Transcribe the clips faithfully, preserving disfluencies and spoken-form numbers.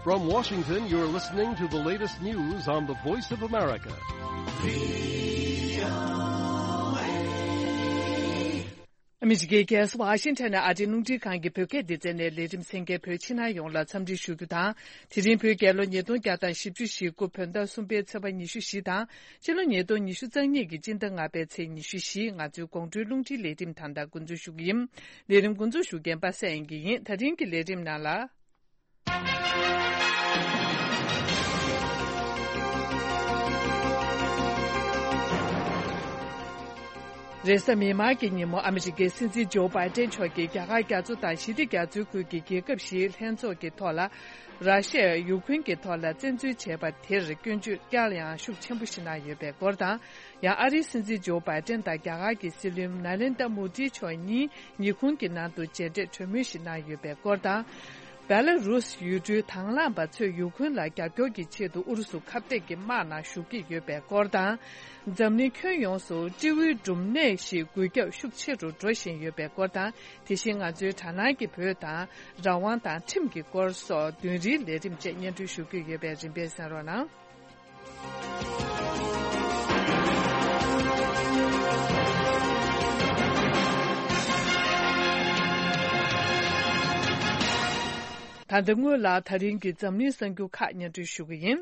From Washington, you're listening to the latest news on the Voice of America. ཨ་མི་རི་ཀའི་རྒྱལ་ས་ཝ་ཤིང་ཊོན་ནས་ཨ་རིའི་རླུང་འཕྲིན་ཁང་གི་བོད་སྐད་སྡེ་ཚན་ནས་ལས་རིམ་གསན་མཁན་བོད་ཕྱི་ནང་ཡོངས་ལ་འཚམས་འདྲི་ཞུ་རྒྱུ་དང་། དེ་རིང་བོད་རྒྱལ་ལོ་ཉིས་སྟོང་བརྒྱ་དང་བཞི་བཅུ་ཞེ་དགུ་བོད་ཟླ་གསུམ་པའི་ཚེས་པ་ཉི་ཤུ་བཞི་དང་། ཕྱི་ལོ་ཉིས་སྟོང་ཉི་ཤུ་རྩ་གཉིས་ཀྱི་སྤྱི་ཟླ་ལྔ་པའི་ཚེས་ཉི་ཤུ་བཞི། ང་ཚོའི་དགོང་དྲོའི་རླུང་འཕྲིན་ལས་རིམ་ད་ལྟ་འགོ་འཛུགས་ཞུ་གི་ཡིན། ལས་རིམ་འགོ་འཛུགས་ཞུ་མཁན་པ་སངས་དབྱངས་སྐྱིད་ཡིན། ད་རིང་གི་ལས་རིམ་ནང་ལ། རེས་གཟའ་མིག་དམར་གྱི་ཉིན་མོ་ཨ་མི་རི་ཀའི་སྲིད་འཛིན་ཇོ་བྷའི་ཏན་མཆོག་གིས་རྒྱ་གར་རྒྱ་མཚོ་དང་ཞི་བདེ་རྒྱ་མཚོའི་ཁུལ་གྱི་རྒྱལ་ཁབ་བཞིའི་ལྷན་ཚོགས་ཀྱི་ཐོག་ལ། ར་ཤི་ཡས་ཡུ་ཁུན་གྱི་ཐོག་ལ་བཙན་འཛུལ་བྱས་པ་དེར་སྐྱོན་བརྗོད་བསྐྱར་ཡང་ཤུགས་ཆེན་པོ་ཞིག་གནང་ཡོད་པའི་སྐོར་དང་། ཡང་ཨ་རིའི་སྲིད་འཛིན་ཇོ་བྷའི་ཏན་དང་རྒྱ་གར་གྱི་སྲིད་བློན་ནཱ་ལེན་དྲ་མོ་དི་མཆོག་གཉིས་ཉི་ཧོང་གི་ནང་དུ་མཇལ་འཕྲད་གྲོས་མོལ་ཞིག་གནང་ཡོད་པའི་སྐོར་དང་། བེ་ལ་རུས་ཡུལ་གྲུའི་དང་བླངས་པ་ཚོས་ཡུ་ཁུན་ལ་རྒྱབ་སྐྱོར་གྱི་ཆེད་དུ་ཨུ་རུ་སུ་ཁ་གཏད་ཀྱི་དམག་ནང་ཞུགས་ཀྱི་ཡོད་པའི་སྐོར་དང་། འཛམ་གླིང་ཁྱོན་ཡོངས་སུ་སྤྲེའུའི་འབྲུམ་ནད་ཞིག་འགོས་ཁྱབ་ཤུགས་ཆེ་རུ་འགྲོ་བཞིན་ཡོད་པའི་སྐོར་དང་། དེ་བཞིན་ང་ཚོའི་དྲ་སྣང་གི་བོད་དང་། རང་དབང་དང་ཁྲིམས་ཀྱི་སྐོར་སོགས་བདུན་རིམ་ལས་རིམ་བཅས་སྙན་སྒྲོན་ཞུ་རྒྱུ་ཡོད་པས་རིམ་པས་གསན་རོགས་གནང་། ད་ལྟ་སྔོན་ལ་ད་རིང་གི་འཛམ་གླིང་གསར་འགྱུར་ཁག་སྙན་སྒྲོན་ཞུ་གི་ཡིན།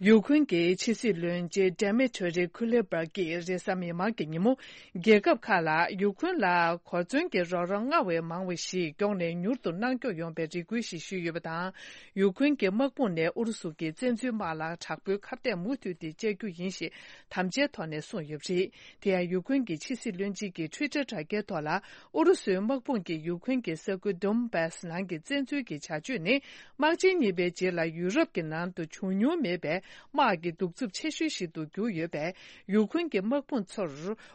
ཡུ་ཁུན་གྱི་ཕྱི་སྲིད་བློན་ཆེན་ཌེ་མི་ཊོ་རི་ཁུ་ལེ་པར་གྱིས་རེས་གཟའ་མིག་དམར་གྱི་ཉིན་མོ། རྒྱལ་ཁབ་ཁག་ལ་ཡུ་ཁུན་ལ་གོ་མཚོན་གྱི་རོགས་རམ་སྔར་བས་མང་བ་ཞིག་མགྱོགས་ནས་མྱུར་དུ་གནང་སྐྱོང་ཡོང་བའི་རེ་སྐུལ་ཞིག་ཞུས་ཡོད་པ་དང་། ཡུ་ཁུན་གྱི་དམག་དཔུང་ནས་ཨུ་རུ་སུ་གྱི་བཙན་འཛུལ་དམག་ལ་དྲག་པོའི་ཁ་གཏད་མུ་མཐུད་དེ་བཅག་རྒྱུ་ཡིན་ཞེས་དམ་བཅའི་ཐོག་ནས་གསུངས་ཡོད་པ་རེད། དེ་ཡང་ཡུ་ཁུན་གྱི་ཕྱི་སྲིད་བློན་ཆེན་གྱི་ཊུའི་ཊར་དྲ་རྒྱའི་ཐོག་ལ། ཨུ་རུ་སུའི་དམག་དཔུང་གིས་ཡུ་ཁུན་གྱི་ས་ཁུལ་ཌོན་བྷ་སི་ནང་གི་བཙན་འཛུལ་གྱི་བྱ་སྤྱོད་ནི། དམག་ཆེན་གཉིས་པའི་རྗེས་ལ་ཡུ་རོབ་ཀྱི་ནང་དུ་བྱུང་མྱོང་མེད་པའི་དམག་གི་གདུག་རྩུབ་ཆེ་ཤོས་ཤིག་ཏུ་གྱུར་ཡོད་པས། ཡུ་ཁུན་གྱི་དམག་དཔུང་ཚོར་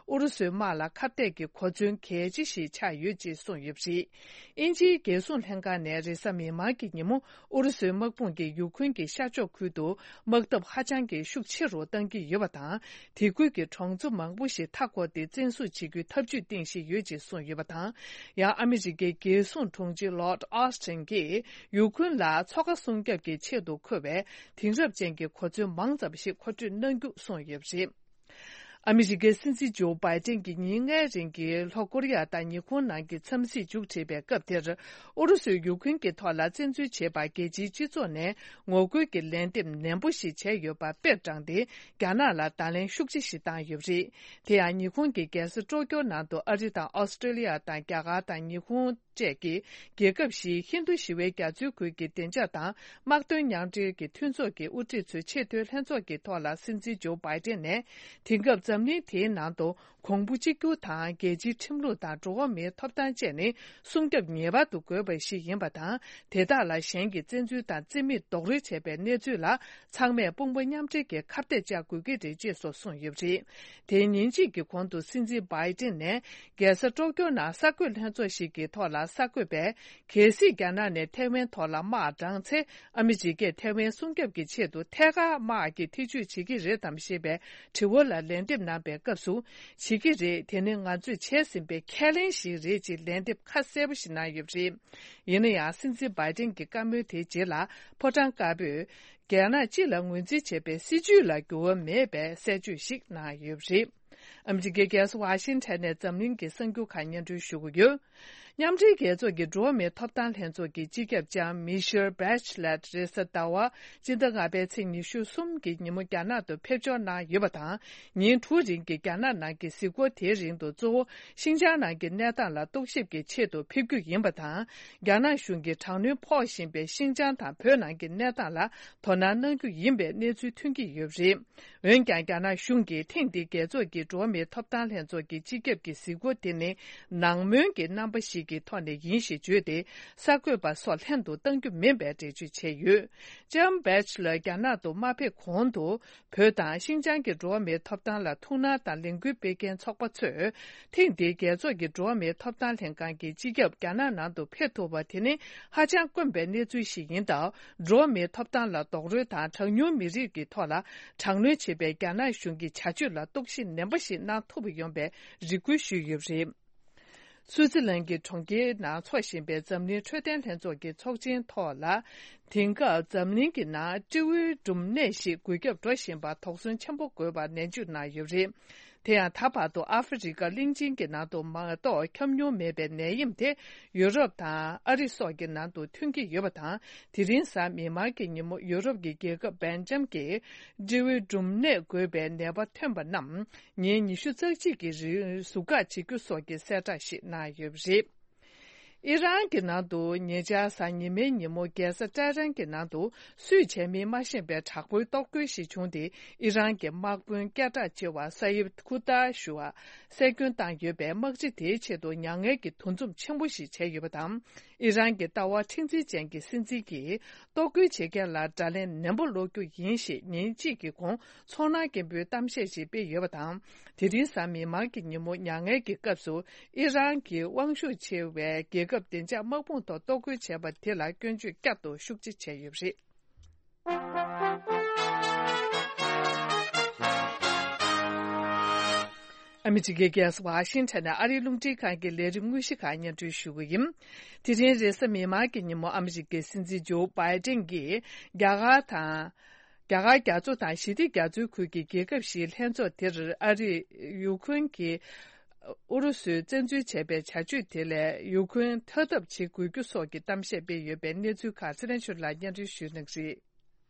ཨུ་རུ་སུའི་དམག་ལ་ཁ་གཏད་ཀྱི་གོ་མཚོན་གལ་ཆེ་ཞིག་ཆགས་ཡོད་ཅེས་གསུངས་ཡོད་པ་རེད། དབྱིན་ཇིའི་རྒྱལ་སྲུང་ལྷན་ཁང་ནས་རེས་གཟའ་མིག་དམར་གྱི་ཉིན་མོ། ཨུ་རུ་སུའི་དམག་དཔུང་གིས་ཡུ་ཁུན་གྱི་ཤར་ཕྱོགས་ཁུལ་དུ་དམག་འཐབ་ཧ་ཅང་གི་ཤུགས་ཆེ་རུ་བཏང་གི་ཡོད་པ་དང་། དེ་ཁུལ་གྱི་གྲོང་ཚོ་མང་པོ་ཞིག་མཐའ་བསྐོར་ཏེ་བཙན་བཟུང་བྱེད་རྒྱུའི་ཐབས་ཇུས་བཏིང་བཞིན་ཡོད་ཅེས་གསུངས་ཡོད་པ་དང་། ཡང་ཨ་མི་རི་ཀའི་རྒྱལ་སྲུང་དྲུང་ཆེ་ལོར་ཌ་ཨོ་སི་ཊིན་གྱིས་ཡུ་ཁུན་ལ་མཚོ་ཁ་སྲུང་སྐྱོབ་ཀྱི་ཆེད་དུ་མཁོ་བའི་དེང་རབས་ཅན་གྱི་གོ་མཚོན་མང་ཙམ་ཞིག་མཁོ་སྤྲོད་གནང་རྒྱུ་གསུངས་ཡོད་པ་རེད། ཨ་མི་རི་ཀའི་སྲིད་འཛིན་ཇོ་བྷའི་ཏན་གྱིས་ཉིན་ལྔའི་རིང་གི་ལྷོ་ཀོ་རི་ཡ་དང་ཉི་ཧོང་ནང་གི་འཚམས་གཟིགས་མཇུག་བསྒྲིལ་བའི་སྐབས་དེར། ཨུ་རུ་སུས་ཡུ་ཁུན་གྱི་ཐོག་ལ་བཙན་འཛུལ་བྱས་པར་རྒྱལ་སྤྱིའི་སྤྱི་ཚོགས་ནས་ངོ་རྒོལ་གྱི་ལན་འདེབས་ནན་པོ་ཞིག་བྱས་ཡོད་པ་དཔེར་དྲངས་ཏེ། རྒྱ་ནག་ལ་བརྡ་ལན་ཤུགས་ཆེ་ཞིག་བཏང་ཡོད་པ་རེད། དེ་ཡང་ཉི་ཧོང་གི་རྒྱལ་ས་ཀྲོ་ཀྱོ་ནང་དུ་ཨ་རི་དང་ཨོ་སི་ཀྲོ་ལི་ཡ་དང་རྒྱ་གར་དང་ཉི་ཧོང་བཅས་ཀྱི་རྒྱལ་ཁབ་བཞིའི་ཧིན་རྡུ་ཞི་བའི་རྒྱ་མཚོའི་ཁུལ་གྱི་བདེ་འཇགས་དང་དམག་དོན་མཉམ་འབྲེལ་གྱི་མཐུན་ཚོགས་ཀྱི་དབུ་ཁྲིད་ཚོའི་ཆེས་མཐོའི་ལྷན་ཚོགས་ཀྱི་ཐོག་ལ་སྲིད་འཛིན་ཇོ་བྷའི་ཏན་ནས། དེང་སྐབས་འཛམ་གླིང་དེའི་ནང་དུ་གོང་བུ་གཅིག་གྱུར་དང་རྒྱལ་སྤྱིའི་ཁྲིམས་ལུགས་དང་འགྲོ་བ་མིའི་ཐོབ་ཐང་བཅས་ནི་སྲུང་སྐྱོབ་ངེས་པར་དུ་དགོས་པ་ཞིག་ཡིན་པ་དང་། དེ་དག་ལ་གཞན་གྱིས་བཙན་འཛུལ་དང་རྩིས་མེད་རྡོག་རོལ་བྱས་པའི་གནས་ཚུལ་ལ་ཚང་མས་དཔུང་པ་མཉམ་འབྲེལ་གྱིས་ཁ་གཏད་བཅག་དགོས་ཀྱི་རེད་ཅེས་སོགས་གསུངས་ཡོད་པ་རེད། དེའི་ཉིན་གཅིག་གི་གོང་དུ་སྲིད་འཛིན་བྷའི་ཏིན་ནས་རྒྱལ་ས་ཀྲོ་ཀྱོ་ནང་གསར་འགོད་ལྷན་ཚོགས་ཤིག་གི་ཐོག་ལ་གསར་འགོད་པས། གལ་སྲིད་རྒྱ་ནག་ནས་ཐའེ་ཝན་ཐོག་ལ་དམག་དྲངས་ཚེ། ཨ་མི་རི་ཀས་ཐའེ་ཝན་སྲུང་སྐྱོབ་ཀྱི་ཆེད་དུ་ཐད་ཀར་དམག་གི་ཐེ་བྱུས་བྱེད་ཀྱི་རེད་དམ་ཞེས་པའི་དྲི་བ་ལ་ལན་འདེབས་གནང་པའི་སྐབས་སུ། བྱེད་ཀྱི་རེད། དེ་ནི་ང་ཚོས་བྱས་ཟིན་པའི་ཁས་ལེན་ཞིག་རེད་ཅེས་ལན་འདེབས་ཁ་གསལ་པོ་ཞིག་གནང་ཡོད་པ་རེད། ཡིན་ན་ཡང་། སྲིད་འཛིན་བྷའི་ཏིན་གྱི་བཀའ་མོལ་དེའི་རྗེས་ལ། ཕོ་བྲང་དཀར་པོས། རྒྱ་ནག་སྤྱི་ལ་ངོས་འཛིན་བྱེད་པའི་སྲིད་བྱུས་ལ་འགྱུར་བ་མེད་པའི་གསལ་བརྗོད་ཞིག་གནང་ཡོད་པ་རེད། ཨ་མི་རི་ཀའི་རྒྱལ་ས་ཝ་ཤིང་ཊོན་ནས་འཛམ་གླིང་གི་གསར་འགྱུར་ཁག་སྙན་སྒྲོན་ཞུ་གི་ཡོད། མཉམ་འབྲེལ་རྒྱལ་ཚོགས་ཀྱི་འགྲོ་བ་མིའི་ཐོབ་ཐང་ལྷན་ཚོགས་ཀྱི་སྤྱི་ཁྱབ་ལྕམ་མི་ཤེལ་བྷེ་ཆི་ལེད་རེས་གཟའ་ཟླ་བ། སྤྱི་ཟླ་ལྔ་པའི་ཚེས་ཉི་ཤུ་གསུམ་གྱི་ཉིན་མོ་རྒྱ་ནག་ཏུ་ཕེབས་འབྱོར་གནང་ཡོད་པ་དང་། ཉིན་དྲུག་རིང་གི་རྒྱ་ནག་ནང་གི་གཟིགས་སྐོར་དེའི་རིང་དུ་གཙོ་བོ་ཤིན་ཅང་ནང་གི་གནས་སྟངས་ལ་རྟོག་ཞིབ་ཀྱི་ཆེད་དུ་ཕེབས་རྒྱུ་ཡིན་པ་དང་། རྒྱ་ནག་གཞུང་གིས་དྲག་གནོན་ཕོག་བཞིན་པའི་ཤིན་ཅང་དང་བོད་ནང་གི་གནས་སྟངས་ལ་དོ་སྣང་གནང་རྒྱུ་ཡིན་པའི་གནས་ཚུལ་ཐོན་གྱི་ཡོད་པ་རེད། འོན་ཀྱང་། རྒྱ་ནག་གཞུང་གིས་ཐེངས་འདིའི་རྒྱལ་ཚོགས་ཀྱི་འགྲོ་བ་མིའི་ཐོབ་ཐང་ལྷན་ཚོགས་ཀྱི་སྤྱི་ཁྱབ་ཀྱི་གཟིགས་སྐོར་དེ་ནི། ནང་མོལ་གྱི་རྣམ་པ་ཞིག་གི་ཐོག་ནས་ཡིན་ཞེས་བརྗོད་དེ། གསར་འགོད་པ་སོགས་ལྷན་དུ་བཏང་རྒྱུ་མིན་པའི་འགྲེལ་བརྗོད་བྱས་ཡོད། ལྕམ་བྷེ་ཆི་ལར་རྒྱ་ནག་ཏུ་མ་ཕེབས་གོང་དུ། བོད་དང་ཤིན་ཅང་གི་འགྲོ་བ་མིའི་ཐོབ་ཐང་ལ་ཐུགས་སྣང་དང་ལས་འགུལ་སྤེལ་མཁན་ཚོགས་པ་ཚོས། ཐེངས་འདིའི་རྒྱལ་ཚོགས་ཀྱི་འགྲོ་བ་མིའི་ཐོབ་ཐང་ལྷན་ཁང་གི་སྤྱི་ཁྱབ་རྒྱ་ནག་ནང་དུ་ཕེབས་ཐུབ་པ་དེ་ནི་ཧ་ཅང་དཀོན་པའི་གནས་ཚུལ་ཞིག་ཡིན་སྟབས། འགྲོ་བ་མིའི་ཐོབ་ཐང་ལ་རྡོག་རོལ་དང་གྲངས་ཉུང་མི་རིགས་ཀྱི་ཐོག་ལ་དྲག་གནོན་བྱེད་པའི་རྒྱ་ནག་གཞུང་གི་བྱ་སྤྱོད་ལ་རྟོག་ཞིབ་ནན་པོ་ཞིག་གནང་ཐུབ་པ་ཡོང་བའི་རེ་སྐུལ་ཞུས་ཡོད་པ་རེད། སུའུ་ཙི་ལན་གྱི་གྲོང་ཁྱེར་ནང་འཚོགས་བཞིན་པའི་འཛམ་གླིང་འཕྲོད་བསྟེན་ལྷན་ཚོགས་ཀྱི་ཚོགས་ཆེན་ཐོག་ལ། དེང་སྐབས་འཛམ་གླིང་གི་ནང་སྤྲེའུའི་འབྲུམ་ནད་ཞིག་འགོས་ཁྱབ་འགྲོ་བཞིན་པར་དོགས་ཟོན་ཆེན་པོ་དགོས་པར་ནན་བརྗོད་གནང་ཡོད་པ་རེད། དེ་ཡང་ད་བར་དུ་ཨ་ཧྥེ་རི་ཀ་གླིང་ཆེན་གྱི་ནང་དུ་མ་གཏོགས་ཁྱབ་མྱོང་མེད་པའི་ནད་ཡམས་དེ་ཡུ་རོབ་དང་ཨ་རི་སོགས་ཀྱི་ནང་དུ་ཐོན་གྱི་ཡོད་པ་དང་། དེ་རིང་གཟའ་མིག་དམར་གྱི་ཉིན་མོ་ཡུ་རོབ་ཀྱི་རྒྱལ་ཁབ་སྦེལ་ཇམ་གྱིས་སྤྲེའུའི་འབྲུམ་ནད་འགོས་པའི་ནད་པ་ཐོན་པ་རྣམས་ཉིན་ཉི་ཤུ་རྩ་གཅིག་གི་རིང་ཟུར་བཀག་བྱེད་རྒྱུ་སོགས་ཀྱི་གསལ་བསྒྲགས་ཤིག་གནང་ཡོད་པ་རེད། ཨི་རན་གྱི་ནང་དུ་ཉེ་ཆར་གཟའ་ཉི་མའི་ཉིན་མོ་རྒྱལ་ས་ཏེ་ཧྲན་གྱི་ནང་དུ་སུས་བྱས་མིན་མ་ཤེས་པའི་དྲག་པོའི་གཏོར་རྒོལ་ཞིག་བྱུང་སྟེ། ཨི་རན་གྱི་དམག་དཔོན་སྐད་གྲགས་ཆེ་བ་ས་ཡིབ་ཁུ་ཏ་ཞུ་བ་གསལ་སྐྱོན་བཏང་ཡོད་པས། དམག་སྤྱི་དེའི་ཆེད་དུ་མྱ་ངན་གྱི་འདུ་འཛོམས་ཆེན་པོ་ཞིག་བྱས་ཡོད་པ་དང་། ཨི་རན་གྱི་ལྟ་བ་མཁྲེགས་འཛིན་ཅན་གྱི་སྲིད་འཛིན་གྱིས་གཏོར་རྒོལ་བྱེད་མཁན་ལ་དགྲ་ལན་ནན་པོ་སློག་རྒྱུ་ཡིན་ཞེས་ཉིན་གཅིག་གི་གོང་ཚོར་སྣང་སྐྱེན་པོའི་གཏམ་བཤད་ཞིག་སྤེལ་ཡོད་པ་དང་། དེ་རིང་གཟའ་མིག་དམར་གྱི་ཉིན་མོ་མྱ་ངན་གྱི་སྐབས་སུ། ཨི་རན་གྱི་དབང་ཤུགས་ཆེ་བའི་རྒྱལ་ཁབ་བདེ་འཇགས་དམག་དཔུང་ཐོག་གཏོར་རྒོལ་བྱས་པ་དེ་ལ་སྐྱོན་བརྗོད་བསྐྱར་དུ་ཤུགས་ཆེ་བྱས་ཡོད་པ་རེད། ཨ་མི་རི་ཀའི་རྒྱལ་ས་ཝ་ཤིང་ཊོན་ནས་ཨ་རིའི་རླུང་འཕྲིན་ཁང་གི་ལས་རིམ་དངོས་གཞི་ཁག་སྙན་སྒྲོན་ཞུ་གི་ཡིན། དེ་རིང་རེས་གཟའ་མིག་དམར་གྱི་ཉིན་མོ་ཨ་མི་རི་ཀའི་སྲིད་འཛིན་ཇོ་བྷའི་ཏིན་གྱིས་རྒྱ་གར་དང་། རྒྱ་གར་རྒྱ་མཚོ་དང་ཞི་བདེ་རྒྱ་མཚོའི་ཁུལ་གྱི་རྒྱལ་ཁབ་བཞིའི་ལྷན་ཚོགས་དེར་ཨ་རིས་ཡུ་ཁུན་གྱིས་ཨུ་རུ་སུས་བཙན་འཛུལ་བྱས་པའི་བྱ་སྤྱོད་དེ་ལས་ཡུ་ཁུན་ཐར་ཐབས་བྱེད་དགོས་རྒྱུ་སོགས་ཀྱི་གཏམ་བཤད་སྤེལ་ཡོད་པའི་གནས་ཚུལ་ཁག་ཚེ་རིང་ཆོས་ལགས་སྙན་སྒྲོན་ཞུ་གནང་གི་རེད།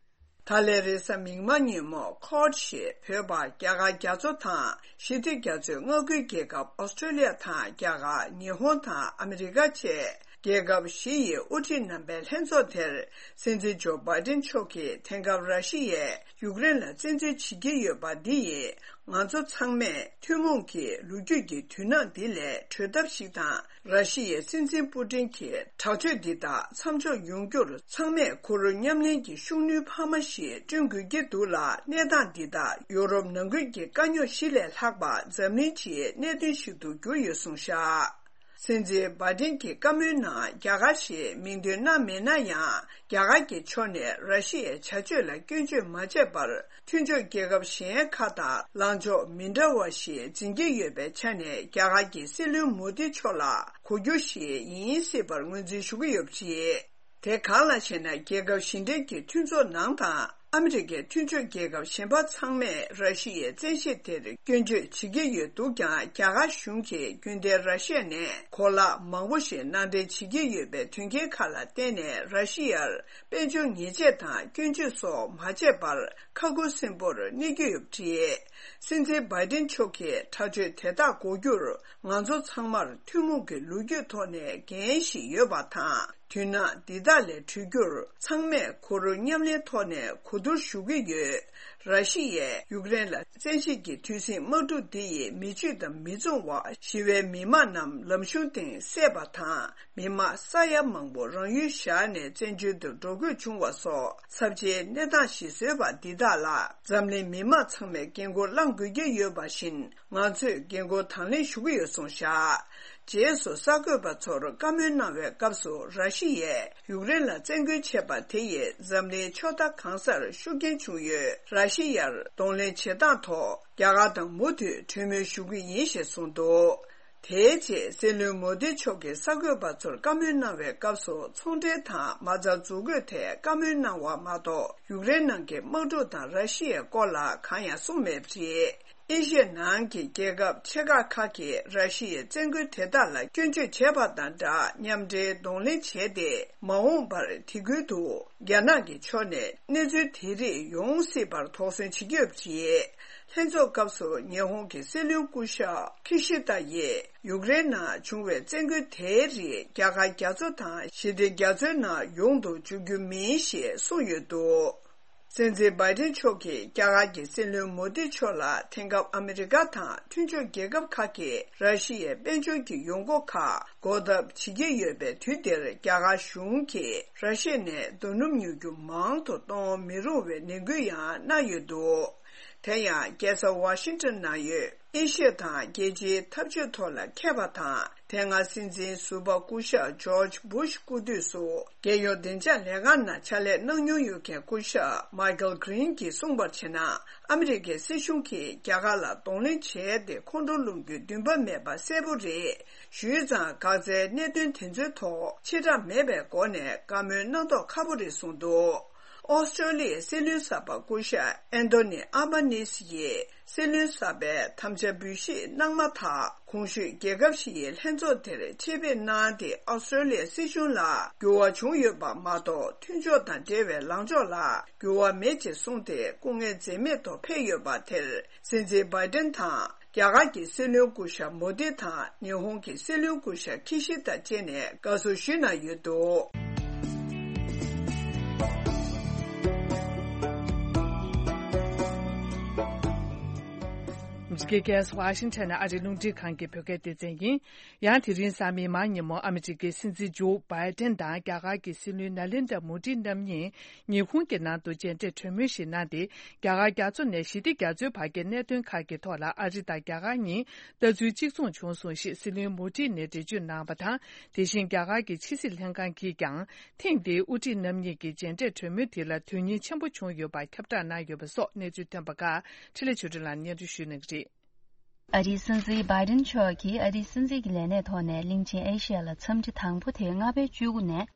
ད་ལན་རེས་གཟའ་མིག་དམར་ཉིན་མོ་ཁོཌ་ཞེས་བོད་པ་རྒྱ་གར་རྒྱ་མཚོ་དང་ཞི་བདེ་རྒྱ་མཚོའི་མངའ་ཁུལ་རྒྱལ་ཁབ་ཨོ་སི་ཀྲོ་ལི་ཡ་དང་རྒྱ་གར། ཉི་ཧོང་དང་ཨ་མི་རི་ཀ་བཅས་རྒྱལ་ཁབ་བཞི་ཡི་དབུ་ཁྲིད་རྣམ་པའི་ལྷན་ཚོགས་དེར་སྲིད་འཛིན་ཇོ་བྷའི་ཏིན་མཆོག་གིས་དེང་སྐབས་ར་ཤི་ཡས་ཡུཀ་རེན་ལ་བཙན་འཛུལ་བྱེད་ཀྱི་ཡོད་པ་འདི་ཡིས་ང་ཚོ་ཚང་མས་ཐུན་མོང་གི་ལོ་རྒྱུས་ཀྱི་དུས་སྣང་འདི་ལས་གྲོལ་ཐབས་ཤིག་དང་། ར་ཤི་ཡའི་སྲིད་འཛིན་པུ་ཏིན་གྱི་དྲག་སྤྱོད་འདི་དག་མཚམས་འཇོག་ཡོང་རྒྱུར་ཚང་མས་ཁོ་རང་མཉམ་ལེན་གྱི་ཤུགས་སྣོན་འཕར་མ་ཞིག་བསྐྲུན་དགོས་ཀྱི་འདུག་ལ། གནས་སྟངས་འདི་དག་ཡོ་རོབ་ནང་ཁུལ་གྱི་དཀའ་རྙོག་བཞི་ལས་ལྷག་པ་འཛམ་གླིང་སྤྱིའི་གནད་དོན་ཞིག་ཏུ་གྱུར་ཡོད་གསུངས་བཞག་སྲིད་འཛིན་བྷའི་ཏིན་གྱི་བཀའ་མོལ་ནང་རྒྱ་གར་ཞེས་མིང་འདོན་གནང་མེད་ན་ཡང་། རྒྱ་གར་གྱི་ཕྱོགས་ནས་ར་ཤི་ཡའི་བྱ་སྤྱོད་ལ་སྐྱོན་བརྗོད་མ་བྱས་པར། མཐུན་ཕྱོགས་རྒྱལ་ཁབ་གཞན་ཁག་དང་ལངས་ཕྱོགས་མི་འདྲ་བ་ཞིག་འཛིན་གྱི་ཡོད་པའི་ཆ་ནས། རྒྱ་གར་གྱི་སྲིད་བློན་མོ་དི་མཆོག་ལ་གོ་རྒྱུ་ཞིག་ཡིན་སྲིད་པར་ངོས་འཛིན་ཞུ་གི་ཡོད་པ་རེད། དེ་གང་ལགས་ཤེ་ན། རྒྱལ་ཁབ་བཞི་འབྲེལ་གྱི་མཐུན་ཚོགས་ནང་དང་ཨ་མི་རི་ཀའི་མཐུན་ཕྱོགས་རྒྱལ་ཁབ་གཞན་པ་ཚང་མས་ར་ཤི་ཡའི་བཙན་ཤེད་དེར་སྐྱོན་བརྗོད་བྱེད་ཀྱི་ཡོད་འདུག་ཀྱང་། རྒྱ་གར་གཞུང་གིས་རྒྱུན་ལྡན་ར་ཤི་ཡ་ནས་གོ་ལག་མང་པོ་ཞིག་ནང་འདྲེན་བྱེད་ཀྱི་ཡོད་པའི་དོན་རྐྱེན་ཁག་ལ་བརྟེན་ནས། ར་ཤི་ཡར་དཔལ་འབྱོར་ཉེས་ཆད་དང་སྐྱོན་བརྗོད་སོགས་མ་བྱས་པར་ཁ་ཁུ་སིམ་པོར་གནས་ཀྱི་ཡོད་པ་རེད། སྲིད་འཛིན་བྷའི་ཏིན་མཆོག་གིས་དྲག་སྤྱོད་དེ་དག་འགོག་རྒྱུར་ང་ཚོ་ཚང་མར་ཐུན་མོང་གི་ལོ་རྒྱུས་ཐོག་ནས་འགན་ཞིག་ཡོད་པ་དང་། དུས་སྣང་འདི་དག་ལས་གྲོལ་རྒྱུར་ཚང་མས་ཁོ་རང་མཉམ་ལེན་ཐོག་ནས་གོ་བསྡུར་ཞུ་གི་ཡོད། ར་ཤི་ཡས་ཡུཀ་རེན་ལ་བཙན་ཤེད་ཀྱི་དུས་ཟིང་དམག་འཁྲུག་འདི་ཡིས་མི་ཆོས་དང་མི་མཚུངས་པ་ཞི་བའི་མི་དམངས་རྣམས་ལམ་གཞུང་སྟེང་བསད་པ་དང་། མི་དམངས་ས་ཡ་མང་པོ་རང་ཡུལ་བཞག་ནས་བཙན་བྱོལ་དུ་འགྲོ་དགོས་བྱུང་བ་སོགས་ཚབས་ཆེའི་གནས་སྟངས་ཤིག་བཟོས་པ་འདི་དག་ལ་འཛམ་གླིང་མི་དམངས་ཚང་མས་འགན་ཁུར་བླང་དགོས་ཀྱི་ཡོད་པ་བཞིན། ང་ཚོས་འགན་ཁུར་དང་ལེན་ཞུ་གི་ཡོད་གསུངས་བཞག་རྗེས་སུ་གསར་འགོད་པ་ཚོར་བཀའ་མོལ་གནང་བའི་སྐབས་སུ། ར་ཤི་ཡས་ཡུཀ་རེན་ལ་བཙན་རྒོལ་བྱས་པ་དེ་ཡིས་འཛམ་གླིང་ཕྱོགས་མཐའ་གང་སར་ཤུགས་རྐྱེན་བྱུང་ཡོད། ར་ཤི་ཡར་གདོང་ལེན་བྱེད་སྟངས་ཐོག་རྒྱ་གར་དང་མུ་མཐུད་གྲོས་མོལ་ཞུ་གི་ཡིན་ཞེས་གསུངས་འདུག་དེའི་རྗེས་སྲིད་བློན་མོ་དི་མཆོག་གིས་གསར་འགོད་པ་ཚོར་བཀའ་མོལ་གནང་བའི་སྐབས་སུ། ཚོང་འབྲེལ་དང་མ་རྩ་འཛུགས་དགོས་ཐད་བཀའ་མོལ་གནང་བ་མ་གཏོགས། ཡུཀ་རེན་ནང་གི་དམག་འཁྲུག་དང་ར་ཤི་ཡའི་སྐོར་ལ་གང་ཡང་གསུངས་མེད་པ་རེད། ཨེ་ཤི་ཡ་ནང་གི་རྒྱལ་ཁབ་ཆེ་ཁག་ཁག་གིས་ར་ཤི་ཡའི་བཙན་རྒོལ་དེ་དག་ལ་སྐྱོན་བརྗོད་བྱས་པ་དང་སྦྲགས། མཉམ་འབྲེལ་གདོང་ལེན་བྱས་ཏེ། མ་འོངས་པར་དེ་ཁུལ་དུ་རྒྱ་ནག་གི་ཕྱོགས་ནས་གནས་ཚུལ་དེ་རིགས་ཡོང་སྲིད་པར་དོགས་ཟོན་བྱེད་ཀྱི་ཡོད་པ་རེད། ལྷན་ཚོགས་སྐབས་སུ་ཉི་ཧོང་གི་སྲིད་བློན་སྐུ་ཞབས་ཁི་ཤི་ད་ཡིས། ཡུཀ་རེན་ནང་བྱུང་བའི་བཙན་རྒོལ་དེའི་རིགས་རྒྱ་གར་རྒྱ་མཚོ་དང་ཞི་བདེ་རྒྱ་མཚོའི་ནང་ཡོང་དུ་འཇུག་རྒྱུ་མིན་ཞེས་གསུངས་ཡོད་འདུག་སྲིད་འཛིན་བྷའི་ཏིན་མཆོག་གིས་རྒྱ་གར་གྱི་སྲིད་བློན་མོ་དི་མཆོག་ལ། དེང་སྐབས་ཨ་མི་རི་ཀ་དང་མཐུན་ཕྱོགས་རྒྱལ་ཁབ་ཁག་གིས་ར་ཤི་ཡའི་དཔལ་འབྱོར་གྱི་ཡོང་སྒོ་ཁག་འགོག་ཐབས་བྱེད་ཀྱི་ཡོད་པའི་དུས་འདིར། རྒྱ་གར་གཞུང་གིས་ར་ཤི་ཡ་ནས་རྡོ་སྣུམ་ཉོ་རྒྱུ་མང་དུ་གཏོང་མི་རུང་བའི་ནན་སྐུལ་ཡང་གནང་ཡོད་འདུག་དེ་ཡང་རྒྱལ་ས་ཝ་ཤིང་ཊོན་ནང་ཡོད་ཨེ་ཤི་ཡ་དང་རྒྱལ་སྤྱིའི་འཐབ་ཇུས་ཐོག་ལ་མཁས་པ་དང་། དེ་སྔ་སྲིད་འཛིན་ཟུར་པ་སྐུ་ཞབས་ཇོརྗ་བུ་ཤ་སྐུ་དུས་སུ་རྒྱལ་ཡོངས་བདེ་འཇགས་ལས་ཁང་ནང་ཕྱག་ལས་གནང་མྱོང་ཡོད་མཁན་སྐུ་ཞབས་མའི་ཀལ་གྷི་རིན་གྱིས་གསུངས་པར་བྱས་ན། ཨ་མི་རི་ཀའི་སྲིད་གཞུང་གིས་རྒྱ་གར་ལ་གདོང་ལེན་བྱས་ཏེ་ཁོང་ཁྲོ་སློང་རྒྱུའི་འདུན་པ་མེད་པ་གསལ་པོ་རེད། ཞུས་ཙང་། འགག་རྩའི་གནད་དོན་དེ་ཚོའི་ཐོག་ཕྱི་བསྒྲགས་མེད་པའི་སྒོ་ནས་བཀའ་མོལ་གནང་མདོག་ཁ་པོ་རེད་གསུངས་འདུག་ཨོ་སི་ཀྲོ་ལི་ཡའི་སྲིད་བློན་གསར་པ་སྐུ་ཞབས་ཨན་ཐོ་ནི་ཨ་བྷ་ནིས་ཡིས་སྲིད་བློན་གསར་པའི་དམ་བཅའ་འབུལ་བཞེས་གནང་མ་ཐག་གོང་ཞུས་རྒྱལ་ཁབ་བཞི་ཡི་ལྷན་ཚོགས་དེར་ཆེད་ཕེབས་གནང་སྟེ། ཨོ་སི་ཀྲོ་ལི་ཡའི་སྲིད་གཞུང་ལ་འགྱུར་བ་བྱུང་ཡོད་པ་མ་གཏོགས། མཐུན་ཕྱོགས་དང་འབྲེལ་བའི་ལངས་ཕྱོགས་ལ་འགྱུར་བ་མེད་ཅེས་གསུངས་ཏེ། སྐུ་ངལ་འཛེམས་མེད་ཐོག་ཕེབས་ཡོད་པ་དེར། སྲིད་འཛིན་བྷའི་ཏན་དང་། རྒྱ་གར་གྱི་སྲིད་བློན་སྐུ་ཞབས་མོ་དི་དང་། ཉི་ཧོང་གི་སྲིད་བློན་སྐུ་ཞབས་ཁི་ཤི་དང་བཅས་ནས་དགའ་བསུ་ཞུས་གནང་ཡོད་འདུག་འདི་ག་ཝ་ཤིང་ཊོན་ནས་ཨ་རིའི་རླུང་འཕྲིན་ཁང་གི་བོད་སྐད་སྡེ་ཚན་ཡིན། ཡང་དེ་རིང་གཟའ་མིག་དམར་ཉིན་མོ། ཨ་མི་རི་ཀའི་སྲིད་འཛིན་ཇོ་བྷའི་ཏན་དང་རྒྱ་གར་གྱི་སྲིད་བློན་ནཱ་ལེནྡྲ་མོ་དི་རྣམ་གཉིས་ཉི་ཧོང་གི་ནང་དུ་མཇལ་འཕྲད་གྲོས་མོལ་ཞིག་གནང་སྟེ། རྒྱ་གར་རྒྱ་མཚོ་ནས་ཞི་བདེ་རྒྱ་མཚོའི་བར་གྱི་གནད་དོན་ཁག་གི་ཐོག་ལ་ཨ་རི་དང་རྒྱ་གར་གཉིས་ལྟ་ཚུལ་གཅིག་མཚུངས་བྱུང་སོང་ཞེས་སྲིད་བློན་མོ་དི་ནས་འགྲེལ་བརྗོད་གནང་བ་དང་། དེ་བཞིན་རྒྱ་གར་གྱི་ཕྱི་སྲིད་ལྷན་ཁང་གིས་ཀྱང་ཐེངས་འདིའི་དབུ་ཁྲིད་རྣམ་གཉིས་ཀྱི་མཇལ་འཕྲད་གྲོས་མོལ་དེ་ལ་དོན་སྙིང་ཆེན་པོ་བྱུང་ཡོད་པ་ཁྱབ་བསྒྲགས་གནང་ཡོད་པ་སོགས་གནས་ཚུལ་ཐོན་པ་ཁག་འཕྲིན་ལས་ཆོས་སྒྲོན་ལགས་སྙན་སྒྲོན་ཞུ་གནང་གི་རེད། ཨ་རིའི་སྲིད་འཛིན་བྷའི་ཏིན་མཆོག་གིས་ཨ་རིའི་སྲིད་འཛིན་གྱི་ལས་གནས་ཐོག་ནས་གླིང་ཆེན་ཨེ་ཤི་ཡ་ལ་འཚམས་འདྲི་དང་པོ་དེ་ལྔ་པའི་བཅུ་དགུ་ནས་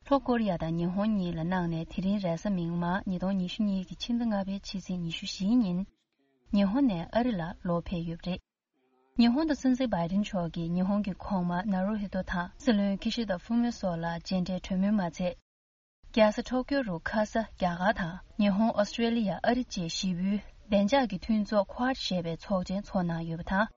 ལྷོ་ཀོ་རི་ཡ་དང་ཉི་ཧོང་གཉིས་ལ་གནང་ནས། དེ་རིང་རེས་གཟའ་མིག་དམར་ཉིས་སྟོང་ཉི་ཤུ་གཉིས་ཀྱི་ཕྱི་ཟླ་ལྔ་པའི་ཕྱི་ཚེས་ཉི་ཤུ་བཞིའི་ཉིན་ཉི་ཧོང་ནས་ཨ་རི་ལ་ལོག་ཕེབས་ཡོད་པ་རེད། ཉི་ཧོང་དུ་སྲིད་འཛིན་བྷའི་ཏིན་མཆོག་གིས་ཉི་ཧོང་གི་གོང་མ་ནཱ་རུ་ཧི་ཏོ་དང་སྲིད་བློན་ཁི་ཤི་ད་ཧྥུ་མི་སོགས་ལ་མཇལ་འཕྲད་གྲོས་མོལ་མ་ཚད། རྒྱལ་ས་ཊོ་ཀྱོ་རུ་ཁ་ས་རྒྱ་གར་དང་ཉི་ཧོང་། ཨོ་སི་ཀྲེ་ལི་ཡ། ཨ་རི་བཅས་བཞི་པོའི་བདེ་འཇགས་ཀྱི་མཐུན་ཚོགས་ཁོ་ཝཱཌ་ཞེས་པའི་ཚོགས་ཆེན་ཚོགས་གནང་ཡོད་པ་དང་།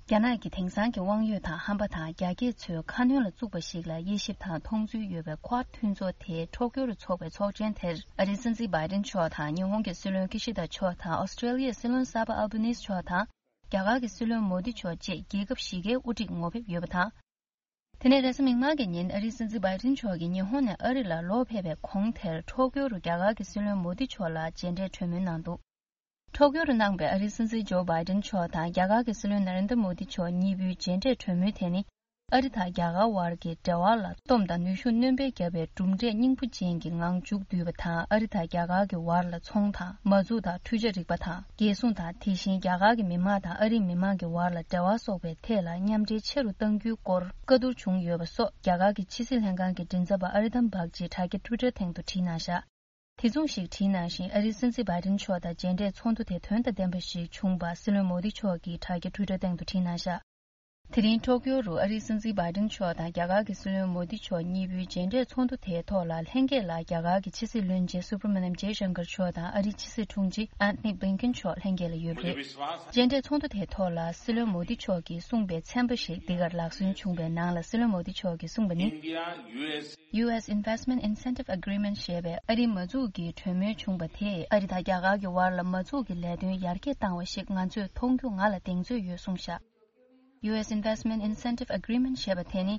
རྒྱ་ནག་གི་དེང་སང་གི་དབང་ཡོད་དང་ཧམ་པ་དང་རྒྱ་སྐྱེད་ཚོའི་ཁ་གནོན་ལ་བཙུགས་པ་ཞིག་ལ་དབྱེ་ཞིབ་དང་མཐོང་ཚུལ་ཡོད་པའི་ཁོ་ཝཱཌ་མཐུན་ཚོགས་དེ་ཊོ་ཀྱོ་རུ་འཚོགས་པའི་ཚོགས་ཆེན་དེར་ཨ་རིའི་སྲིད་འཛིན་བྷའི་ཏིན་མཆོག་དང་། ཉི་ཧོང་གི་སྲིད་བློན་ཁི་ཤི་ད་མཆོག་དང་། ཨོ་སི་ཀྲེ་ལི་ཡའི་སྲིད་བློན་གསར་པ་ཨལ་བྷ་ནིས་མཆོག་དང་། རྒྱ་གར་གྱི་སྲིད་བློན་མོ་དི་མཆོག་བཅས་རྒྱལ་ཁབ་བཞི་ཀའི་དབུ་ཁྲིད་ངོ་ཕེབས་ཡོད་པ་དང་། དེ་ནས་རེས་གཟའ་མིག་དམར་གྱི་ཉིན་ཨ་རིའི་སྲིད་འཛིན་བྷའི་ཏིན་མཆོག་གིས་ཉི་ཧོང་ནས་ཨ་རི་ལ་ལོག་ཕེབས་པའི་གོང་དེར། ཊོ་ཀྱོ་རུ་རྒྱ་གར་གྱི་སྲིད་བློན་མོ་དི་མཆོག་ལ་མཇལ་འཕྲད་གྲོས་མོལ་གནང་འདུག་ཊོ་ཀྱོ་རུ་གནང་པའི་ཨ་རིའི་སྲིད་འཛིན་ཇོ་བྷའི་ཏིན་མཆོག་དང་རྒྱ་གར་གྱི་སྲིད་བློན་ནཱ་རེན་དྲ་མོ་དི་མཆོག་གཉིས་པོའི་མཇལ་འཕྲད་གྲོས་མོལ་དེ་ནི། ཨ་རི་དང་རྒྱ་གར་དབར་གྱི་འབྲེལ་བ་ལ་སྟོབས་དང་ནུས་ཤུགས་སྣོན་པ་བརྒྱབ་པའི་གྲུབ་འབྲས་སྙིང་པོ་ཅན་གྱི་ངང་མཇུག་བསྡུས་པ་དང་། ཨ་རི་དང་རྒྱ་གར་གྱི་བར་ལ་ཚོང་དང་མ་འཛུགས་དང་འཕྲུལ་ཆས་རིག་པ་དང་རྒྱལ་སྲུང་དང་། དེ་བཞིན་རྒྱ་གར་གྱི་མི་དམངས་དང་ཨ་རིའི་མི་དམངས་ཀྱི་བར་ལ་འབྲེལ་བ་སོགས་པའི་ཐད་ལ་མཉམ་འབྲེལ་ཆེ་རུ་གཏང་རྒྱུའི་སྐོར་བཀའ་བསྡུར་བྱུང་ཡོད་པ་སོགས་རྒྱ་གར་གྱི་ཕྱི་སྲིད་ལྷན་ཁང་གི་མགྲིན་ཚབ་པ་ཨ་རི་དམ་བག་ཅིག་དྲ་རྒྱ་ཊུའི་ཊར་སྟེང་དུ་བྲིས་གནང་བཞག་དེ་མཚུངས་ཤིག་བྲིས་གནང་བཞིན། ཨ་རིའི་སྲིད་འཛིན་བྷའི་ཏིན་མཆོག་དང་མཇལ་འཕྲད་ཚོགས་འདུ་དེ་དོན་དང་ལྡན་པ་ཞིག་བྱུང་བ་སྲིད་བློན་མོ་དི་མཆོག་གིས་དྲ་རྒྱ་ཊུའི་ཊར་སྟེང་དུ་བྲིས་གནང་བཞག་དེ་རིང་ཊོ་ཀྱོ་རུ་ཨ་རིའི་སྲིད་འཛིན་བྷའི་ཏིན་མཆོག་དང་རྒྱ་གར་གྱི་སྲིད་བློན་མོ་དི་མཆོག་གཉིས་པོའི་མཇལ་འཕྲད་ཚོགས་འདུ་དེའི་ཐོག་ལ་ལྷན་རྒྱས་ལ་རྒྱ་གར་གྱི་ཕྱི་སྲིད་བློན་ཆེན་སུ་བྷ་ར་མ་ནམ་ཇེ་ཤང་ཀར་མཆོག་དང་ཨ་རིའི་ཕྱི་སྲིད་དྲུང་ཆེ་ཨན་ཐོ་ནི་བྷིན་ཀིན་མཆོག་ལྷན་རྒྱས་ལ་ཡོད་པ་རེད། མཇལ་འཕྲད་ཚོགས་འདུ་དེའི་ཐོག་ལ་སྲིད་བློན་མོ་དི་མཆོག་གིས་གསུངས་པའི་ཚན་པ་ཞིག་འདི་གར་ལག་སོན་བྱུང་བའི་ནང་ལ། སྲིད་བློན་མོ་དི་མཆོག་གིས་གསུངས་པ་ནི། India U S Investment Incentive Agreement ཞེས་པའི་ཨ་རིའི་མ་འཛུགས་ཀྱི་གྲོས་མོལ་བྱུང་བ་དེས་ཨ་རི་དང་རྒྱ་གར་གྱི་བར་ལ་མ་འཛུགས་ཀྱི་ལས་དོན་ཡར་རྒྱས་བཏང་བ་ཞིག་ང་ཚོས་མཐོང་རྒྱུ་ང་ལ་གདེང་ཚོད་ཡོད་གསུངས་བཞག་ཡུ་ཨེས་Investment Incentive Agreement ཞེས་པ་དེ་ནི།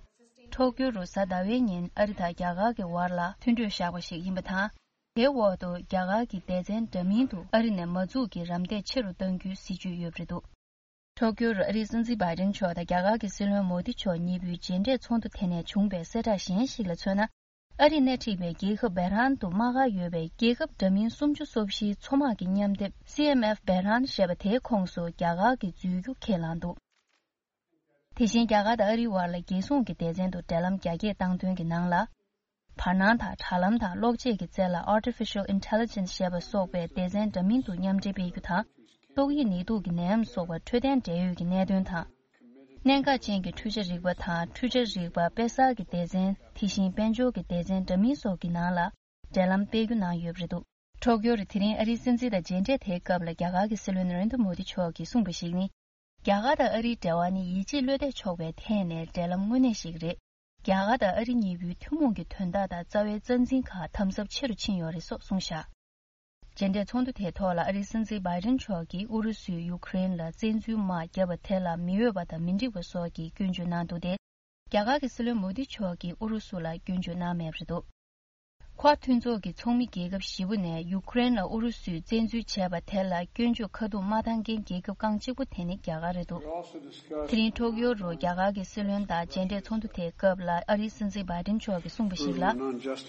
ཊོ་ཀྱོ་རུ་གཟའ་ཟླ་བའི་ཉིན་ཨ་རི་དང་རྒྱ་གར་གྱི་བར་ལ་མཐུན་གྲོས་བཞག་པ་ཞིག་ཡིན་པ་དང་། དེའི་འོག་ཏུ་རྒྱ་གར་གྱི་སྡེ་ཚན་འདྲ་མིན་དུ་ཨ་རི་ནས་མ་འཛུགས་ཀྱི་རམ་འདེགས་ཆེ་རུ་གཏང་རྒྱུའི་སྲིད་ཇུས་ཡོད་པ་རེད་འདུག་ཊོ་ཀྱོ་རུ་ཨ་རིའི་སྲིད་འཛིན་བྷའི་ཏིན་མཆོག་དང་རྒྱ་གར་གྱི་སྲིད་བློན་མོ་དི་མཆོག་གཉིས་པོའི་མཇལ་འཕྲད་ཚོགས་འདུ་དེ་ནས་བྱུང་བའི་གསལ་བསྒྲགས་གཞན་ཞིག་ལ་མཚོན་ན། ཨ་རིས་སྣེ་ཁྲིད་པའི་རྒྱལ་ཁབ་བྷེ་རན་དུ་དམག་སྒར་ཡོད་པའི་རྒྱལ་ཁབ་འདྲ་མིན་སུམ་ཅུ་སོ་བཞིའི་མཚོ་དམག་གི་མཉམ་སྡེབ་སི་ཨེམ་ཨེཕ་བྷེ་རན་ཞེས་པ་དེའི་ཁོངས་སུ་རྒྱ་གར་གྱིས་འཛུལ་རྒྱུ་ཁས་བླངས་འདུག་དེ་བཞིན་རྒྱ་གར་དང་ཨ་རིའི་བར་ལ་རྒྱལ་སྲུང་གི་སྡེ་ཚན་དུ་འབྲེལ་ལམ་རྒྱ་སྐྱེད་བཏང་དོན་གྱི་ནང་ལ། བར་སྣང་དང་དྲ་ལམ་དང་གློག་ཆས་ཀྱི་རྩལ་ལ་Artificial Intelligence ཞེས་པ་སོགས་པའི་སྡེ་ཚན་འདྲ་མིན་དུ་མཉམ་འབྲེལ་སྤེལ་རྒྱུ་དང་། ཏོག་དབྱིབས་ནད་དུག་གི་ནད་ཡམས་སོགས་པ་འཕྲོད་བསྟེན་འབྲེལ་ཡོད་ཀྱི་གནད་དོན་དང་། གནད་འགག་ཅན་གྱི་འཕྲུལ་ཆ་རིག་པ་དང་འཕྲུལ་ཆ་རིག་པ་དཔེ་གསར་གྱི་སྡེ་ཚན། དེ་བཞིན་དཔལ་འབྱོར་གྱི་སྡེ་ཚན་འདྲ་མིན་སོགས་ཀྱི་ནང་ལ་འབྲེལ་ལམ་སྤེལ་རྒྱུ་གནང་ཡོད་པ་རེད་འདུག་ཊོ་ཀྱོ་རུ་དེ་རིང་ཨ་རིའི་སྲིད་འཛིན་དང་མཇལ་འཕྲད་དེའི་སྐབས་ལ་རྒྱ་གར་གྱི་སྲིད་བློན་ནཱ་རེན་དྲ་མོ་དི་མཆོག་གིས་གསུངས་པ་ཞིག་ནི། རྒྱ་གར་དང་ཨ་རིའི་འབྲེལ་བ་ནི་ཡིད་ཆེས་བློ་གཏད་ཆོག་པའི་ཐད་ནས་འབྲེལ་ལམ་དངོས་གནས་ཤིག་རེད། རྒྱ་གར་དང་ཨ་རི་གཉིས་པོའི་ཐུན་མོང་གི་དོན་དག་དང་རྩ་བའི་རྩ་འཛིན་ཁག་དམ་ཟབ་ཆེ་རུ་ཕྱིན་ཡོད་རེད་སོགས་གསུངས་བཞག་མཇལ་འཕྲད་ཚོགས་འདུ་དེའི་ཐོག་ལ་ཨ་རིའི་སྲིད་འཛིན་བྷའི་ཏིན་མཆོག་གིས་ཨུ་རུ་སུས་ཡུ་ཁུ་རེན་ལ་བཙན་འཛུལ་དམག་བརྒྱབ་པ་དེ་ལ་མི་འོས་པ་དང་མི་འགྲིག་པ་སོགས་ཀྱི་སྐྱོན་བརྗོད་གནང་འདུག་སྟེ། རྒྱ་གར་གྱི་སྲིད་བློན་མོ་དི་མཆོག་གིས་ཨུ་རུ་སུ་ལ་སྐྱོན་བརྗོད་གནང་མེད་པ་རེད་འདུག་ཁོ་ཝཱཌ་མཐུན་ཚོགས་ཀྱི་ཚོགས་མི་རྒྱལ་ཁབ་བཞི་པོ་ནས་ཡུ་ཀེ་རེན་ལ་ཨུ་རུ་སུས་བཙན་འཛུལ་བྱས་པ་དེ་ལ་སྐྱོན་བརྗོད་ཁ་ཐུག་མ་བཏང་མཁན་རྒྱལ་ཁབ་རྐང་གཅིག་པོ་དེ་ནི་རྒྱ་གར་རེད་འདུག་དེ་རིང་ཊོ་ཀིའོ་རུ་རྒྱ་གར་གྱི་སྲིད་བློན་དང་མཇལ་འཕྲད་ཚོགས་འདུ་དེའི་སྐབས་ལ་ཨ་རིའི་སྲིད་འཛིན་བྷའི་ཌེན་མཆོག་གིས་གསུངས་པ་ཞིག་ལ། ང་ཚོས་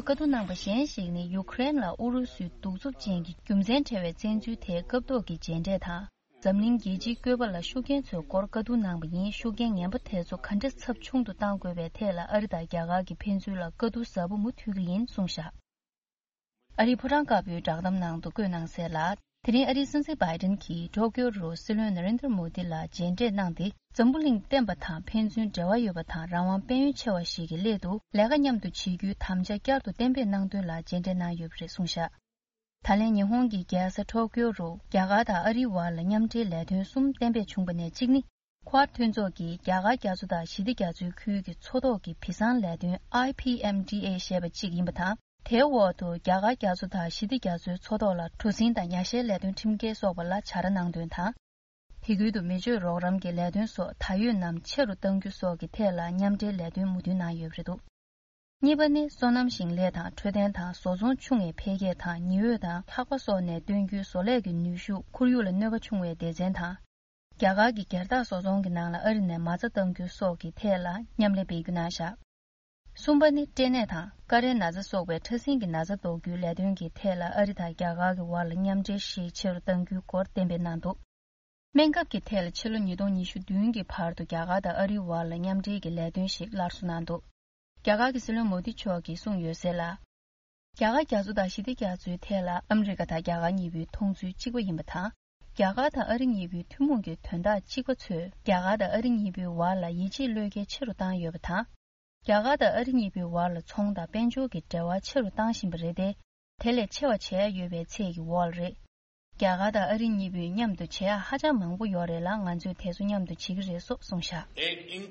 བཀའ་བསྡུར་གནང་པ་གཞན་ཞིག་ནི་ཡུ་ཀེ་རེན་ལ་ཨུ་རུ་སུའི་གདུག་རྩུབ་ཅན་གྱི་རྒྱུ་མཚན་བྲལ་བའི་བཙན་འཛུལ་དེའི་སྐབས་ཐོག་གི་མཇལ་འཕྲད་དང་། འཛམ་གླིང་རྒྱལ་སྤྱིའི་བཀོད་པ་ལ་ཤུགས་རྐྱེན་ཚོའི་སྐོར་བཀའ་བསྡུར་གནང་པ་ཡིན། ཤུགས་རྐྱེན་ངན་པ་དེ་ཚོ་ག་འདྲ་ཚབས་ཆུང་དུ་གཏང་དགོས་པའི་ཐད་ལ་ཨ་རི་དང་རྒྱ་གར་གྱི་ཕན་ཚུན་ལ་བཀའ་བསྡུར་ཟབ་པོ་མུ་མཐུད་ཀྱི་ཡིན་གསུངས་བཞག་ཨ་རིའི་ཕོ་བྲང་དཀར་པོའི་བསྒྲགས་གཏམ་ནང་དུ་བཀོད་གནང་གསལ་ལ། དེ་རིང་ཨ་རིའི་སྲིད་འཛིན་བྷའི་ཌེན་གྱིས་ཊོ་ཀིའོ་རུ་སྲིད་བློན་ན་རེན་དྲ་མོ་དི་ལ་མཇལ་འཕྲད་གནང་སྟེ། འཛམ་བུ་གླིང་བསྟན་པ་དང་ཕན་ཚུན་འབྲེལ་བ་ཡོད་པ་དང་། རང་དབང་དཔལ་ཡོན་ཆེ་བ་ཞིག་གི་སླད་དུ་ལས་ཀ་མཉམ་དུ་བྱེད་རྒྱུའི་དམ་བཅའ་བསྐྱར་དུ་གཏན་འབེབས་གནང་དོན་ལ་མཇལ་འཕྲད་གནང་ཡོད་པ་རེད་གསུངས་བཞག་ད་ལན་ཉི་ཧོང་གི་རྒྱལ་ས་ཊོ་ཀིའོ་རུ་རྒྱ་གར་དང་ཨ་རིའི་བར་ལ་མཉམ་འབྲེལ་ལས་དོན་གསུམ་གཏན་འབེབས་བྱུང་པ་ནས་གཅིག་ནི། ཁོ་ཝཱཌ་མཐུན་ཚོགས་ཀྱིས་རྒྱ་གར་རྒྱ་མཚོ་དང་ཞི་བདེ་རྒྱ་མཚོའི་ཁུལ་གྱི་མཚོ་ཐོག་གི་བི་བཟང་ལས་དོན་ཨའི་པི་ཨེམ་ཌི་ཨེ་ཞེས་པ་གཅིག་ཡིན་པ་དང་། དེའི་འོག་ཏུ་རྒྱ་གར་རྒྱ་མཚོ་དང་ཞི་བདེ་རྒྱ་མཚོའི་མཚོ་ཐོག་ལ་གྲུ་གཟིངས་དང་ཉ་ཤལ་ལས་དོན་ཁྲིམས་འགལ་སོགས་པ་ལ་བྱ་ར་གནང་དོན་དང་། དེ་ཁུལ་དུ་མི་སྤྱོད་རོགས་རམ་གྱི་ལས་དོན་སོགས་ད་ཡོད་རྣམས་ཆེ་རུ་གཏང་རྒྱུ་སོགས་ཀྱི་ཐད་ལ་མཉམ་འབྲེལ་ལས་དོན་མོས་མཐུན་གནང་ཡོད་པ་རེད་འདུག་གཉིས་པ་ནི་སོ་ནམ་ཞིང་ལས་དང་འཕྲོད་བསྟེན་དང་བཟོ་ཚོང་ཆུང་བའི་འཕེལ་རྒྱས་དང་ཉི་འོད་དང་ལྷགས་པ་སོགས་ནས་བཏོན་རྒྱུའི་བཟོ་ལས་ཀྱི་ནུས་ཤུགས་ཁོར་ཡུག་ལ་གནོད་པ་ཆུང་བའི་སྡེ་ཚན་དང་། རྒྱ་གར་གྱི་སྒེར་བདག་བཟོ་ཚོང་གི་ནང་ལ་ཨ་རི་ནས་མ་རྩ་གཏང་རྒྱུ་སོགས་ཀྱི་ཐད་ལ་མཉམ་ལས་སྤེལ་རྒྱུ་གནང་བཞག་གསུམ་པ་ནི་སྐྲན་ནད་དང་ཀ་རའི་ན་ཚ་སོགས་པའི་ཕྲ་སྲིན་གྱི་ན་ཚ་ཟློག་རྒྱུའི་ལས་དོན་གྱི་ཐད་ལ་ཨ་རི་དང་རྒྱ་གར་གྱི་བར་ལ་མཉམ་འབྲེལ་ཞིག་ཆེ་རུ་གཏང་རྒྱུའི་སྐོར་གཏན་འབེབས་གནང་འདུག་སྨན་ཁབ་ཀྱི་ཐད་ལ་ཕྱི་ལོ་ཉིས་སྟོང་ཉི་ཤུ་བདུན་གྱི་བར་དུ་རྒྱ་གར་དང་ཨ་རིའི་བར་ལ་མཉམ་འབྲེལ་གྱི་ལས་དོན་ཞིག་སླར་གསོ་གནང་འདུག་རྒྱ་གར་གྱི་སྲིད་བློན་མོ་དི་མཆོག་གིས་གསུངས་ཡོད་གསལ་ལ། རྒྱ་གར་རྒྱ་མཚོ་དང་ཞི་བདེ་རྒྱ་མཚོའི་ཐད་ལ་ཨ་མི་རི་ཀ་དང་རྒྱ་གར་གཉིས་པོའི་མཐོང་ཚུལ་གཅིག་པ་ཡིན་པ་དང་། རྒྱ་གར་དང་ཨ་རི་གཉིས་པོའི་ཐུན་མོང་གི་དོན་དག་གཅིག་པ་ཚོས་རྒྱ་གར་དང་ཨ་རི་གཉིས་པོའི་བར་ལ་ཡིད་ཆེས་བློས་འགེལ་ཆེ་རུ་བཏང་ཡོད་པ་དང་། རྒྱ་གར་དང་ཨ་རི་གཉིས་པོའི་བར་ལ་ཚོང་དང་དཔལ་འབྱོར་གྱི་འབྲེལ་བ་ཆེ་རུ་བཏང་བཞིན་པ་རེད་དེ། དེ་ལས་ཆེ་བ་བྱེད་ཡ་ཡོད་པའི་ཚད་ཀྱི་འོག་ལ་རེད། རྒྱ་གར་དང་ཨ་རི་གཉིས་པོས་མཉམ་དུ་བྱེད་ཡ་ཧ་ཅང་མང་པོ་ཡོད་རེད་ལ། ང་ཚོས་དེ་ཚོ་མཉམ་དུ་བྱེད་ཀྱི་རེད་སོགས་གསུངས་བཞག་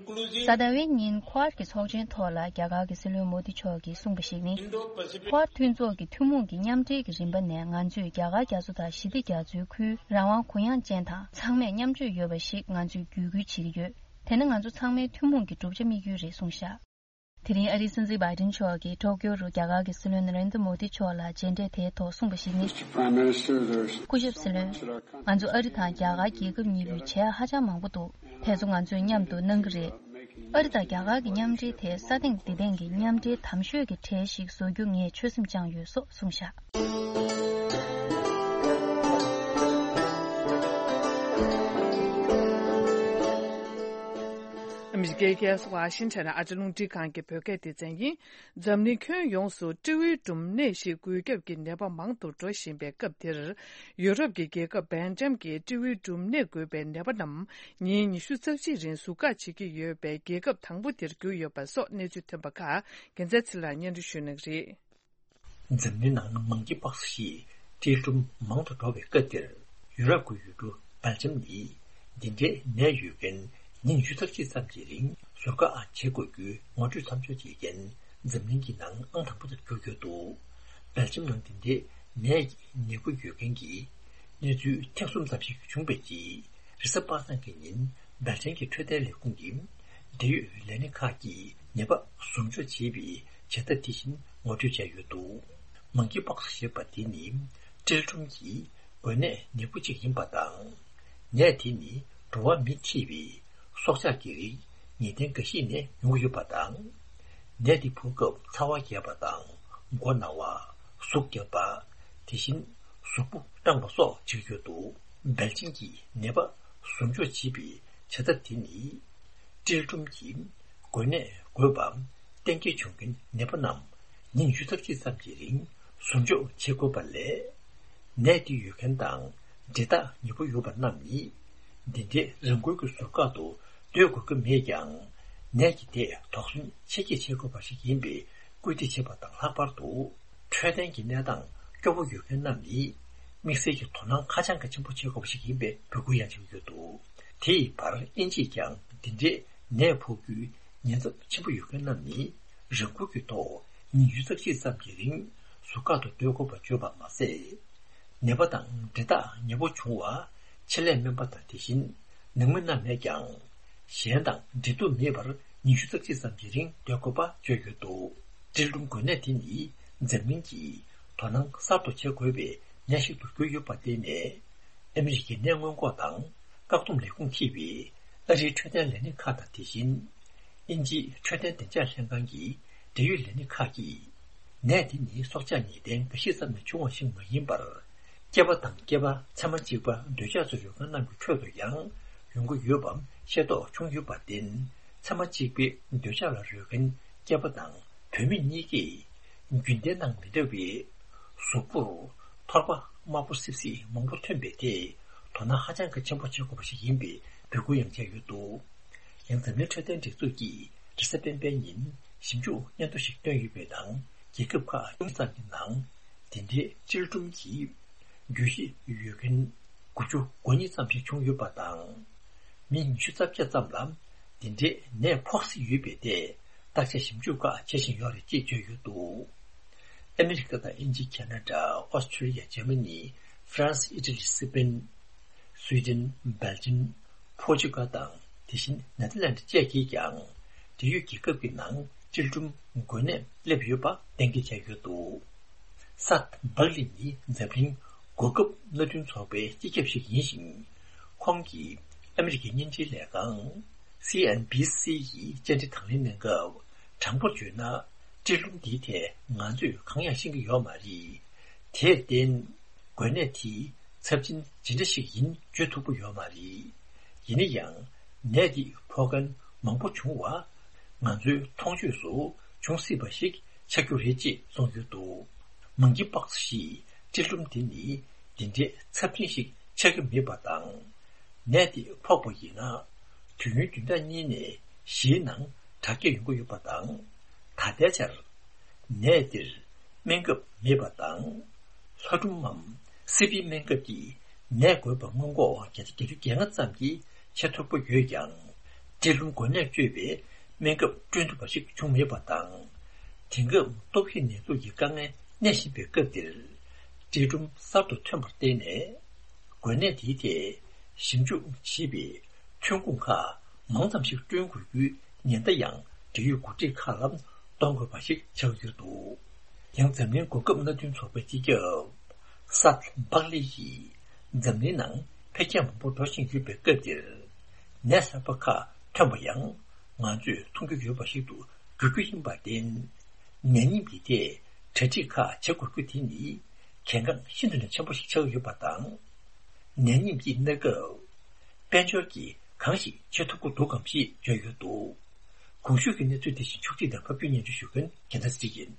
གཟའ་ཟླ་བའི་ཉིན་ཁོ་ཝཱཌ་ཀྱི་ཚོགས་ཆེན་ཐོག་ལ་རྒྱ་གར་གྱི་སྲིད་བློན་མོ་དི་མཆོག་གིས་གསུངས་པ་ཞིག་ནི། ཁོ་ཝཱཌ་མཐུན་ཚོགས་ཀྱི་ཐུན་མོང་གི་མཉམ་འབྲེལ་གྱི་རིམ་པ་ནས་ང་ཚོས་རྒྱ་གར་རྒྱ་མཚོ་དང་ཞི་བདེ་རྒྱ་མཚོའི་ཁུལ་རང་དབང་གུ་ཡངས་ཅན་དང་ཚང་མས་མཉམ་སྤྱོད་ཡོད་པ་ཞིག་ང་ཚོས་བརྒྱུད་སྐུལ་བྱེད་ཀྱི་ཡོད། དེ་ནི་ང་ཚོ་ཚང་མའི་ཐུན་མོང་གི་བསྒྲུབ་བྱ་དམིགས་ཡུལ་རེད་གསུངས་བཞག་དེ་རིང་ཨ་རིའི་སྲིད་འཛིན་བྷའི་ཌེན་མཆོག་གིས་ཊོ་ཀིའོ་རུ་རྒྱ་གར་གྱི་སྲིད་བློན་ན་རེན་དྲ་མོ་དི་མཆོག་ལ་མཇལ་འཕྲད་དེའི་ཐོག་གསུངས་པ་ཞིག་ནི། སྐུ་ཞབས་སྲིད་བློན། ང་ཚོ་ཨ་རི་དང་རྒྱ་གར་རྒྱལ་ཁབ་གཉིས་པོས་བྱེད་ཡ་ཧ་ཅང་མང་པོ་འདུག་དེ་ཚོ་ང་ཚོས་མཉམ་དུ་གནང་གི་རེད། ཨ་རི་དང་རྒྱ་གར་གྱི་མཉམ་འབྲེལ་དེ་ས་སྟེང་འདི་སྟེང་གི་མཉམ་འབྲེལ་དམ་ཤོས་ཀྱི་གྲས་ཤིག་བཟོ་རྒྱུ་ངས་ཆོད་སེམས་བཅངས་ཡོད་སོགས་གསུངས་བཞག་ཨ་མི་རི་ཀའི་རྒྱལ་ས་ཝ་ཤིང་ཊོན་ནས་ཨ་ཅེ་རླུང་འཕྲིན་ཁང་གི་བོད་སྐད་སྡེ་ཚན་ཡིན། འཛམ་གླིང་ཁྱོན་ཡོངས་སུ་སྤྲེའུའི་འབྲུམ་ནད་ཞིག་འགོས་ཁྱབ་ཀྱི་ནད་པ་མང་དུ་འགྲོ་བཞིན་པའི་སྐབས་འདིར། ཡུ་རོབ་ཀྱི་རྒྱལ་ཁབ་སྦེལ་ཇམ་གྱི་སྤྲེའུའི་འབྲུམ་ནད་འགོས་པའི་ནད་པ་རྣམས་ཉིན་ཉི་ཤུ་རྩ་གཅིག་རིང་ཟུར་བཀག་བྱེད་ཀྱི་ཡོད་པའི་རྒྱལ་ཁབ་དང་པོ་དེར་གྱུར་ཡོད་པ་སོགས་གནས་ཚུལ་ཐོན་པ་ཁག་རྒྱལ་མཚན་ཚེ་ལགས་སྙན་སྒྲོན་ཞུ་གནང་གི་རེད། འཛམ་གླིང་ནང་མང་སྐྱེས་པགས་ཞེས་སྤྲེའུ་འབྲུམ་མང་དུ་འགྲོ་བའི་སྐབས་འདིར། ཡུ་རོབ་ཀྱི་ཡུལ་གྲུ་སྦེལ་ཇམ་ནི་འདི་འདྲའི་ནད་ཡོད་མཁན་ཉིན་ཉི་ཤུ་རྩ་གཅིག་ཙམ་གྱི་རིང་ཟུར་བཀག་བྱེད་དགོས་རྒྱུའི་ངོ་སྤྲོད་མཚམས་འཇོག་བྱེད་མཁན་འཛམ་གླིང་གི་ནང་ཨང་དང་པོ་དེར་གྱུར་ཡོད་འདུག་སྦེལ་ཇམ་ནང་འདི་འདྲའི་ནད་ཀྱི་ནད་འབུ་ཡོད་མཁན་གྱི་གནས་ཚུལ་ཐེངས་གསུམ་ཙམ་ཞིག་བྱུང་བའི་རྗེས། རེས་གཟའ་པ་སངས་ཀྱི་ཉིན་སྦེལ་ཇམ་གྱི་འཕྲོད་བསྟེན་ལས་ཁུངས་ཀྱི་འབྲེལ་ཡོད་ལས་སྣེ་ཁག་གིས་ནད་པ་ཟུར་འཇོག་བྱེད་པའི་བྱེད་ཐབས་དེ་བཞིན་ངོ་སྤྲོད་བྱས་ཡོད་འདུག་མང་སྐྱེས་པགས་ཞེས་པ་དེ་ནི་སྤྲེའུ་འབྲུམ་གྱི་འགོས་ནད་ནད་འབུ་གཅིག་ཡིན་པ་དང་། ནད་དེ་ནི་འགྲོ་བ་མི་འཁྲིད་པའི་སྲོག་ཆགས་ཀྱི་རིགས་ངེས་གཏན་འགའ་ཞིག་ནས་ཡོང་གི་ཡོད་པ་དང་། ནད་དེ་ཕོག་སྐབས་ཚ་བ་རྒྱས་པ་དང་མགོ་ན་བ། གཟུགས་རྒྱབ་པ། དེ་བཞིན་གཟུགས་པོ་སྐྲངས་པ་སོགས་བྱེད་ཀྱི་ཡོད་འདུག་སྦེལ་ཇམ་གྱིས་ནད་པ་ཟུར་འཇོག་བྱེད་པའི་བྱ་ཐབས་དེ་ནི། སྤྲེའུ་འབྲུམ་གྱི་འགོས་ནད་འགོས་པ་གཏན་འཁེལ་བྱུང་མཁན་ནད་པ་རྣམས་ཉིན་ཉི་ཤུ་རྩ་གཅིག་ཙམ་གྱི་རིང་ཟུར་འཇོག་བྱེད་དགོས་པ་ལས། ནད་དེ་ཡོད་མཁན་དང་འབྲེལ་ཐག་ཉེ་པོ་ཡོད་པ་རྣམས་ནི། འདི་འདྲའི་རང་འགུལ་གྱི་ཟུར་བཀག་ཏུ་སྡོད་དགོས་ཀྱི་མེད་ཀྱང་། ནད་ཀྱི་ཐད་དོགས་ཟོན་ཆེ་བསྐྱེད་བྱེད་དགོས་པ་ཞིག་ཡིན་པས་སྐུལ་འདེད་བྱེད་པ་དང་ལྷག་པར་དུ། འཕྲོད་བསྟེན་གྱི་གནས་སྟངས་སྐྱོ་པོ་ཡོད་མཁན་རྣམས་ནི། དམིགས་བསལ་གྱི་དོ་སྣང་ཧ་ཅང་གི་ཆེན་པོ་བྱེད་དགོས་པ་ཞིག་ཡིན་པའི་འབོད་སྐུལ་ཡང་བྱེད་ཀྱི་ཡོད་འདུག་དེ་ཡི་བར་དབྱིན་ཇིས་ཀྱང་འདི་འདྲའི་ནད་ཕོག་རྒྱུའི་ཉེན་ཚབས་ཆེན་པོ་ཡོད་མཁན་རྣམས་ནི། རང་འགུལ་གྱི་ཐོག་ཉིན་ཉི་ཤུ་རྩ་གཅིག་ཙམ་གྱི་རིང་ཟུར་བཀག་ཏུ་སྡོད་དགོས་པ་བརྗོད་པ་མ་ཟད། ནད་པ་དང་འབྲེལ་ཐག་ཉེ་པོ་བྱུང་བ། ཆེད་ལས་སྨན་པ་དང་དེ་བཞིན་ནང་མི་རྣམས་ནས་ཀྱང་། གཞན་དང་འབྲེལ་གཏུག་མེད་པར་ཉིན་ཉི་ཤུ་རྩ་གཅིག་ཙམ་གྱི་རིང་སྡོད་དགོས་པ་བརྗོད་ཡོད་འདུག་སྤྲེལ་ཀྲུམ་འགོས་ནད་དེ་ནི་འཛམ་གླིང་གིས་དོ་སྣང་གསར་དུ་བྱེད་དགོས་པའི་ནད་ཞིག་ཏུ་གྱུར་ཡོད་པར་བརྟེན་ནས། ཨ་མི་རི་ཀའི་ནད་སྔོན་འགོག་དང་བཀག་སྡོམ་ལས་ཁུངས་ཀྱིས་ཨ་རིའི་འཕྲོད་བསྟེན་ལས་སྣེ་ཁག་དང་། དེ་བཞིན་དབྱིན་ཇིའི་འཕྲོད་བསྟེན་བདེ་འཇགས་ལྷན་ཁང་གི་འབྲེལ་ཡོད་ལས་སྣེ་ཁག་གིས། ནད་འདི་ནི་སྲོག་ཆགས་ངེས་གཏན་འགའ་ཞིག་ཙམ་ནས་བྱུང་བ་ཞིག་མ་ཡིན་པར། སྐྱེས་པ་དང་སྐྱེས་པ་ཚད་མ་གཅིག་པ་འདོད་ཆགས་སུ་རོལ་མཁན་རྣམས་ཀྱི་ཁྲོད་དུ་ཡང་ཡོང་གི་ཡོད་པའང་ཤེས་རྟོགས་བྱུང་ཡོད་པར་བརྟེན། ཚད་མ་གཅིག་པའི་འདོད་ཆགས་ལ་རོལ་མཁན་སྐྱེས་པ་དང་བུད་མེད་གཉིས་ཀས་རྒྱུན་ལྡན་དང་མི་འདྲ་བའི་གཟུགས་པོར་ཐོར་པ་དམར་པོ་སིབ་སིབ་མང་པོ་ཐོན་པས། དེས་དོ་སྣང་ཧ་ཅང་གི་ཆེན་པོ་བྱེད་དགོས་པ་ཞིག་ཡིན་པའི་འབོད་སྐུལ་ཡང་བྱས་ཡོད་འདུག། ཡང་འཛམ་གླིང་འཕྲོད་བསྟེན་སྒྲིག་འཛུགས་ཀྱིས་རེས་གཟའ་སྤེན་པའི་ཉིན་ཞིབ་འཇུག་སྙན་ཐོ་ཞིག་བཏོན་ཡོད་པའི་ནང་། རྒྱལ་ཁབ་ཁག་ཉུང་ཙམ་གྱི་ནང་འདི་འདྲའི་སྤྲེལ་ཀྲུམ་གྱི་རྒྱུས་ཡོད་མཁན་དགུ་བཅུ་གོ་གཉིས་ཙམ་ཞིག་བྱུང་ཡོད་པ་དང་། མི་ཉི་ཤུ་རྩ་བརྒྱད་ཙམ་ལ་འདི་འདྲའི་ནད་ཕོག་སྲིད་ཡོད་པས། དེ་བརྟག་དཔྱད་ཞིབ་འཇུག་ཁག་བྱེད་བཞིན་ཡོད་རེད་ཅེས་བརྗོད་ཡོད་འདུག། ཨ་མི་རི་ཀ་དང་དབྱིན་ཇི། ཁ་ན་ཌ། ཨོ་སི་ཁྲུ་ལི་ཡ། འཇར་མ་ནི། ཧྥ་རན་སི། ཨི་ཊ་ལི། སི་པེན། སུའི་ཌེན། སྦེལ་ཇམ། ཕོར་ཅུ་གལ་དང་། དེ་བཞིན་ནེ་ཐར་ལན་ཌི་བཅས་ཀྱིས་ཀྱང་འབྲེལ་ཡོད་རྒྱལ་ཁབ་ཀྱི་ནང་སྤྲེལ་ཀྲུམ་འགོས་ནད་སླེབས་ཡོད་པ་གཏན་འཁེལ་བྱས་ཡོད་འདུག། སཱད་བག་ལི་ནི་འཛམ་གླིང་གོ་སྐབས་མནའ་མཐུན་ཚོགས་པའི་སྤྱི་ཁྱབ་ཞིག་ཡིན་ཞིང་། ཁོང་གིས་ཨ་མི་རི་ཀའི་བརྙན་འཕྲིན་ལས་ཁང་སི་ཨེན་བྷི་སི་ཡི་བཅར་འདྲི་དང་ལེན་གནང་སྐབས། དྲང་པོར་བརྗོད་ན། སྤྲེལ་ཀྲུམ་འདིའི་ཐད་ང་ཚོས་གང་ཡང་ཤེས་ཀྱི་ཡོད་མ་རེད། དེར་བརྟེན། འགོས་ནད་དེའི་ཚབས་ཆེན་ཇི་འདྲ་ཞིག་ཡིན་བརྗོད་ཐུབ་ཀྱི་ཡོད་མ་རེད། ཡིན་ན་ཡང་། ནད་འདི་ཕོག་མཁན་མང་པོ་བྱུང་བ་ང་ཚོའི་མཐོང་ཆོས་སུ་བྱུང་སྲིད་པ་ཞིག་ཆགས་རྒྱུ་རེད་ཅེས་གསུངས་ཡོད་འདུག། མང་གི་པགས་ཞིག་སྤྲེལ་ཀྲུམ་འདི་ནི་འདི་འདྲའི་ཚབས་ཆེན་ཞིག་ཆགས་ཀྱི་མེད་པ་དང་། ནད་འདི་ཕོག་པ་ཡིན་ན། དུས་ཡུན་བདུན་ཕྲག་གཉིས་ནས་བཞིའི་ནང་དྲག་སྐྱེད་ཡོང་གི་ཡོད་པ་དང་། ད་ལྟའི་ཆར་ནད་འདིར་སྨན་ཁབ་མེད་པ་དང་། ལྷ་ཀྲུམ་མམ་སི་པིའི་སྨན་ཁབ་ཀྱིས་ནད་འགོས་པ་སྔོན་འགོག་བརྒྱ་ཆ་བརྒྱད་ཅུ་གྱ་ལྔ་ཙམ་གྱིས་བྱེད་ཐུབ་ཀྱི་ཡོད་ཀྱང་། སྤྲེལ་ཀྲུམ་འགོས་ནད་བཅོས་པའི་སྨན་ཁབ་བསྐྲུན་ཐུབ་པ་ཞིག་བྱུང་མེད་པ་དང་། དེང་སྐབས་ལྟོ་ཕྱི་ནད་དུག་གི་དཀའ་ངལ་གནས་བཞིན་པའི་སྐབས་འདིར། སྤྲེལ་ཀྲུམ་གསར་དུ་ཐོན་པར་བརྟེན་ནས། འགོས་ནད་དེའི་ཐད་ཞིབ་འཇུག་བྱེད་པའི་ཐོན་ཁུངས་ཁག་མང་ཙམ་ཞིག་བསྐྲུན་དགོས་རྒྱུའི་ཉེན་བརྡ་ཡང་འབྲེལ་ཡོད་འགོ་ཁྲིད་ཁག་ལ་གཏོང་དགོས་པ་ཞིག་ཆགས་ཡོད་འདུག། ཡང་འཛམ་གླིང་གོ་སྐབས་མནའ་མཐུན་ཚོགས་པའི་སྤྱི་ཁྱབ་སཱད་བག་ལི་ཡིས། འཛམ་གླིང་ནང་འཕེལ་རྒྱས་མང་པོ་འགྲོ་བཞིན་ཡོད་པའི་སྐབས་འདིར། ནད་གསར་པ་ཁག་ཐོན་པ་ཡང་ང་ཚོས་མཐོང་རྒྱུ་ཡོད་པ་ཞིག་ཏུ་འགྱུར་རྒྱུ་ཡིན་པར་བརྟེན། ནད་ཡམས་ཀྱི་ཐད་གྲ་སྒྲིག་ཁག་བྱེད་དགོས་རྒྱུ་དེ་ནི་གལ་འགངས་ཤིན་ཏུ་ནས་ཆེན་པོ་ཞིག་ཆགས་ཡོད་པ་དང་། ནད་ཡམས་ཀྱི་གནས་སྐབས་དཔལ་འབྱོར་གྱིས་གང་ཞིག་བྱེད་ཐུབ་ཀྱི་འདུག་གམ་ཞེས་བརྗོད་ཡོད་འདུག། གོང་ཞུས་ཀྱི་གནས་ཚུལ་དེ་བཞིན་ཕྱོགས་སྒྲིག་དང་ཕབ་སྒྱུར་སྙན་སྒྲོན་ཞུ་མཁན་རྒྱལ་མཚན་ཚེ་རིང་ཡིན།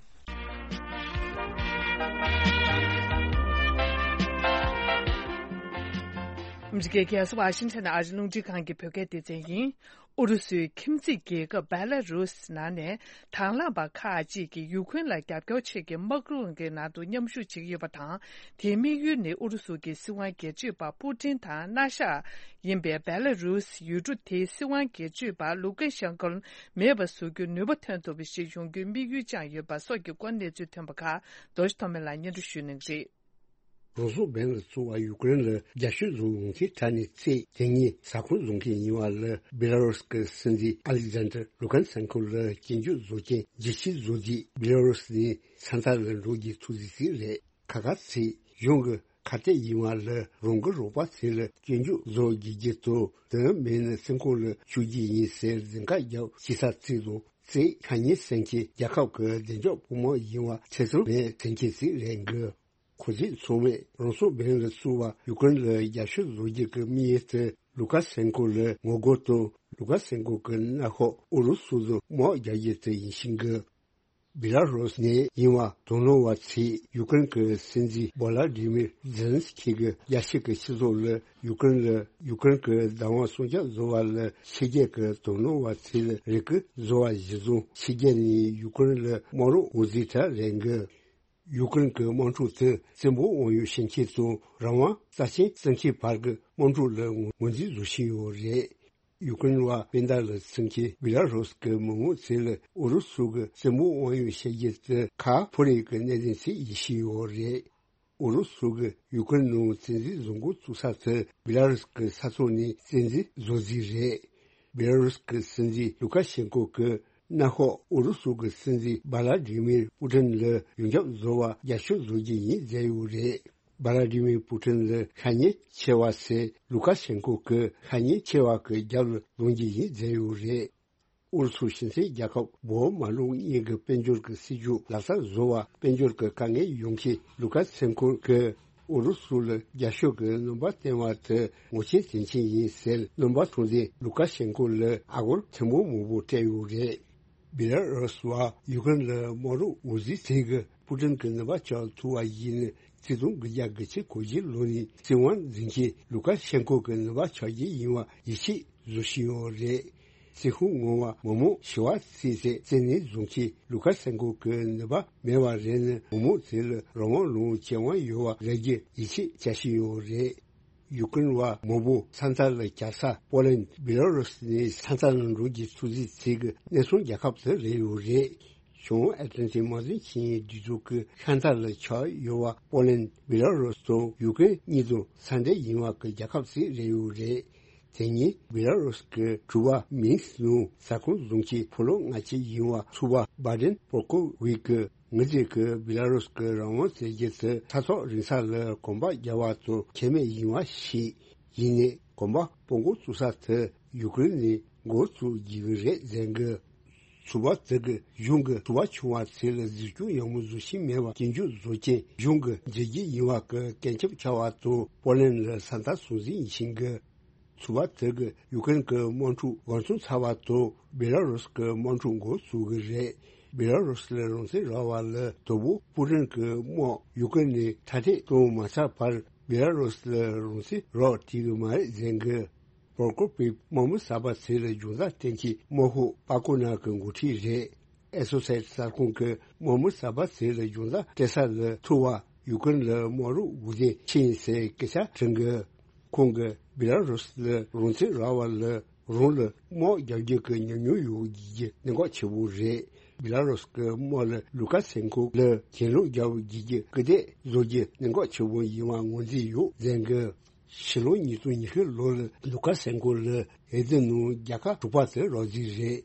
ཨ་མི་རི་ཀའི་རྒྱལ་ས་ཝ་ཤིང་ཊོན་ཨ་རི་རླུང་འཕྲིན་ཁང་གི་བོད་སྐད་སྡེ་ཚན་ཡིན། ཨུ་རུ་སུའི་ཁྱིམ་མཚེས་རྒྱལ་ཁབ་བེ་ལ་རུས་ནང་ནས་དང་བླངས་པ་ཁག་ཅིག་གིས་ཡུ་ཁུན་ལ་རྒྱབ་སྐྱོར་ཆེད་ཀྱི་དམག་དཔུང་གི་ནང་དུ་མཉམ་ཞུགས་བྱེད་ཀྱི་ཡོད་པ་དང་། དེའི་དམིགས་ཡུལ་ནི་ཨུ་རུ་སུ་གྱི་སྲིད་དབང་སྒེར་གཅོད་པ་པུ་ཏིན་དང་མནའ་ཤག་ཡིན་པའི་བེ་ལ་རུས་ཡུལ་གྲུ་དེའི་སྲིད་དབང་སྒེར་གཅོད་པ་ལུ་ཀེ་ཤན་ཀོ་མེད་པ་བཟོ་རྒྱུའི་ནུས་པ་ཐོན་ཐུབ་པ་ཞིག་ཡོང་རྒྱུའི་དམིགས་ཡུལ་བཅངས་ཡོད་པ་སོགས་ཀྱི་སྐོར་གནས་ཚུལ་ཐོན་པ་ཁག་རྡོ་རྗེ་ཐོགས་མེད་ལགས་སྙན་སྒྲོན་ཞུ་གནང་གི་རེད། རང་སྲོག་འབེན་ལ་བཙུགས་པ་ཡུ་ཀེ་རེན་ལ་རྒྱབ་སྐྱོར་བཟོ་ཡོང་ཚེ་ཁྲ་ནས་ཚེ་དེ་ཉིད་ས་ཁོངས་བཟུང་མཁན་ཡིན་པ་ལ་བེ་ལ་རུས་ཀྱི་སྲིད་འཛིན་ཨ་ལེག་ཛན་ཏྲ་ལུ་ཀན་སན་ཁོ་ལ་སྐྱོན་བརྗོད་བཟོ་རྐྱེན་རྒྱལ་སྤྱིའི་བཟོ་རྒྱུ་བེ་ལ་རུས་ནས་ས་མཐའ་ལ་འགྲོ་རྒྱུའི་ཐུགས་རྗེ་ཞིག་རེད། ཁ་ཁ་ཚིག་གཞུང་གི་ཁ་གཏད་ཡིན་པ་ལ་རང་གི་རོགས་པ་ཚོ་ལ་སྐྱོན་བརྗོད་བཟོ་དགོས་རྒྱུ་དང་དོན་མེད་ན་སེམས་ཁོང་ལ་ཆུ་རྒྱུ་ཡིན་ཟེར་འཛིང་ཁ་རྒྱབ་ཅི་ས་ཚིག་དང་ཚིག་ཁ་ཉིན་སེམས་ཀྱི་རྒྱལ་ཁབ་ཀྱི་བདེ་འཇགས་བུ་མོ་ཡིན་པ་ཚེ་སྲོག་མེད་སེམས་ཀྱི་ཚིག་རེད་འགི། ཁོ་ཚོས་ཚང་མས་རང་སྲོག་འབེན་ལ་བཙུགས་པ་ཡུ་ཀེ་རེན་ལ་རྒྱབ་སྐྱོར་བཟོ་རྒྱུ་གི་དམིགས་ཡུལ་དེ་ལུ་ཀ་སེན་ཀོ་ལ་ངོ་རྒོལ་དང་ལུ་ཀ་སེན་ཀོ་གི་མནའ་ཤོག་ཨུ་རུ་སུ་ཚོ་དམག་རྒྱག་རྒྱུ་དེ་ཡིན་ཞིང་གི། བི་ལ་རུས་ནས་ཡིན་པ་དོ་སྣང་བ་ཚོས་ཡུ་ཀེ་རེན་གྱི་སྲིད་འཛིན་བོ་ལ་ཌི་མིར་ཛེ་ལན་སི་ཁི་གི་རྒྱལ་སྤྱི་གི་སྤྱི་ཚོགས་ལ་ཡུ་ཀེ་རེན་ལ་ཡུ་ཀེ་རེན་གྱི་བདག་དབང་སྲུང་སྐྱོབ་བཟོ་བ་ལ་ཕྱི་རྒྱལ་གྱི་དོ་སྣང་བ་ཚོས་རེ་སྐུལ་བཟོ་བ་གཞིར་བཟུང་ཕྱི་རྒྱལ་ནས་ཡུ་ཀེ་རེན་ལ་དམག་རོགས་འོས་འཛིན་གྲས་རེད་འགི། ཡུ་ཀེ་རེན་གྱི་དམག་འཁྲུག་དེ་བཙན་པོ་དབང་ཡོད་བྱེད་མཁན་དང་རང་དབང་རྩ་ཆེན་བརྩི་མཁན་བར་གྱི་དམག་འཁྲུག་ལ་ངོས་འཛིན་བཟོ་བཞིན་ཡོད་རེད། ཡུ་ཀེ་རེན་བ་སྤུན་ཟླ་ལ་སེམས་ཀྱི་བི་ལ་རུས་ཀྱི་མི་མང་ཚོས་ལ་ཨུ་རུ་སུ་གི་བཙན་པོ་དབང་ཡོད་བྱེད་རྒྱུ་དེ་ཁ་ཕོ་རེ་གི་གནད་དོན་ཞིག་ཡིད་བཞིན་ཡོད་རེད། ཨུ་རུ་སུ་གི་ཡུ་ཀེ་རེན་ནང་བཙན་འཛུལ་བཟོ་འགོ་བཙུགས་ས་དེ་བི་ལ་རུས་ཀྱི་ས་ཐོག་ནས་བཙན་འཛུལ་བཟོ་རྩིས་རེད། བི་ལ་རུས་ཀྱི་སྲིད་འཛིན་ལུ་ཀ་ཤེན་ཀོ་གི་ གནམ་འོག་ཨུ་རུ་སུ་གི་སྲིད་འཛིན་བྷ་ལ་ཏི་མིར་པུ་ཏིན་ལ་ཡོངས་ཁྱབ་བཟོ་བར་རྒྱབ་སྐྱོར་བཟོ་རྒྱུ་ཡིན་ཟེར་ཡོད་རེད། བྷ་ལ་ཏི་མིར་པུ་ཏིན་ལ་ཤ་ཉེན་ཆེ་བ་ཟེར་ལུ་ཀ་ཤན་ཀོ་གི་ཤ་ཉེན་ཆེ་བ་གི་རྒྱབ་ལ་ལོང་རྒྱུ་ཡིན་ཟེར་ཡོད་རེད། ཨུ་རུ་སུ་གཞི་སྲིད་རྒྱལ་ཁབ་འོག་མ་ལུག་གཉིས་ཀྱི་དཔལ་འབྱོར་གྱི་སྲིད་ཇུས་ལག་བསྟར་བཟོ་བར་དཔལ་འབྱོར་གྱི་དཀའ་ངལ་ཡོང་མཁན་ལུ་ཀ་ཤན་ཀོ་གིས་ཨུ་རུ་སུ་ལ་རྒྱབ་སྐྱོར་གྱི་སྣོན་པ་བསྟན་པ་དེ་ངོ་ཤེས་དོན་ཆེན་ཡིན་ཟེར། སྣོན་པ་ཐོན་རྗེས་ལུ་ཀ་ཤན་ཀོ་ལ་ཨ་སྒོར་ཆེན་པོ་མང་པོ་སྤྲད་ཡོད་རེད། བི་ལ་རུ་སི་བ་ཡུ་ཀེ་རེན་ལ་དམག་རོགས་འོས་འཛིན་བྱེད་དགོས། པུ་ཏིན་གྱི་ནུས་པ་ཆག་ཐུབ་པ་ཡིན་ན་ཆིག་སྟོང་དགུ་བརྒྱ་དགུ་བཅུ་གོ་བཞི་ལོ་ནས་སྲིད་དབང་འཛིན་མཁན་ལུ་ཀ་ཤན་ཀོ་གི་ནུས་པ་ཆག་རྒྱུ་ཡིན་པ་ཡིད་ཆེས་བཟོ་བཞིན་ཡོད་རེད། སྲིད་ཁུངས་ངོ་མ་མི་མང་ཞི་བ་སྲིད་ཟེར་བཙན་གནོན་བཟོ་མཁན་ལུ་ཀ་ཤན་ཀོ་གི་ནུས་པ་མེད་པ་རེད་ན། མི་མང་དེ་ལ་རང་དབང་ལུང་ཁྱད་དབང་ཡོད་པ་རག་རྒྱུ་ཡིད་ཆེས་བྱ་བཞིན་ཡོད་རེད། ཡུ་ཀེ་རེན་བ་མང་པོ་ས་མཐའ་ལ་གྱར་ས་པོ་ལན། བི་ལ་རུ་སི་ནས་ས་མཐའ་ལ་འགྲོ་རྒྱུ་ཐུགས་རྗེ་ཆེ་གི་གནས་ཚང་རྒྱལ་ཁབ་དེ་རེད་ཡོད་རེད། བྱང་ཨེ་ཏི་ལན་ཏིག་དམག་དོན་ཆིངས་ཡིག་འདི་ཚོ་གི་ཤར་མཐའ་ལ་ཆགས་ཡོད་པ་པོ་ལན། བི་ལ་རུ་སི་དང་ཡུ་ཀེ་རེན་གཉིས་དང་ས་འབྲེལ་ཡིན་པ་གི་རྒྱལ་ཁབ་ཅིག་རེད་ཡོད་རེད། དེ་ཉིན་བི་ལ་རུ་སི་གི་དྲུག་པ་མིན་སི་ནང་ཟ་ཁང་བཟུང་མཁན་ཕོ་ལོ་ལྔ་བཅུ་ཡིན་པ་ཚོ་པ་བྷ་དེན་པོར་ཀོ་ཝི་གི་ངེད་ཅག་གིས་བི་ལ་རུ་སི་གི་རང་དབང་བཙན་རྒྱལ་དུ་ས་ཐོག་རིང་ས་ལ་གོམ་པ་རྒྱག་པ་དང་ཁྱད་མེད་ཡིན་པ་ཞིག་ཡིན་ནའི་གོམ་པ་སྤོ་འགོ་བཙུགས་ས་དེ་ཡུ་ཀེ་རེན་ནས་འགོ་བཙུགས་རྒྱུ་གི་རེད་ཟེར་གི། ཚོ་པ་དེ་གིས་གཞུང་གི་ཚོ་པ་ཆུང་བ་ཚོ་ལ་གཟིགས་སྐྱོང་ཡག་མོ་བཟོ་བཞིན་མེད་པར་སྐྱོན་བརྗོད་བཟོ་རྐྱེན་གཞུང་གི་མཛད་རྗེས་ཡིན་པ་གི་སྐད་ཆ་ཁྱབ་པ་དང་པོ་ལན་ལ་ས་མཐའ་སྲུང་འཛིན་བྱེད་གི། ཚོ་པ་དེ་གིས་ཡུ་ཀེ་རེན་གྱི་དམག་འཁྲུག་འགོ་ཚུགས་ཚར་བ་དང་བི་ལ་རུ་སི་གི་དམག་འཁྲུག་འགོ་ཚུགས་གི་རེད། བི་ལ་རུ་སི་ལ་རང་བཙན་རག་པ་ལ་དོ་པོ་པུ་ཏིན་གྱི་དམག་ཡུ་ཀེ་རེན་ནས་མཐའ་སྐྲོད་གཏོང་མ་ཚར་བར་བི་ལ་རུ་སི་ལ་རང་བཙན་རག་བྲིས་གི་མ་རེད་ཟེར་གི། པོར་ཀོ་པིབ་དམག་མི་གསར་པ་ཚོ་ལ་སྦྱོང་བརྡར་སྟོན་མཁན་དམག་དཔོན་པ་ཀོ་ན་གི་འགོ་ཁྲིད་རེད། ཨེ་སོ་སི་ཨེ་ཊི་གསར་ཁང་གིས་དམག་མི་གསར་པ་ཚོ་ལ་སྦྱོང་བརྡར་སྤྲད་ས་ལ་ཐུག་པར་ཡུ་ཀེ་རེན་ལ་དམག་རོགས་འོས་འདེམས་ཕྱིན་ཟེར་སྐད་ཆ་དྲིས་གི། ཁོང་གིས་བི་ལ་རུ་སི་ལ་རང་བཙན་རག་པ་ལ་རང་ལ་དམག་རྒྱག་རྒྱུ་གི་ཉམས་མྱོང་ཡོད་རྒྱུ་གནད་འགག་ཆེ་པོ་རེད། བི་ལ་རུ་སི་གི་དམག་ལ་ལུ་ཀ་སེན་ཀོ་ལ་གྱེན་ལོག་རྒྱག་རྒྱུ་གི་སྐུལ་འདེད་བཟོ་རྒྱུ་གནད་འགག་ཆེ་པོ་ཡིན་པ་ངོས་འཛིན་ཡོད་ཟེར་གི། ཕྱི་ལོ་ཉིས་སྟོང་ཉི་ཤུ་ལོ་ལ་ལུ་ཀ་སེན་ཀོ་ལ་འོས་བསྡུ་ནང་རྒྱལ་ཁབ་དྲུག་པ་དེ་རག་རྩིས་རེད།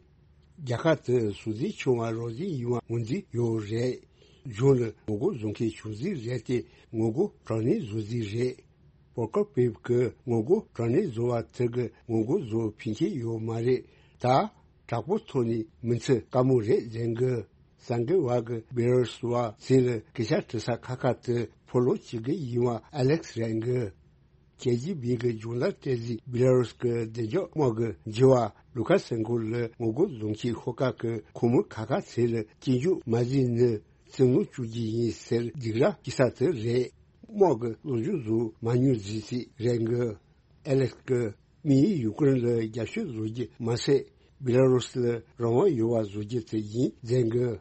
རྒྱལ་ཁབ་དེ་སྲོག་འཛིན་ཆུང་བ་རག་རྩིས་ཡིན་པ་ངོས་འཛིན་ཡོད་རེད། གཞུང་ལ་ངོ་རྒོལ་བཟོ་མཁན་བྱུང་རྩིས་རེད་དེ་ངོ་རྒོལ་དྲག་གནོན་བཟོ་རྩིས་རེད། པོར་ཀོ་པིབ་ཀྱིས་ངོ་རྒོལ་དྲག་གནོན་བཟོ་བ་དེ་གི་ངོ་རྒོལ་བཟོ་ཕན་ཆད་ཡོད་མ་རེད། ད་དྲག་པོ་ཐོག་ནས་མི་ཚེ་དཀའ་མོ་རེད་ཟེར་གི། གསར་འགོད་པ་གིས་བི་ལ་རུ་སི་བ་ཚོ་ལ་སྐད་ཆ་དྲི་ས་ཁ་ཁ་དེ་ཕོ་ལོ་གཅིག་གི་ཡིན་པ་ཨ་ལེག་སི་རེད་གི། ཀེ་ཇི་བི་གི་སྦྱོང་བརྡར་སྤྲད་རྗེས་བི་ལ་རུ་སི་གི་བདེ་འཇགས་དམག་གི་འགྱུར་བ་ལུ་ཀ་སེན་ཀོ་ལ་ངོ་རྒོལ་བཟོ་མཁན་ཤོག་ཁག་གི་ཁོངས་མི་ཁ་ཁ་ཚོ་ལ་སྐྱོན་བརྗོད་མ་བྱས་ན་བཙན་གནོན་བཅུག་རྒྱུ་ཡིན་ཟེར་སྡིགས་ར་སྐྱེ་ས་དེ་རེད། དམག་གི་སློབ་སྦྱོང་བཟོ་མ་མྱོང་རྫིག་རྫིག་རེད་གི། ཨ་ལེག་སི་གིས་དམིགས་ཡུལ་ཡུ་ཀེ་རེན་ལ་རྒྱབ་སྐྱོར་བཟོ་རྒྱུ་མ་ཟད། བི་ལ་རུ་སི་ལ་རང་དབང་ཡོད་པ་བཟོ་རྒྱུ་དེ་ཡིན་ཟེར་གི།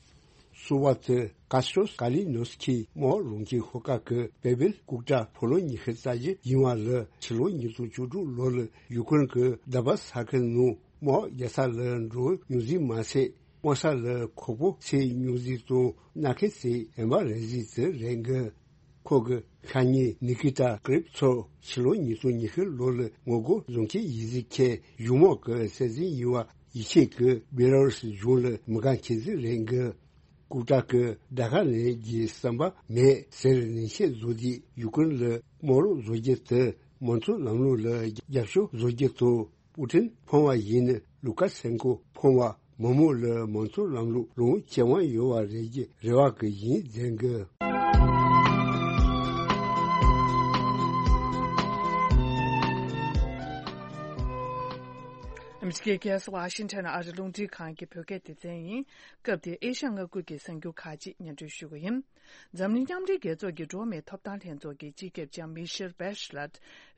སོ་པ་དེ་ཀ་སི་ཏྲོས་ཀ་ལི་ནོ་སི་ཁི་དམག་རོགས་ཀྱི་ཤོག་ཁག་གི་པེ་བིལ་ཀུག་ཀྲ་ཕོ་ལོ་ཉི་ཤུ་རྩ་བཞི་ཡིན་པ་ལ་ཕྱི་ལོ་ཉིས་སྟོང་བཅུ་དྲུག་ལོ་ལ་ཡུ་ཀེ་རེན་གྱི་དཱ་བ་ས་ཁུལ་ནང་དམག་རྒྱག་ས་ལ་འགྲོ་མྱོང་རྩིས་མ་ཟད། དམག་ས་ལ་ཁོག་པོ་ཚིག་མྱོང་རྩིས་དང་སྣ་ཁའི་ཚིག་ཡན་པ་རེག་རྩིས་དེ་རེད་གི། ཁོ་གི་ཤ་ཉེ་ནི་ཀི་ཏ་ཀི་རིབ་ཚོ་ཕྱི་ལོ་ཉིས་སྟོང་ཉི་ཤུ་ལོ་ལ་ངོ་རྒོལ་བཟོ་མཁན་ཡིན་ཟེར་མཁན་གཞུང་དམག་གི་སྲིད་འཛིན་ཡིན་པ་ཡིད་ཆེས་ཀྱིས་བེ་ལ་རུ་སི་གཞུང་ལ་མི་དགའ་མཁན་ཟིག་རེད་གི། ཀུག་ཀྲ་གིས་དགྲ་ཁ་ལེན་རྒྱུའི་བསམ་པ་མེད་ཟེར་ནན་བཤད་བཟོ་དུས་ཡུ་ཀེ་རེན་ལ་དམག་རོགས་བཟོ་རྒྱུ་དེ་མང་གཙོའི་ལམ་ལུགས་ལ་རྒྱབ་སྐྱོར་བཟོ་རྒྱུ་དང་། པུ་ཏིན་ཕོངས་པ་ཡིན་ན་ལུ་ཀ་སེན་ཀོ་ཕོངས་པ་མང་མོ་ལ་མང་གཙོའི་ལམ་ལུགས་ལོངས་སྤྱོད་དབང་ཡོད་པ་རེད་ཀྱི་རེ་བ་གི་ཡིན་ཟེར་གི། ཨ་མི་རི་ཀའི་རྒྱལ་ས་ཝ་ཤིང་ཊོན་ཨ་རི་རླུང་འཕྲིན་ཁང་གི་བོད་སྐད་སྡེ་ཚན་ཡིན། སྐབས་འདིར་ཨེ་ཤ་ཡ་མངའ་ཁུལ་གྱི་གསར་འགྱུར་ཁག་ཅིག་སྙན་སྒྲོན་ཞུ་གི་ཡིན། འཛམ་གླིང་མཉམ་འབྲེལ་རྒྱལ་ཚོགས་ཀྱི་འགྲོ་བ་མིའི་ཐོབ་ཐང་ལྷན་ཚོགས་ཀྱི་སྤྱི་ཁྱབ་ལྕམ་མི་ཤེལ་བྷེ་ཤ་ལེད།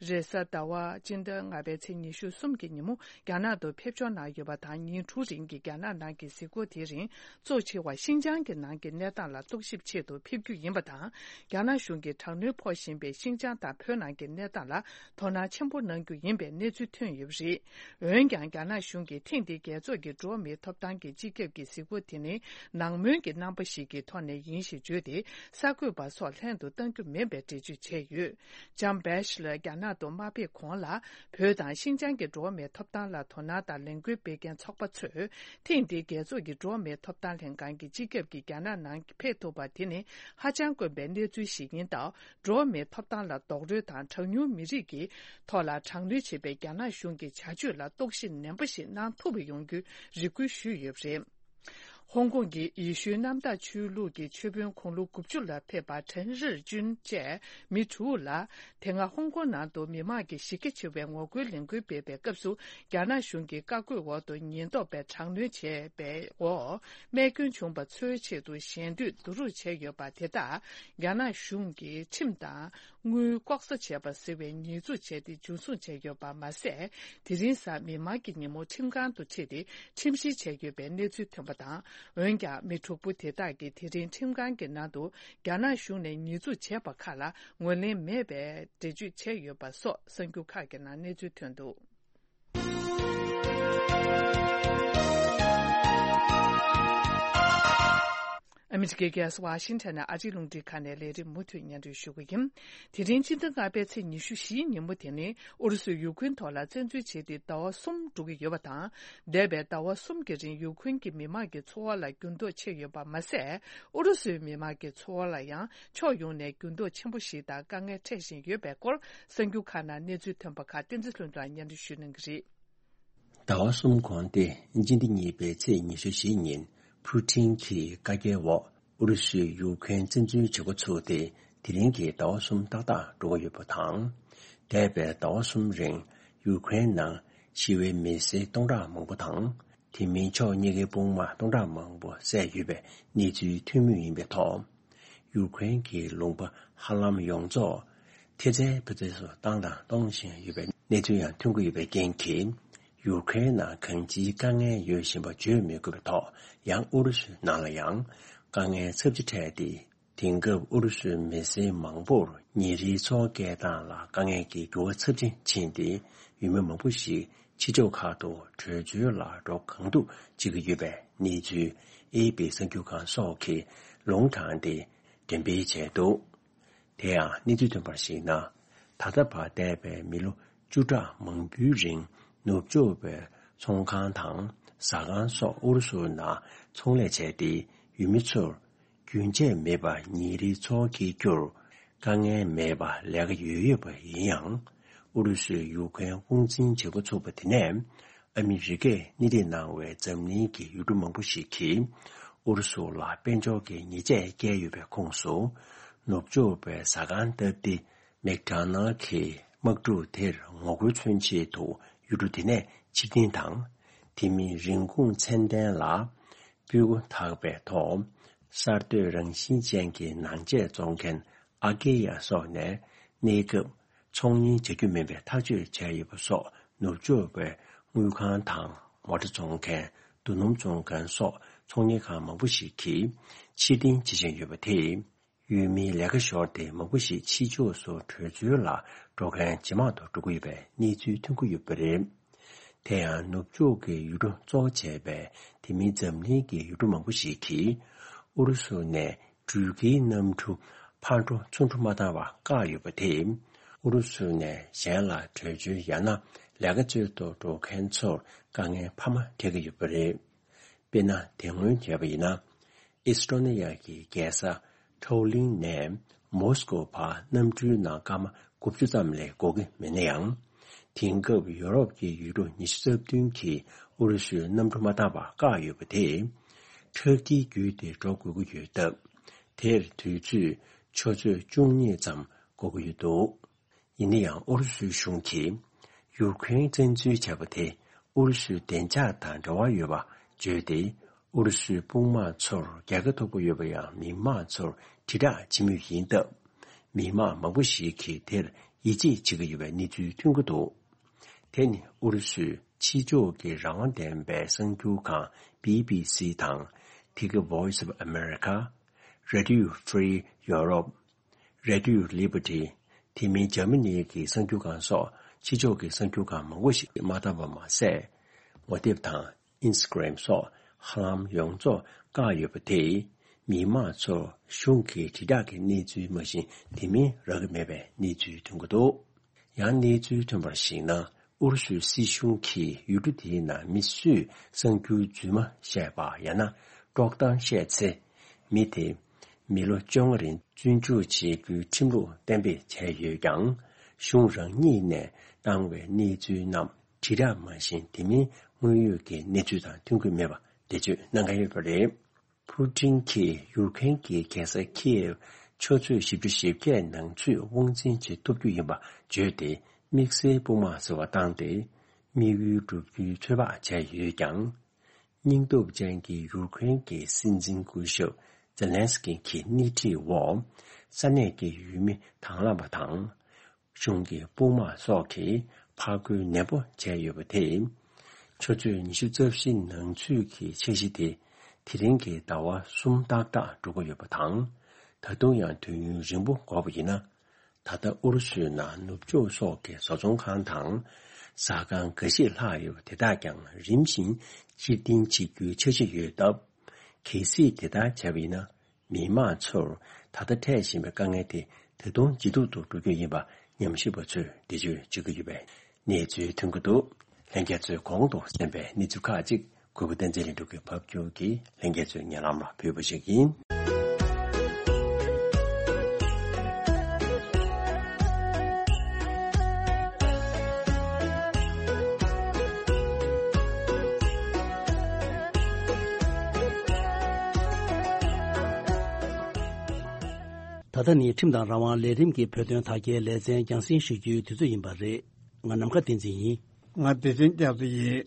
རེས་གཟའ་ཟླ་བ་སྤྱི་ཟླ་ལྔ་པའི་ཚེས་ཉི་ཤུ་གསུམ་གྱི་ཉིན་མོ་རྒྱ་ནག་ཏུ་ཕེབས་འབྱོར་གནང་ཡོད་པ་དང་། ཉིན་དྲུག་རིང་གི་རྒྱ་ནག་ནང་གི་གཟིགས་སྐོར་དེའི་རིང་། གཙོ་ཆེ་བ་ཤིན་ཅང་གི་ནང་གི་གནས་སྟངས་ལ་རྟོག་ཞིབ་ཆེད་དུ་ཕེབས་རྒྱུ་ཡིན་པ་དང་། རྒྱ་ནག་གཞུང་གིས་དྲག་གནོན་ཕོག་བཞིན་པའི་ཤིན་ཅང་དང་བོད་ནང་གི་གནས་སྟངས་ལ་དོ་སྣང་ཆེན་པོ་གནང་རྒྱུ་ཡིན་པའི་གནས་ཚུལ་ཐོན་ཡོད་པ་རེད། འོན་ཀྱང་། རྒྱ་ནག་གཞུང་གིས་ཐེངས་འདིའི་རྒྱལ་ཚོགས་ཀྱི་འགྲོ་བ་མིའི་ཐོབ་ཐང་གི་སྤྱི་ཁྱབ་ཀྱི་གཟིགས་སྐོར་དེ་ནི་ནང་མོལ་གྱི་རྣམ་པ་ཞིག་གི་ཐོག་ནས་ཡིན་ཞེས་བརྗོད་དེ། གསར་འགོད་པ་སོགས་ལྷན་དུ་གཏང་རྒྱུ་མིན་པའི་འགྲེལ་བརྗོད་བྱས་ཡོད། ལྕམ་བྷེ་ཤི་ལར་རྒྱ་ནག་ཏུ་མ་ཕེབས་གོང་ལ། བོད་དང་ཤིན་ཅང་གི་འགྲོ་བ་མིའི་ཐོབ་ཐང་ལ་དོ་སྣང་དང་ལས་འགུལ་སྤེལ་མཁན་ཚོགས་པ་ཚོས། ཐེངས་འདིའི་རྒྱལ་ཚོགས་ཀྱི་འགྲོ་བ་མིའི་ཐོབ་ཐང་ལྷན་ཁང་གི་སྤྱི་ཁྱབ་ཀྱིས་རྒྱ་ནག་ནང་ཕེབས་ཐུབ་པ་དེ་ནི་ཧ་ཅང་དཀོན་པའི་གནས་ཚུལ་ཞིག་ཡིན་སྟབས། འགྲོ་བ་མིའི་ཐོབ་ཐང་ལ་རྡོག་རོལ་དང་གྲངས་ཉུང་མི་རིགས་ཀྱི་ཐོག་ལ་དྲག་གནོན་བྱེད་པའི་རྒྱ་ནག་གཞུང་གི་བྱ་སྤྱོད་ལ་རྟོག་ཞིབ་ནན་པོ་ཞིག་གནང་ཐུབ་པ་ཡོང་རྒྱུའི་རེ་སྐུལ་ཞུས་ཡོད་པ་རེད། ཧོང་ཀོང་གི་ཡེ་ཤུའི་གནམ་བདག་ཆོས་ལུགས་ཀྱི་ཆོས་དཔོན་དགུང་ལོ་དགུ་བཅུ་ལ་ཕེབས་པ་ཁྲེན་རིར་ཅུན་བཅས་མི་དྲུག་ལ། དེ་སྔ་ཧོང་ཀོང་ནང་དུ་མི་མང་གིས་གཞི་རྒྱ་ཆེ་བའི་ངོ་རྒོལ་ལས་འགུལ་སྤེལ་བའི་སྐབས་སུ། རྒྱ་ནག་གཞུང་གི་བཀའ་བཀོད་འོག་ཏུ་ཉེན་རྟོག་པས་དྲག་གནོན་བྱས་པའི་འོག་རྨས་སྐྱོན་བྱུང་བ་ཚོའི་ཆེད་དུ་ཞལ་འདོན་བསྡུ་རུབ་བྱས་ཡོད་པ་དེ་དག་རྒྱ་ནག་གཞུང་གིས་ཁྲིམས་དང་། དངུལ་ལྐོག་ཟ་བྱས་པ་ཟེར་བའི་ཉེས་འཛུགས་བྱས་ཏེ་འཇུ་བཟུང་བྱས་ཡོད་པ་མ་ཟད། དེ་རིང་གཟའ་མིག་དམར་གྱི་ཉིན་མོ་ཁྲིམས་ཁང་དུ་ཁྲིད་དེ་ཁྲིམས་བཤེར་བྱས་ཡོད་པའི་གནས་ཚུལ་ཐོན་པ་དང་། འོན་ཀྱང་མི་དྲུག་པོ་དེ་དག་གིས་དེ་རིང་ཁྲིམས་ཁང་གི་ནང་དུ་རྒྱ་ནག་གཞུང་ནས་ཉེས་འཛུགས་བྱས་པ་ཁག་ལ་ངོས་ལེན་མེད་པའི་འགྲེལ་བརྗོད་བྱས་ཡོད་པ་སོགས་གསར་འགྱུར་ཁག་གི་ནང་གནས་ཚུལ་ཐོན་འདུག་ཨ་མི་རི་ཀའི་རྒྱལ་ས་ཝ་ཤིང་ཊོན་ནས་ཨ་རིའི་རླུང་འཕྲིན་ཁང་ནས་ལས་རིམ་མུ་མཐུད་སྙན་སྒྲོན་ཞུ་གི་ཡིན། དེ་རིང་སྤྱི་ཟླ་ལྔ་པའི་ཚེས་ཉི་ཤུ་བཞིའི་ཉིན་མོ་དེ་ནི་ཨུ་རུ་སུས་ཡུ་ཁུན་ཐོག་ལ་བཙན་འཛུལ་བྱས་ཏེ་ཟླ་བ་གསུམ་འགྲོ་གི་ཡོད་པ་དང་། འདས་པའི་ཟླ་བ་གསུམ་གྱི་རིང་ཡུ་ཁུན་གྱི་མི་མང་གི་འཚོ་བ་ལ་འགྱུར་ལྡོག་ཕྱིན་ཡོད་པ་མ་ཟད། ཨུ་རུ་སུའི་མི་མང་གི་འཚོ་བ་ལ་ཡང་ཕྱོགས་ཡོངས་ནས་འགྱུར་ལྡོག་ཆེན་པོ་ཞིག་དང་དཀའ་ངལ་འཕྲད་བཞིན་ཡོད་པའི་སྐོར་གསར་འགྱུར་ཁག་ནང་གནས་ཚུལ་ཐོན་པ་ཁག་བསྟན་འཛིན་ལྷུན་གྲུབ་ལགས་སྙན་སྒྲོན་ཞུ་གནང་གི་རེད། ཟླ་བ་གསུམ་གོང་སྟེ་སྤྱི་ཟླ་གཉིས་པའི་ཚེས་ཉི་ཤུ་བཞི་ཉིན་ཕུ་ཊིན་གྱི་བཀའ་རྒྱའི་འོག་ཨུ་རུ་སུས་ཡུ་ཁུན་བཙན་འཛུལ་བྱེད་འགོ་ཚུགས་ཏེ་དེ་རིང་གི་ཟླ་བ་གསུམ་ཏག་ཏག་འགྲོ་གི་ཡོད་པ་དང་། འདས་པའི་ཟླ་བ་གསུམ་རིང་ཡུ་ཁུན་ནང་ཞི་བའི་མི་སེར་སྟོང་ཕྲག་མང་པོ་དང་། དེ་མིན་ཕྱོགས་གཉིས་ཀའི་དཔུང་དམག་སྟོང་ཕྲག་མང་པོ་བསད་ཡོད་པའི་གནས་ཚུལ་ཐོན་མུས་ཡིན་པའི་ཐོག་ཡུ་ཁུན་གྱི་ལུང་པ་ཧ་ལམ་ཡོངས་རྫོགས་ཐེལ་ཙེ་ཕུ་ཙེ་སུ་བཏང་དང་གཏོང་བཞིན་ཡོད་པའི་གནས་ཚུལ་ཡང་ཐོན་གྱི་ཡོད་པའི་རྐྱེན་གྱིས། ཡུ་ཁུན་ནང་གང་ཅིའི་དཀའ་ངལ་ཡོད་བཞིན་པ་བརྗོད་མི་དགོས་པའི་ཐོག་ཡང་ཨུ་རུ་སུའི་ནང་ལ་ཡང་དཀའ་ངལ་ཚབས་ཆེ་འཕྲད་དེ། དེང་སྐབས་ཨུ་རུ་སུའི་མི་སེར་མང་པོར་ཉིན་རེའི་འཚོ་བ་སྐྱེལ་སྟངས་ལ་དཀའ་ངལ་གྱི་འགྱུར་བ་ཚབས་ཆེན་ཕྱིན་ཏེ། ཡུལ་མི་མང་པོ་ཞིག་ཕྱི་ཕྱོགས་ཁག་ཏུ་བྲོས་བྱོལ་ལ་འགྲོ་གང་ཐུབ་བྱེད་ཀྱི་ཡོད་པའི་གནས་ཚུལ་ཨེ་པི་གསར་འགྱུར་ཁང་སོགས་ཀྱིས་ལུང་དྲངས་ཏེ་འགྲེམས་སྤེལ་བྱས་འདུག་དེ་ཡང་གནས་ཚུལ་ཐོན་པར་གཞིགས་ན། ད་ལྟ་བར་འདས་པའི་མི་ལོ་བཅུ་ཕྲག་མང་པོའི་རིང་ནུབ་ཕྱོགས་པའི་ཚོང་ཁང་དང་ཟ་ཁང་སོགས་ཨུ་རུ་སུ་ནང་ཚོང་ལས་བྱས་ཏེ་ཡུལ་མི་ཚོར་རྒྱུན་ཆད་མེད་པར་ཉིན་རེའི་འཚོ་བ་སྐྱེལ་རྒྱུར་དཀའ་ངལ་མེད་པར་ལས་ཀ་ཡོད་ཡོད་པ་ཡིན་ཡང་། ཨུ་རུ་སུས་ཡུ་ཁུན་དབང་འཛིན་བྱེད་འགོ་ཚུགས་པ་དེ་ནས་ཨ་མི་རི་ཀས་སྣེ་ཁྲིད་གནང་བའི་འཛམ་གླིང་གི་ཡུལ་གྲུ་མང་པོ་ཞིག་གིས་ཨུ་རུ་སུ་ལ་དཔལ་འབྱོར་གྱི་ཉེས་ཆད་བཀལ་ཡོད་པའི་ཁོངས་སུ་ནུབ་ཕྱོགས་པའི་ཟ་ཁང་སྟབས་བདེ་མེག་ཌོ་ནལ་གྱི་དམག་འཁྲུག་དེར་ངོ་རྒོལ་མཚོན་ཆེད་དུ་ཡུལ་གྲུ་དེ་ནས་ཕྱིར་འཐེན་དང་། དེ་མིན་རིན་གོང་ཚད་ལྡན་ལ་སྤུས་ཀ་དག་པའི་ཐོག་གསར་གཏོད་རང་བཞིན་ཅན་གྱི་ནང་ཆས་བཙོང་མཁན་ཨ་ཀེ་ཡ་སོགས་ནས་གནས་སྐབས་ཚོང་གཉེར་བྱ་རྒྱུ་མིན་པའི་ཐག་གཅོད་བྱས་ཡོད་པ་སོགས་ནུབ་ཕྱོགས་པའི་དངུལ་ཁང་དང་མོ་ཊ་བཙོང་མཁན་རྡོ་སྣུམ་བཙོང་མཁན་སོགས་ཚོང་གཉེར་ཁང་མང་པོ་ཞིག་གིས་ཕྱིར་འཐེན་བྱེད་བཞིན་ཡོད་པ་དེས། ཡུལ་མིའི་ལས་ཀ་ཤོར་ཏེ་མང་པོ་ཞིག་ཕྱི་ཕྱོགས་སུ་བྲོས་བྱོལ་ལ་འགྲོ་མཁན་ཇེ་མང་དུ་འགྲོ་གི་ཡོད་པའི་གནས་ཚུལ་ཐོན་གྱི་ཡོད་པ་རེད། དེ་ཡང་ནུབ་ཕྱོགས་ཀྱི་ཡུལ་གྲུ་གཙོ་བོ་བྱས་པའི་དེ་མིན་འཛམ་གླིང་གི་ཡུལ་གྲུ་མང་པོ་ཞིག་གིས་ཨུ་རུ་སུ་ནས་འགྲུལ་སྐྱེལ་གནམ་གྲུ་ཕར་འགྲོ་ཚུར་འགྲོ་མ་བཏང་བར་བཀག་ཡོད་པ་དེས། ཨུ་རུ་སུ་ནས་གཞན་ལ་བྲོས་བྱོལ་ཡང་ན་ལས་ཀ་རྩོད་དུ་འགྲོ་མཁན་ཚོར་དཀའ་ངལ་འཕར་མ་འཕྲད་ཀྱི་ཡོད་པ་རེད། དཔེར་ན། དེ་སྔོན་བྱས་པ་ཡིན་ན། ཨེས་ཏྲོ་ནི་ཡ་གི་རྒྱལ་ས་ཁྲའོ་ལིང་ནས་མོ་སི་ཀོ་བར་གནམ་གྲུའི་ནང་སྐར་མ་དགུ་བཅུ་ཙམ་ལས་འགོར་གྱི་མེད་ན་ཡང་། དེང་སྐབས་ཡོ་རོབ་ཀྱི་ཡུལ་གྲུ་ཉི་ཤུ་རྩ་བདུན་གྱིས་ཨུ་རུ་སུའི་གནམ་གྲུ་མ་བཏང་བར་བཀག་ཡོད་པ་དེས། ཁྲག་དཀྱིལ་བརྒྱུད་དེ་འགྲོ་དགོས་ཀྱི་ཡོད་སྟབས། དེར་དུས་ཚོད་ཆུ་ཚོད་བཅུ་གཉིས་ཙམ་འགོར་གྱི་ཡོད་འདུག་ཡིན་ན་ཡང་ཨུ་རུ་སུའི་གཞུང་གིས་ཡུ་ཁུ་རེན་བཙན་འཛུལ་བྱས་པ་དེ་ཨུ་རུ་སུའི་བདེ་འཇགས་དང་འབྲེལ་བ་ཡོད་པ་བརྗོད་དེ། ཨུ་རུ་སུའི་དཔུང་དམག་ཚོར་རྒྱལ་ཁ་ཐོབ་ཀྱི་ཡོད་པ་ཡང་མི་མང་ཚོར་དྲིལ་བསྒྲགས་བྱེད་མུས་ཡིན་སྟབས། མི་མང་མང་པོ་ཞིག་གིས་དེར་ཡིད་ཆེས་བྱེད་ཀྱི་ཡོད་པའི་གནས་ཚུལ་ཐོན་གྱི་འདུག་དེ་ནི་ཨུ་རུ་སུའི་ཕྱི་ཕྱོགས་ཀྱི་རང་དབང་ལྡན་པའི་གསར་འགྱུར་ཁང་བྷི་བྷི་སི་དང་། དེ་གི་Voice of America། Radio Free Europe། Radio Liberty། དེ་མིན་འཇར་མ་ནི་གི་གསར་འགྱུར་ཁང་སོགས་ཕྱི་ཕྱོགས་ཀྱི་གསར་འགྱུར་ཁང་མང་པོ་ཞིག་མ་བཏང་བ་མ་ཟད། ངོ་དེབ་དང་ཨིན་སི་ཊ་གྷ་རམ་སོགས་ཧ་ལམ་ཡོངས་རྫོགས་བཀག་ཡོད་པ་དེས། མི་མང་ཚོར་གཞུང་གི་དྲིལ་བསྒྲགས་ཀྱི་གནས་ཚུལ་མ་གཞི་དེ་མིན་རག་གི་མེད་པའི་གནས་ཚུལ་ཐོན་གྱི་འདུག་ཡང་གནས་ཚུལ་ཐོན་པར་གཞིགས་ན། ཨུ་རུ་སུའི་སྲིད་གཞུང་གིས་ཡུལ་གྲུ་དེའི་ནང་མི་སུས་གསར་འགྱུར་རྫུན་མ་བཤད་པ་ཡང་ན་དཀྲོག་གཏམ་བཤད་ཚེ། མི་དེ་མི་ལོ་བཅོ་ལྔ་རིང་བཙོན་འཇུག་བྱེད་རྒྱུའི་ཁྲིམས་ལུགས་གཏན་འབེབས་བྱས་ཡོད་ཀྱང་། གཞུང་རང་ཉིད་ནས་བཏང་བའི་གནས་ཚུལ་རྣམས་དྲིལ་བསྒྲགས་མ་བྱས་དེ་མིན་དངོས་ཡོད་ཀྱི་གནས་ཚུལ་དང་མཐུན་གྱི་མེད་པ་འགྲེལ་བརྗོད་གནང་གི་ཡོད་པ་རེད། ཕུ་ཊིན་གྱིས་ཡུཀ་རེན་གྱི་རྒྱལ་ས་ཁིའེབ་ཆུ་ཚོད་བཞི་བཅུ་ཞེ་བརྒྱད་ནང་ཚུད་དབང་འཛིན་བྱེད་ཐུབ་རྒྱུ་ཡིན་པ་བརྗོད་དེ། དམིགས་བསལ་དཔུང་དམག་ཟེར་བ་བཏང་སྟེ། དམིགས་ཡུལ་བསྒྲུབ་རྒྱུའི་ཚོད་དཔག་བྱས་ཡོད་ཀྱང་། སྙིང་སྟོབས་ཅན་གྱི་ཡུཀ་རེན་གྱི་སྲིད་འཛིན་སྐུ་ཞབས་ཛེ་ལན་སི་ཀི་གི་སྣེ་ཁྲིད་འོག་ས་གནས་ཀྱི་ཡུལ་མི་དང་བླངས་པ་དང་། གཞུང་གི་དཔུང་དམག་སོགས་ཀྱིས་ཕར་རྒོལ་ནན་པོ་བྱས་ཡོད་པ་དེས། ཆུ་ཚོད་ཉི་ཤུ་རྩ་བཞི་ནང་ཚུད་ཀྱི་འཆར་གཞི་དེ་དེ་རིང་གི་ཟླ་བ་གསུམ་ཏག་ཏག་འགྲོ་གི་ཡོད་པ་དང་། ད་དུང་ཡང་དུས་ཡུན་རིང་པོ་འགོར་བ་ཡིན་ན། ད་ལྟ་ཨུ་རུ་སུའི་ནང་ནུབ་ཕྱོགས་སོགས་ཀྱི་བཟོ་ཚོང་ཁང་དང་ཟ་ཁང་འགའ་ཤས་ལྷག་ཡོད་པ་དེ་དག་ཀྱང་རིམ་བཞིན་ཕྱིར་འཐེན་བྱེད་རྒྱུའི་འཆར་གཞི་ཡོད་སྟབས། གལ་སྲིད་དེ་ལྟར་བྱས་པ་ཡིན་ན། མི་མང་ཚོར་ད་ལྟ་འཕྲད་བཞིན་པའི་དཀའ་ངལ་དེ་ད་དུང་ཇེ་སྡུག་ཏུ་འགྲོ་རྒྱུ་ཡིན་པ་ཉམས་ཞིབ་པ་ཚོས་འགྲེལ་བརྗོད་བྱེད་ཀྱི་ཡོད་པའི་གནས་ཚུལ་ཐོན་གྱི་འདུག་ལྷན་རྒྱས་ཚོས་གོང་དུ་གསན་པའི་གནས་ཚུལ་ཁག་ཅིག་གུས་པ་བསྟན་འཛིན་ལྷུན་གྲུབ་ཀྱིས་ཕབ་སྒྱུར་གྱིས་ལྷན་རྒྱས་ཚོའི་སྙན་ལམ་ལ་ཕུལ་བ་ཞིག་ཡིན། ད་ལྟ་ནི་ཁྲིམས་དང་རང་དབང་ལས་རིམ་གྱི་བོད་དོན་དར་རྒྱས་ལེ་ཚན་རྒྱང་སྲིང་ཞུ་རྒྱུའི་དུས་ཚོད་ཡིན་པ་རེད། ང་ནམ་མཁའ་བསྟན་འཛིན་ཡིན། ང་བདེ་ཆེན་སྐྱབས་སུ་ཡིན།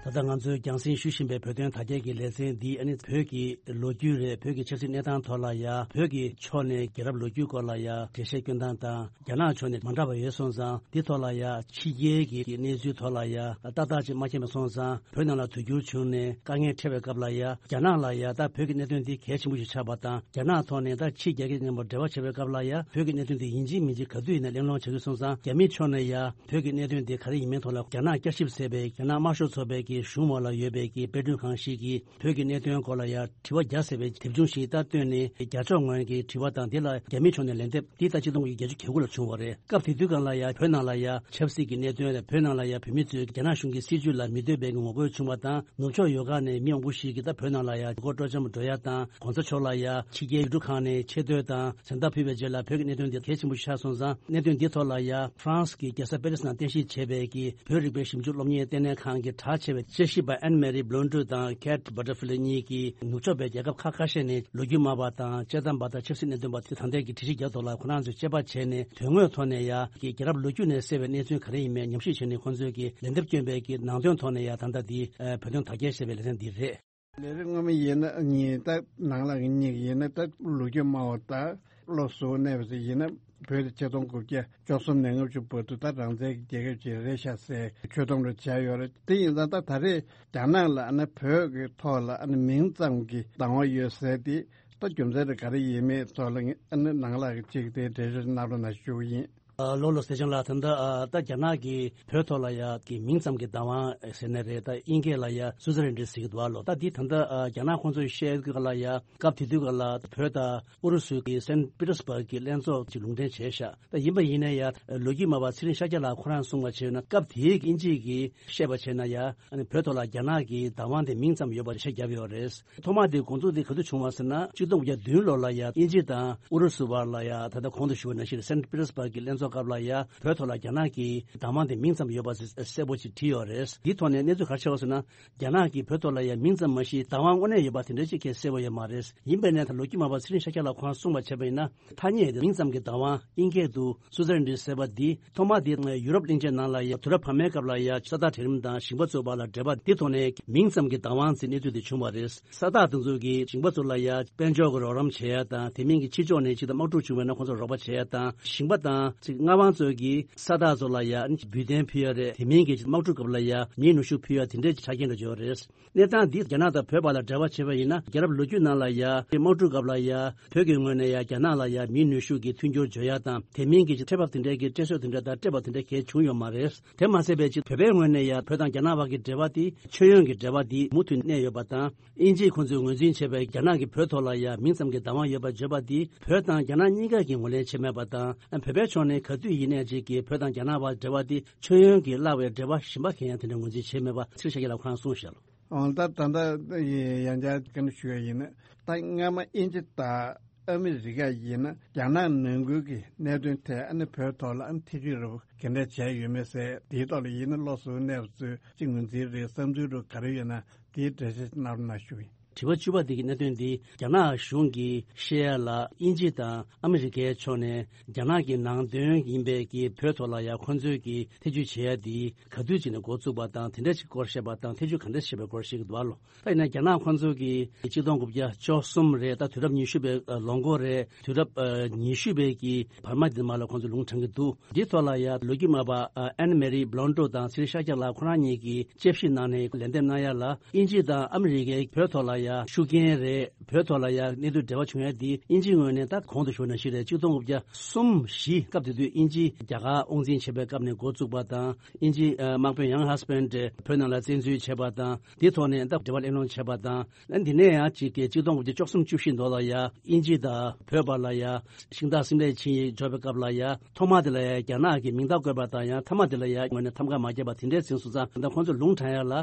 ད་ལྟ་ང་ཚོས་རྒྱང་སྲིང་ཞུ་བཞིན་པའི་བོད་དོན་དར་རྒྱས་ཀྱི་ལེ་ཚན་འདི་ཨ་ནི་བོད་ཀྱི་ལོ་རྒྱུས་རེད། བོད་ཀྱི་ཆབ་སྲིད་གནས་སྟངས་ཐོག་ལ་ཡ། བོད་ཀྱི་ཕྱོགས་ནས་རྒྱལ་རབས་ལོ་རྒྱུས་སྐོར་ལ་ཡ་འགྲེལ་བཤད་སྐྱོན་སྟངས་དང་། རྒྱ་ནག་ཕྱོགས་ནས་མ་འདྲ་བ་ཡོད་སོང་ཙང་། འདི་ཐོག་ལ་ཡ་ཕྱི་རྒྱལ་གྱི་གནས་ཚུལ་ཐོག་ལ་ཡ་ཏག་ཏག་ཅིག་མ་མཁྱེན་པ་སོང་ཙང་། བོད་ནང་ལ་དུས་འགྱུར་བྱུང་ནས་དཀའ་ངལ་འཕྲད་པའི་སྐབས་ལ་ཡ། རྒྱ་ནག་ལ་ཡ་ད་བོད་ཀྱི་གནད་དོན་འདི་གལ་ཆེན་པོ་ཞིག་ཆགས་པ་དང་། རྒྱ་ནག་ཐོག་ནས་ད་ཕྱི་རྒྱལ་ཁབ་མཉམ་པོ་འབྲེལ་བ་བྱེད་པའི་སྐབས་ལ་ཡ། བོད་ཀྱི་གནད་དོན་འདི་ཡིན་གཅིག་མིན་གཅིག་ག་དུས་ཡིན་ན་གླེང་སློང་བྱེད་དགོས་སོང་ཙང་། རྒྱ་མི་ཕྱོགས་ནས་ཡ་བོད་ཀྱི་གནད་དོན་འདི་ག་རེ་ཡིན་མིན་ཐོག་ལ་རྒྱ་ནག་བསྐྱར་ཞིབ་ཟེར་བའི་རྒྱ་ནག་དམར་ཤོག་ཚོགས་པའི་གི་གཞུང་འོག་ལ་ཡོད་པའི་གི་དཔེ་སྐྲུན་ཁང་ཞིག་གིས། བོད་ཀྱི་གནད་དོན་སྐོར་ལ་ཡ་དྲི་བ་བརྒྱ་ཟེར་བའི་དེབ་ཆུང་ཞིག་ད་བཏོན་ནས། རྒྱ་ཕྱོགས་ངོས་ཀྱི་དྲི་བ་དང་། དེ་ལ་རྒྱ་མི་ཕྱོགས་ནས་ལན་འདེབས། འདི་ད་ཆིག་སྟོང་དགུ་བརྒྱ་བརྒྱད་ཅུ་གྱ་དགུ་ལ་བྱུང་བ་རེད། སྐབས་དེ་དུས་སྒང་ལ་ཡ་བོད་ནང་ལ་ཡ་ཆབ་སྲིད་ཀྱི་གནད་དོན་དང་། བོད་ནང་ལ་ཡ་བོད་མི་ཚོས་རྒྱ་ནག་གཞུང་གི་སྲིད་བྱུས་ལ་མི་འདོད་པའི་ངོ་རྒོལ་བྱུང་བ་དང་། ནུབ་ཕྱོགས་ཡུལ་ཁག་ནས་མི་མང་པོ་ཞིག་གིས་ད་བོད་ནང་ལ་ཡ་ཡུལ་སྐོར་སྤྲོ་འཆམ་འགྲོ་ཡ་དང་། གོང་ས་མཆོག་ལ་ཡ་ཕྱི་རྒྱལ་ཡུལ་གྲུ་ཁག་ནས་ཆེ་བསྟོད་དང་། མཚན་རྟགས་ཕུལ་བའི་རྗེས་ལ་བོད་ཀྱི་གནད་དོན་འདི་གལ་ཆེན་པོ་ཞིག་ཆགས་སོང་ཙང་། གནད་དོན་འདི་ཐོག་ལ་ཡ་ཧྥ་རན་སི་གི་རྒྱལ་ས་པེ་རི་སི་ནང་རྟེན་གཞི་བྱས་པའི་གི་བོད་རིག་པའི་ཞིབ་འཇུག་སློབ་གཉེར་ལྟེ་གནས་ཁང་གི་གྲགས་ཆེ་བའི་དཔྱད་ཞིབ་པ་ཨན་མེ་རི་བྷི་ལོན་ཌུ་དང་ཁེ་ཊི་བྷ་ཊར་ཧྥི་ལི་གཉིས་ཀྱིས་ནུབ་ཕྱོགས་པའི་རྒྱལ་ཁབ་ཁག་ཁ་ཤས་ནས་ལོ་རྒྱུས་སྨྲ་བ་དང་དཔྱད་གཏམ་པ་དང་ཆབ་སྲིད་གནད་དོན་པ་དེ་ད་ལྟའི་གི་དྲི་ཞིབ་རྒྱག་ཐོག་ལ་ཁོ་རང་ཚོས་དཔྱད་པ་བྱས་ནས། དོན་དངོས་ཐོག་ནས་ཡ་གི་རྒྱལ་རབས་ལོ་རྒྱུས་ནས་གསལ་བའི་གནས་ཚུལ་ག་རེ་ཡིན་མིན་ཉམས་ཞིབ་བྱས་ནས། ཁོང་ཚོས་ཀྱི་ལན་འདེབས་བསྐྱོན་པའི་གི་ནང་དོན་ཐོག་ནས་ཡ་ད་ལྟ་འདི་བོད་དོན་དར་རྒྱས་ཞེས་པའི་ལེ་ཚན་འདི་རེད། ལས་རིམ་སྔོན་མ་ཡིན་ན་ཉིན་ད་ནང་ལ་གཉིས་ཡིན་ན། ད་ལོ་རྒྱུས་སྨྲ་བ་ད་བློ་གཟུ་བོ་གནས་པ་ཞིག་ཡིན་ན། བོད་དེ་ཆིག་སྟོང་དགུ་བརྒྱ་བཅུ་གསུམ་ནས་ལྔ་བཅུ་བར་དུ་ད་རང་བཙན་གྱི་རྒྱལ་ཁབ་ཅིག་རེད་ཤག་ཟེར་ཆོད་སྡོམ་རེ་བྱས་ཡོད་རེད། དེ་ཡིན་ཙང་ད་ད་རེས་རྒྱ་ནག་ལ་ཨ་ནི་བོད་ཀྱི་ཐོག་ལ་ཨ་ནི་མིང་ཙམ་གྱི་བདག་དབང་ཡོད་ཟེར་དེ་ད་རྒྱུ་མཚན་དེ་ག་རེ་ཡིན་མིན་ཐོག་ལ་ཨ་ནི་ནང་ལ་གཅིག་དེ་འགྲེལ་བརྗོད་གནང་རོགས་གནང་ཞུ་གི་ཡིན། ཨ་ལོ་ལོ་ཟེར་བྱུང་ལ། ད་ལྟ་ཨ་ད་རྒྱ་ནག་གིས་བོད་ཐོག་ལ་ཡ་གི་མིང་ཙམ་གྱི་བདག་དབང་ཟེར་ནའི་རེད། ད་དབྱིན་སྐད་ལ་ཡ་སུ་ཛི་རེན་ཌི་ཟེར་གྱི་འདུག་ཨ་ལོ། ད་འདི་ད་ལྟ་ཨ་རྒྱ་ནག་ཁོང་ཚོས་བཤད་གི་ལ་ཡ། སྐབས་དེ་དུས་ག་ལ་བོད་དང་ཨུ་རུ་སུ་གི་སན་པི་ཏེར་སྦར་གི་ལྷན་ཚོགས་ཀྱི་ལུང་འདྲེན་བྱས་ཤག་ད་ཡིན་པ་ཡིན་ནའི་ཡ་ལོ་རྒྱུས་སྨྲ་བ་ཚེ་རིང་ཤཱཀྱ་ལགས་ཁོ་རང་གསུངས་པ་བྱས་ན། སྐབས་དེའི་དབྱིན་ཇི་གིས་བཤད་པ་བྱས་ན་ཡ། ཨ་ནི་བོད་ཐོག་ལ་རྒྱ་ནག་གི་བདག་དབང་དེ་མིང་ཙམ་ཡོད་པ་བཤད་བརྒྱབ་ཡོད་རེད། ཐོག་མ་དེ་འགོ་འཛུགས་དེ་ག་དུས་བྱུང་བ་ཟེར་ན། ཆིག་སྟོང་དགུ་བརྒྱ་བདུན་ལོ་ལ་ཡ་དབྱིན་ཇི་དང་ཨུ་རུ་སུ་བར་ལ་ཡ། ད་ལྟ་གོང་དུ་ཞུས་པ་ནང་བཞིན་སན་པི་ཏེར་སྦར་གི་ལྷན་ཚོགས་སྐབས་ལ་ཡ་བོད་ཐོག་ལ་རྒྱ་ནག་གི་བདག་དབང་དེ་མིང་ཙམ་ཡོད་པ་གསལ་པོ་ཅིག་བྲིས་ཡོད་རེད། འདིའི་ཐོག་ནས་གནས་ཚུལ་ག་རེ་ཆགས་པ་ཟེར་ན། རྒྱ་ནག་གིས་བོད་ཐོག་ལ་ཡ་མིང་ཙམ་མ་གཞི་བདག་དབང་དངོས་གནས་ཡོད་པ་དེ་འདྲ་ཅིག་གས་གསལ་པོ་ཡོད་མ་རེད། ཡིན་པས་ན་ད་ལོ་རྒྱུས་སྨྲ་བ་ཚེ་རིང་ཤཱཀྱ་ལགས་ཁོང་གསུངས་པ་བྱས་པ་ཡིན་ན། ཐ་སྙད་དེ་མིང་ཙམ་གྱི་བདག་དབང་དབྱིན་སྐད་དུ་སུ་ཛི་རེན་ཌི་ཟེར་བ་འདི་ཐོག་མ་དེ་ཡུ་རོབ་གླིང་ཆེན་ནང་ལ་ཡ་དུས་རབས་བར་མའི་སྐབས་ལ་ཡ་ས་བདག་གྲལ་རིམ་དང་ཞིང་པ་ཚོའི་བར་ལ་འབྲེལ་བ་འདི་ཐོག་ནས་མིང་ཙམ་གྱི་བདག་དབང་ཟེར་གནས་ཚུལ་དེ་བྱུང་བ་རེད། ས་བདག་དེ་ཚོ་གིས་ཞིང་པ་ཚོ་ལ་ཡ་དཔལ་འབྱོར་གྱི་རོགས་རམ་བྱེད་ཡ་དང་། དེ་མིན་གྱི་ཕྱི་ཕྱོགས་ནས་ཅིག་ད་དམག་འཁྲུག་བྱུང་བ་ཡིན་ན་ཁོང་ཚོར་རོགས་པ་བྱེད་ཡ་དང་། ཞིང་པ་དང་ཅིག་མངའ་དབང་ཚོ་གིས་ས་བདག་ཚོ་ལ་ཡ་འབུལ་རྟེན་ཕུལ་ཡ་རེད། དེ་མིན་གྱི་དམག་འཁྲུག་སྐབས་ལ་ཡ་མིའི་ནུས་ཤུགས་ཕུལ་ཡ་དེ་འདྲའི་ཆ་རྐྱེན་འདྲ་ཅིག་ཡོད་རེད། གནས་སྟངས་འདི་རྒྱ་ནག་དང་བོད་བར་ལ་འབྲེལ་བ་བྱས་པ་ཡིན་ན། རྒྱལ་རབས་ལོ་རྒྱུས་ནང་ལ་ཡ་དམག་འཁྲུག་སྐབས་ལ་ཡ་བོད་ཀྱི་ངོས་ནས་ཡ་རྒྱ་ནག་ལ་ཡ་མིའི་ནུས་ཤུགས་ཀྱི་མཐུན་འགྱུར་བརྗོད་ཡ་དང་། དེ་མིན་གྱི་ཁྲལ་འབབ་དེ་འདྲའི་གི་སྤྲད་སྲོལ་དེ་འདྲ་དང་སྤྲད་པ་དེ་འདྲ་གལ་བྱུང་ཡོད་མ་རེད། དེ་མ་ཟད་པའི་ཅིག་བོད་པའི་ངོས་ནས་ཡ་བོད་དང་རྒྱ་ནག་བར་གྱི་འབྲེལ་བ་དེ་མཆོད་ཡོན་གྱི་འབྲེལ་བ་དེ་མུ་མཐུད་གནས་ཡོད་པ་དང་། དབྱིན་ཇིས་ཁོང་ཚོས་ངོས་འཛིན་བྱས་པའི་རྒྱ་ནག་གིས་བོད་ཐོག་ལ་ཡ་མིང་ཙམ་གྱི་བདག་དབང་ཡོད་པར་བརྗོད་པ་དེ་བོད་དང་རྒྱ་ནག་གཉིས་ཀ་གིས་ངོས་ལེན་བྱས་མེད་པ་དང་། བོད་པའི་ཕྱོགས་ནས་ག་དུས་ཡིན་ནའི་ཅིག་གིས་བོད་དང་རྒྱ་ནག་བར་འབྲེལ་བ་དེ་མཆོད་ཡོན་གྱིས་བརླག་པའི་འབྲེལ་བ་གཞན་པ་གང་ཡང་དེ་འདྲ་ངོས་འཛིན་བྱས་མེད་པ་ཚེ་རིང་ཤཱཀྱ་ལགས་ཁོང་གསུངས་བཞག་ལོ། འོ་ད་ད་ལྟ་ཡང་བསྐྱར་ཞུ་ཡ་ཡིན་ན། ད་སྔ་མ་དབྱིན་ཇི་དང་ཨ་མི་རི་ཀ་ཡིན་ན་རྒྱ་ནག་ནང་ཁུལ་གྱི་གནད་དོན་ཐད་ཨ་ནི་བོད་ཐོག་ལ་ཨ་ནི་ཐེ་བྱུས་རེ་བ་ག་འདྲ་བྱས་ཡོད་མེད་ཟེར། དེའི་ཐོག་ལ་ཡིན་ན་བློ་གཟུ་གནས་པ་ཚོས་ཅིག་ངོས་འཛིན་རེད། བསམ་ཚུལ་རུ་ག་རེ་ཡོད་ན་དེའི་འགྲེལ་བཤད་གནང་རོགས་གནང་ཞུ་ཡིན། དྲི་བ་བཅུ་པ་འདི་གི་གནད་དོན་འདི་རྒྱ་ནག་གཞུང་གིས་བཤད་ཡ་ལ་དབྱིན་ཇི་དང་ཨ་མི་རི་ཀའི་ཕྱོགས་ནས་རྒྱ་ནག་གི་ནང་དོན་ཡིན་པའི་གི་བོད་ཐོག་ལ་ཡ་ཁོང་ཚོས་ཀྱི་ཐེ་བྱུས་བྱེད་ཡ་འདི་ག་དུས་ཅིག་ནས་འགོ་བཙུགས་པ་དང་དེ་འདྲ་ཅིག་སྐོར་བཤད་པ་དང་ཐེ་བྱུས་ག་འདྲ་བྱེད་པའི་སྐོར་བཤད་ཀྱི་འདུག་ཨ་ལོ། ད་ཡིན་ན་རྒྱ་ནག་ཁོང་ཚོ་གིས་གཅིག་སྟོང་དགུ་བརྒྱ་བཅུ་གསུམ་རེད། ད་དུས་རབས་ཉི་ཤུ་པའི་ལོ་འགོ་རེད། དུས་རབས་ཉི་ཤུ་པའི་གི་བར་མ་འདི་མ་ལ་ཁོང་ཚོ་ལུང་དྲངས་ཀྱི་འདུག་འདི་ཐོག་ལ་ཡ་ལོ་རྒྱུས་སྨྲ་བ་ཨན་མེ་རི་བྷ་ལོན་ཏོ་དང་ཚེ་རིང་ཤཱཀྱ་ལགས་ཁོ་རང་གཉིས་ཀྱིས་དཔྱད་ཞིབ་གནང་ནས་ལན་འདེབས་གནང་ཡ་ལ། དབྱིན་ཇི་དང་ཨ་མི་རི་ཀའི་བོད་ཐོག་ལ་ཡ་ཤུགས་རྐྱེན་རེད། བོད་ཐོག་ལ་ཡ་གནད་དོན་འབྲེལ་བ་བྱུང་ཡ་འདི་དབྱིན་ཇིའི་ངོས་ནས་ད་གོང་དུ་ཞུས་ནང་བཞིན་རེད། གཅིག་སྟོང་དགུ་བརྒྱ་གསུམ་བཞི་སྐབས་དེ་དུས་དབྱིན་ཇི་རྒྱ་གར་དབང་འཛིན་བྱེད་པའི་སྐབས་ནས་འགོ་བཙུགས་པ་དང་། དབྱིན་ཇི་དམག་དཔོན་ཡང་ཧ་སི་པན་བོད་ནང་ལ་བཙན་འཛུལ་བྱས་པ་དང་། འདི་ཐོག་ནས་ད་འབྲེལ་བ་གླེང་སློང་བྱས་པ་དང་། ཨ་འདི་ནས་ཡང་གཅིག་གི་གཅིག་སྟོང་དགུ་བརྒྱ་བཅུ་གསུམ་བཅུ་བཞི་ལོ་ལ་ཡ་དབྱིན་ཇི་དང་བོད་བར་ལ་ཡ་ཤིང་སྟག་སིམ་ལའི་ཆིངས་ཡིག་འཇོག་པའི་སྐབས་ལ་ཡ་ཐོག་མ་དེ་ལ་ཡ་རྒྱ་ནག་གི་མིང་རྟགས་བཀོད་པ་དང་། ཡང་མཐའ་མ་དེ་ལ་ཡ་ངོས་ནས་ཐམ་ག་མ་བརྒྱབ་པ་དེ་འདྲའི་ཟིན་སོང་ཙང་། ད་ཁོང་ཚོ་ལུང་དྲངས་ཡ་ལ་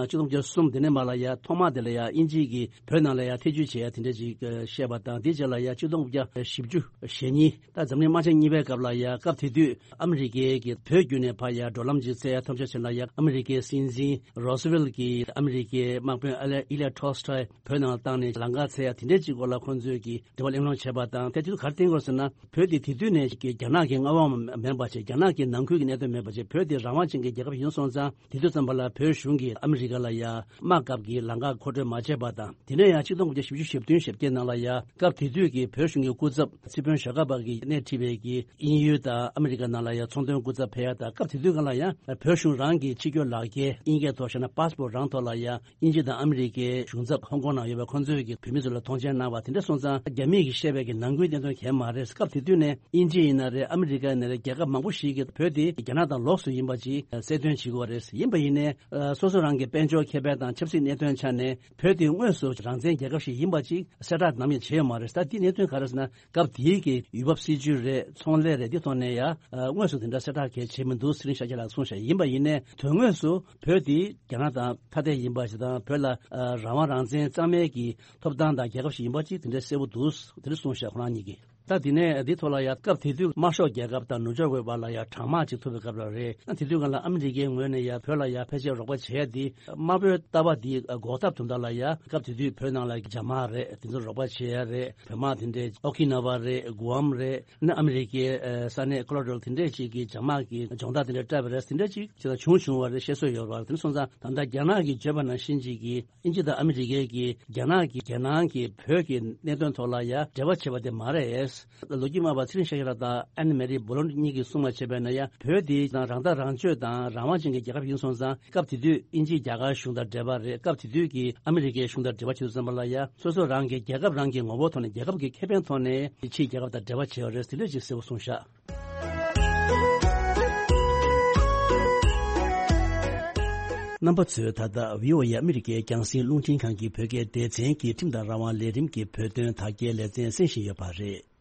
གཅིག་སྟོང་དགུ་བརྒྱ་གསུམ་དེ་ནས་མ་ལ་ཡ་ཐོག་མ་དེ་ལ་ཡ་དབྱིན་ཇི་གིས་བོད་ནང་ལ་ཡ་ཐེ་བྱུས་བྱེད་ཡ་དེ་འདྲ་ཅིག་བཤད་པ་དང་། དེ་རྗེས་ལ་ཡ་གཅིག་སྟོང་དགུ་བརྒྱ་བཞི་བཅུ་ཞེ་གཉིས། ད་འཛམ་གླིང་དམག་ཆེན་གཉིས་པའི་སྐབས་ལ་ཡ་སྐབས་དེ་དུས་ཨ་མི་རི་ཀའི་གི་བོད་བརྒྱུད་ནས་ཕར་ཡ་འགྲོ་ལམ་ཅིག་བཙལ་ཡ་ཐབས་ཤེས་བྱས་ན་ཡ། ཨ་མི་རི་ཀའི་སྲིད་འཛིན་རོ་སི་ཝེལ་གྱིས་ཨ་མི་རི་ཀའི་དམག་དཔོན་ཨ་ལེ་ཨི་ལེ་ཊོལ་སི་ཊོའི་བོད་ནང་བཏང་ནས་ལམ་ཁ་བཙལ་ཡ་དེ་འདྲའི་ཅིག་སྐོར་ལ་ཁོང་ཚོས་ཀྱི་འབྲེལ་བ་གླེང་སློང་བྱས་པ་དང་། དེ་དུས་ག་རེ་བསྟན་དགོས་ཟེར་ན། བོད་དེ་དེ་དུས་ནས་ཀྱི་རྒྱ་ནག་གི་མངའ་དབང་མེད་པ་བྱས། རྒྱ་ནག་གི་ནང་ཁུལ་གྱི་གནད་དོན་མེད་པ་བྱས། བོད་དེ་རང་དབང་ཅན་གྱི་རྒྱལ་ཁབ་ཡིན་སོང་ཙང་། དེ་དུས་ཙམ་པ་ལ་བོད་གཞུང་གིས་ཨ་མི་རི་ཀ་ལ་ཡ་དམག་སྐབས་ཀྱི་ལམ་ཁ་མཁོ་སྤྲོད་མ་བྱས་པ་དང་། དེ་ནས་ཡང་གཅིག་སྟོང་དགུ་བརྒྱ་བཞི་བཅུ་ཞེ་བདུན་ཞེ་བརྒྱད་ནང་ལ་ཡ་སྐབས་དེ་དུས་ཀྱི་བོད་གཞུང་གི་སྐུ་ཚབ་སྲིད་དཔོན་ཞྭ་སྒབ་པ་གིས་སྣེ་ཁྲིད་པའི་གི་དབྱིན་ཡུལ་དང་ཨ་མི་རི་ཀ་ནང་ལ་ཡ་ཚོང་དོན་སྐུ་ཚབ་ཕེབས་ཡ་དང་། སྐབས་དེ་དུས་སྒང་ལ་ཡ་བོད་གཞུང་རང་གི་ཕྱི་སྐྱོད་ལག་འཁྱེར་དབྱིན་སྐད་ཐོག་བཤད་ན་པཱ་སི་པོར་རང་ཐོག་ལ་ཡ་དབྱིན་ཇི་དང་ཨ་མི་རི་ཀའི་གཞུང་ཚབ་ཧོང་ཀོང་ནང་ཡོད་པའི་ཁོང་ཚོས་ཀྱི་བོད་མི་ཚོ་ལ་མཐོང་མཆན་གནང་བ་དེ་འདྲ་སོང་ཙང་། རྒྱ་མི་གིས་བཤད་པའི་གི་ནང་ཁུལ་གནད་དོན་གང་ཡང་མ་རེད། སྐབས་དེ་དུས་ནས་དབྱིན་ཇི་ཡིན་ན་རེད། ཨ་མི་རི་ཀ་ཡིན་ན་རེད། རྒྱལ་ཁབ་མང་པོ་ཞིག་གིས་བོད་དེ་རྒྱ་ནག་དང་ལོགས་སུ་ཡིན་པ་ཅིག་གསལ་སྟོན་བྱེད་ཀྱི་ཡོད་རེད། ཡིན་པ་ཡིན་ནའི་སོ་སོ་རང་གི་དཔལ་འབྱོར་ཁེ་ཕན་དང་ཆབ་སྲིད་གནད་དོན་ཆ་ནས་བོད་དེ་དངོས་སུ་རང་བཙན་རྒྱལ་ཁབ་ཞིག་ཡིན་པ་ཅིག་གསལ་བསྒྲགས་ནམ་ཡང་བྱས་ཡོད་མ་རེད། ད་དེའི་གནད་དོན་ག་རེ་ཟེར་ན། སྐབས་དེའི་གི་ཡུལ་བབ་སྲིད་ཇུས་རེད། ཚོང་ལས་རེད། འདི་ཐོག་ནས་ཡ་དངོས་སུ་དེ་འདྲ་གསལ་བསྒྲགས་གང་ཡང་བྱས་མི་འདུག་ཚེ་རིང་ཤཱཀྱ་ལགས་གསུངས་ཤག་ཡིན་པ་ཡིན་ནའི་དོན་དངོས་སུ་བོད་དེ་རྒྱ་ནག་དང་ཐ་དད་ཡིན་པ་ཞིག་དང་། བོད་ལ་ཨ་རང་དབང་རང་བཙན་གཙང་མའི་གི་ཐོབ་ཐང་དང་རྒྱལ་ཁབ་ཞིག་ཡིན་པ་ཅིག་དེ་འདྲ་གསལ་པོ་འདུག་དེ་འདྲ་གསུངས་ཤག་ཁོ་རང་གཉིས་ཀྱིས། ད་དེ་ནས་འདི་ཐོག་ལ་ཡ་སྐབས་དེ་དུས་དམར་ཤོག་རྒྱལ་ཁབ་དང་ནུབ་ཕྱོགས་བོད་བར་ལ་ཡ་གྲང་དམག་ཅིག་ཐུག་པའི་སྐབས་ལ་རེད། དེ་དུས་སྒང་ལ་ཨ་མི་རི་ཀའི་ངོས་ནས་ཡ་བོད་ལ་ཡ་ཕལ་ཆེར་རོགས་པ་བྱེད་ཡ་དེ། དམར་པོའི་ལྟ་བ་དེ་འགོག་ཐབས་དོན་དག་ལ་ཡ་སྐབས་དེ་དུས་བོད་ནང་ལ་རྒྱ་དམག་རེད། དེ་ཚོ་རོགས་པ་བྱེད་ཡ་རེད། བོད་དམག་དེ་འདྲའི་ཨོ་ཁི་ན་ཝ་རེད། གུ་ཨམ་རེད། ཨ་ནི་ཨ་མི་རི་ཀའི་ས་གནས་ཁོ་ལོ་ར་ཌོ་དེ་འདྲས་ཅིག་གི་རྒྱ་དམག་གི་སྦྱོང་བརྡར་དེ་འདྲ་སྤྲད་པ་རེད། དེ་འདྲ་ཅིག་ཅིག་ལ་བྱུང་བྱུང་བ་རེད། བཤད་སྲོལ་ཡོད་རེད། དེ་ནས་སོང་ཙང་ད་ལྟ་རྒྱ་ནག་གིས་བརྗོད་པ་ནང་བཞིན་ཅིག་གི་དབྱིན་ཇི་དང་ཨ་མི་རི་ཀའི་གི་རྒྱ་ནག་གི་རྒྱལ་ནང་གི་བོད་ཀྱི་གནད་དོན་ཐོག་ལ་ཡ་འབྲེལ་བ་བྱེད་པ་དེ་མ་རེད། ལོ་རྒྱུས་སྨྲ་བ་ཚེ་རིང་ཤཱཀྱ་ལགས་དང་ཨན་མེ་རི་བྷ་ལོན་གཉིས་ཀྱིས་གསུངས་པ་བྱས་པས་ན་ཡ། བོད་འདི་དང་རང་ཐག་རང་གཅོད་དང་རང་དབང་ཅན་གྱི་རྒྱལ་ཁབ་ཡིན་སོང་ཙང་། སྐབས་དེ་དུས་དབྱིན་ཇི་རྒྱ་གར་གཞུང་དང་འབྲེལ་བ་རེད། སྐབས་དེ་དུས་ཀྱི་ཨ་མི་རི་ཀའི་གཞུང་དང་འབྲེལ་བ་བྱེད་དུས་ཙམ་པ་ལ་ཡ། སོ་སོ་རང་གི་རྒྱལ་ཁབ་རང་གི་ངོ་བོ་ཐོག་ནས། རྒྱལ་ཁབ་ཀྱི་ཁེ་ཕན་ཐོག་ནས་ཕྱིའི་རྒྱལ་ཁབ་དང་འབྲེལ་བ་བྱས་ཡོད་རེད་ཟེར་འདྲ་ཅིག་གསལ་པོ་གསུངས་ཤག་རྣམ་པ་ཚོས་ད་ལྟ་བྷི་ཨོ་ཨེ་ཨ་མི་རི་ཀའི་རྒྱང་སྲིང་རླུང་འཕྲིན་ཁང་གི་བོད་སྐད་སྡེ་ཚན་གྱི་ཁྲིམས་དང་རང་དབང་ལས་རིམ་གྱི་བོད་དོན་དག་སྐྱེལ་ལེ་ཚན་གསན་བཞིན་ཡོད་པ་རེད།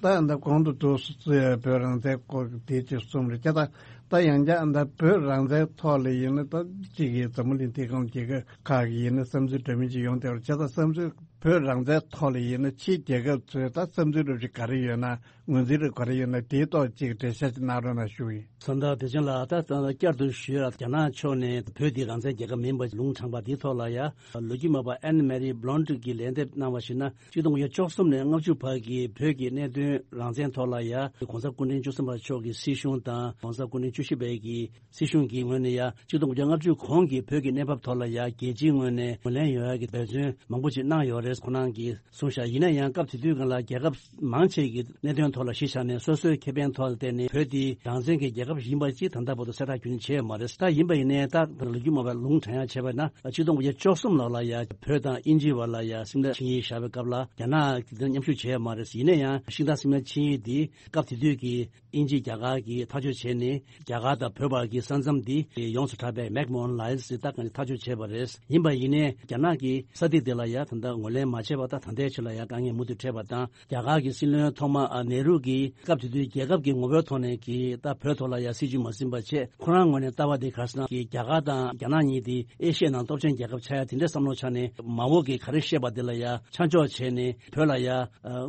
ད་ཡང་ད་གོང་དུ་འདུག་སེ་བོད་རང་བཙན་སྐོར་གྱི་དེ་ཅིག་གསུངས་རེད། ད་ད་ཡང་བསྐྱར་ད་བོད་རང་བཙན་ཐོག་ལ་ཡིན་ན། ད་གཅིག་གིས་འཛམ་བུ་གླིང་དེ་གའི་རྒྱལ་ཁབ་ཁག་གི་ཡིན་ན་བསམ་ཚུལ་འདྲ་མིན་ཅིག་ཡོང་བསྡད་པ་རེད། ད་བསམ་ཚུལ་བོད་རང་བཙན་ཐོག་ལ་ཡིན་ན་ཕྱིའི་རྒྱལ་ཁབ་ཚོས་ད་བསམ་ཚུལ་རབ་ཅིག་ག་རེ་ཡོད་ན། ངོས་འཛིན་རེ་ག་རེ་ཡོད་ན་དེའི་ཐོག་ཅིག་འགྲེལ་བཤད་ཅིག་གནང་རོགས་གནང་ཞུ་ཡིན། ཟམ་གདོང་བདེ་ཆེན་ལགས། ད་ད་བསྐྱར་དུ་ཞུས་ཡ། རྒྱ་ནག་ཕྱོགས་ནས་བོད་འདི་རང་བཙན་རྒྱལ་ཁབ་མིན་པ་ལུང་དྲངས་པ་འདིའི་ཐོག་ལ་ཡ། ལོ་རྒྱུས་སྨྲ་བ་ཨན་མེ་རི་བྷ་ལོན་ཊི་གིས་ལན་འདེབས་གནང་བ་ཞིག་ན། ཆིག་སྟོང་དགུ་བརྒྱ་བཅུ་གསུམ་ནས་ལྔ་བཅུ་བར་གྱི་བོད་ཀྱི་གནད་དོན་རང་བཙན་ཐོག་ལ་ཡ། གོང་ས་སྐུ་ཕྲེང་བཅུ་གསུམ་པ་མཆོག་གི་སྲིད་གཞུང་དང་། གོང་ས་སྐུ་ཕྲེང་ བཅུ་བཞི་པའི་གི་སྲིད་གཞུང་གི་ངོས་ནས་ཡ་ཆིག་སྟོང་དགུ་བརྒྱ་ལྔ་བཅུ་གོང་གི་བོད་ཀྱི་གནས་བབ་ཐོག་ལ་ཡ་རྒྱལ་སྤྱིའི་ངོས་ནས་ངོས་ལེན་ཡོང་ཡ་གི་འབད་བརྩོན་མང་པོ་ཅིག་གནང་ཡོད་རེད་ཁོ་རང་གིས་གསུངས་ཤག་ཡིན་ན་ཡང་སྐབས་དེ་དུས་སྒང་ལ་རྒྱལ་ཁབ་མང་ཆེ་གི་གནད་དོན་ཐོག་ལ་གཞི་བཞག་ནས་སོ་སོའི་ཁེ་ཕན་ཐོག་ལ་བརྟེན་ནས་བོད་དེ་རང་བཙན་གྱི་རྒྱལ་ཁབ་ཡིན་པ་ཅིག་ད་ལྟ་བར་དུ་གསལ་བསྒྲགས་རྒྱུན་བྱས་ཡོད་མ་རེད། ད་ཡིན་པ་ཡིན་ནའི་ད་ལོ་རྒྱུས་མ་པ་ལུང་དྲན་ཡ་བྱས་པ་ན་ཆིག་སྟོང་དགུ་བརྒྱ་བཅུ་གསུམ་ལོ་ལ་ཡ་བོད་དང་དབྱིན་ཇི་བར་ལ་ཡ་སིམ་ལ་ཆིངས་ཡིག་བཞག་པའི་སྐབས་ལ་རྒྱ་ནག་གི་མཉམ་ཞུགས་བྱས་ཡོད་མ་རེད། ཡིན་ན་ཡང་ཤིང་རྟ་སིམ་ལ་ཆིངས་ཡིག་འདི་སྐབས་དེ་དུས་ཀྱི་དབྱིན་ཇི་རྒྱ་གར་གྱིས་ཐག་གཅོད་བྱས་ནས་རྒྱ་གར་དང་བོད་བར་གྱི་ས་མཚམས་འདི་ཡོངས་སུ་གྲགས་པའི་མེག་མོ་ཧན་ལའིན་ཟེར་ད་གང་ཐག་གཅོད་བྱས་པ་རེད། ཡིན་པ་ཡིན་ནའི་རྒྱ་ནག་གིས་ས་ཐིག་དེ་ལ་ཡ་ད་ལྟ་ངོས་ལེན་མ་བྱས་པ་དང་ད་ལྟའི་ཆ་ལ་ཡ་དཀའ་ངལ་མུ་མཐུད་འཕྲད་པ་དང་རྒྱ་གར་གྱི་སྲིད་བློན་ཐོག་མ་ཨ་ནེ་རུ་གིས་སྐབས་དེ་དུས་རྒྱལ་ཁབ་ཀྱི་ངོ་བོའི་ཐོག་ནས་ཀྱི་ད་བོད་ཐོག་ལ་ཡ་སྲིད་ཇུས་མ་ཟིན་པ་བྱས་ཁོ་རང་ངོས་ནས་ལྟ་བ་དེ་ག་རེ་ཟེར་ན་ཀྱི་རྒྱ་གར་དང་རྒྱ་ནག་གཉིས་དེ་ཨེ་ཤི་ཡའི་ནང་སྟོབས་ཆེན་རྒྱལ་ཁབ་ཆགས་ཡ་དེ་འདྲའི་བསམ་བློ་ཆགས་ནས་མ་འོངས་ཀྱི་ག་རེ་བཤད་པ་དེ་ལ་ཡ་ཆ་འཇོག་བྱས་ནས་བོད་ལ་ཡ་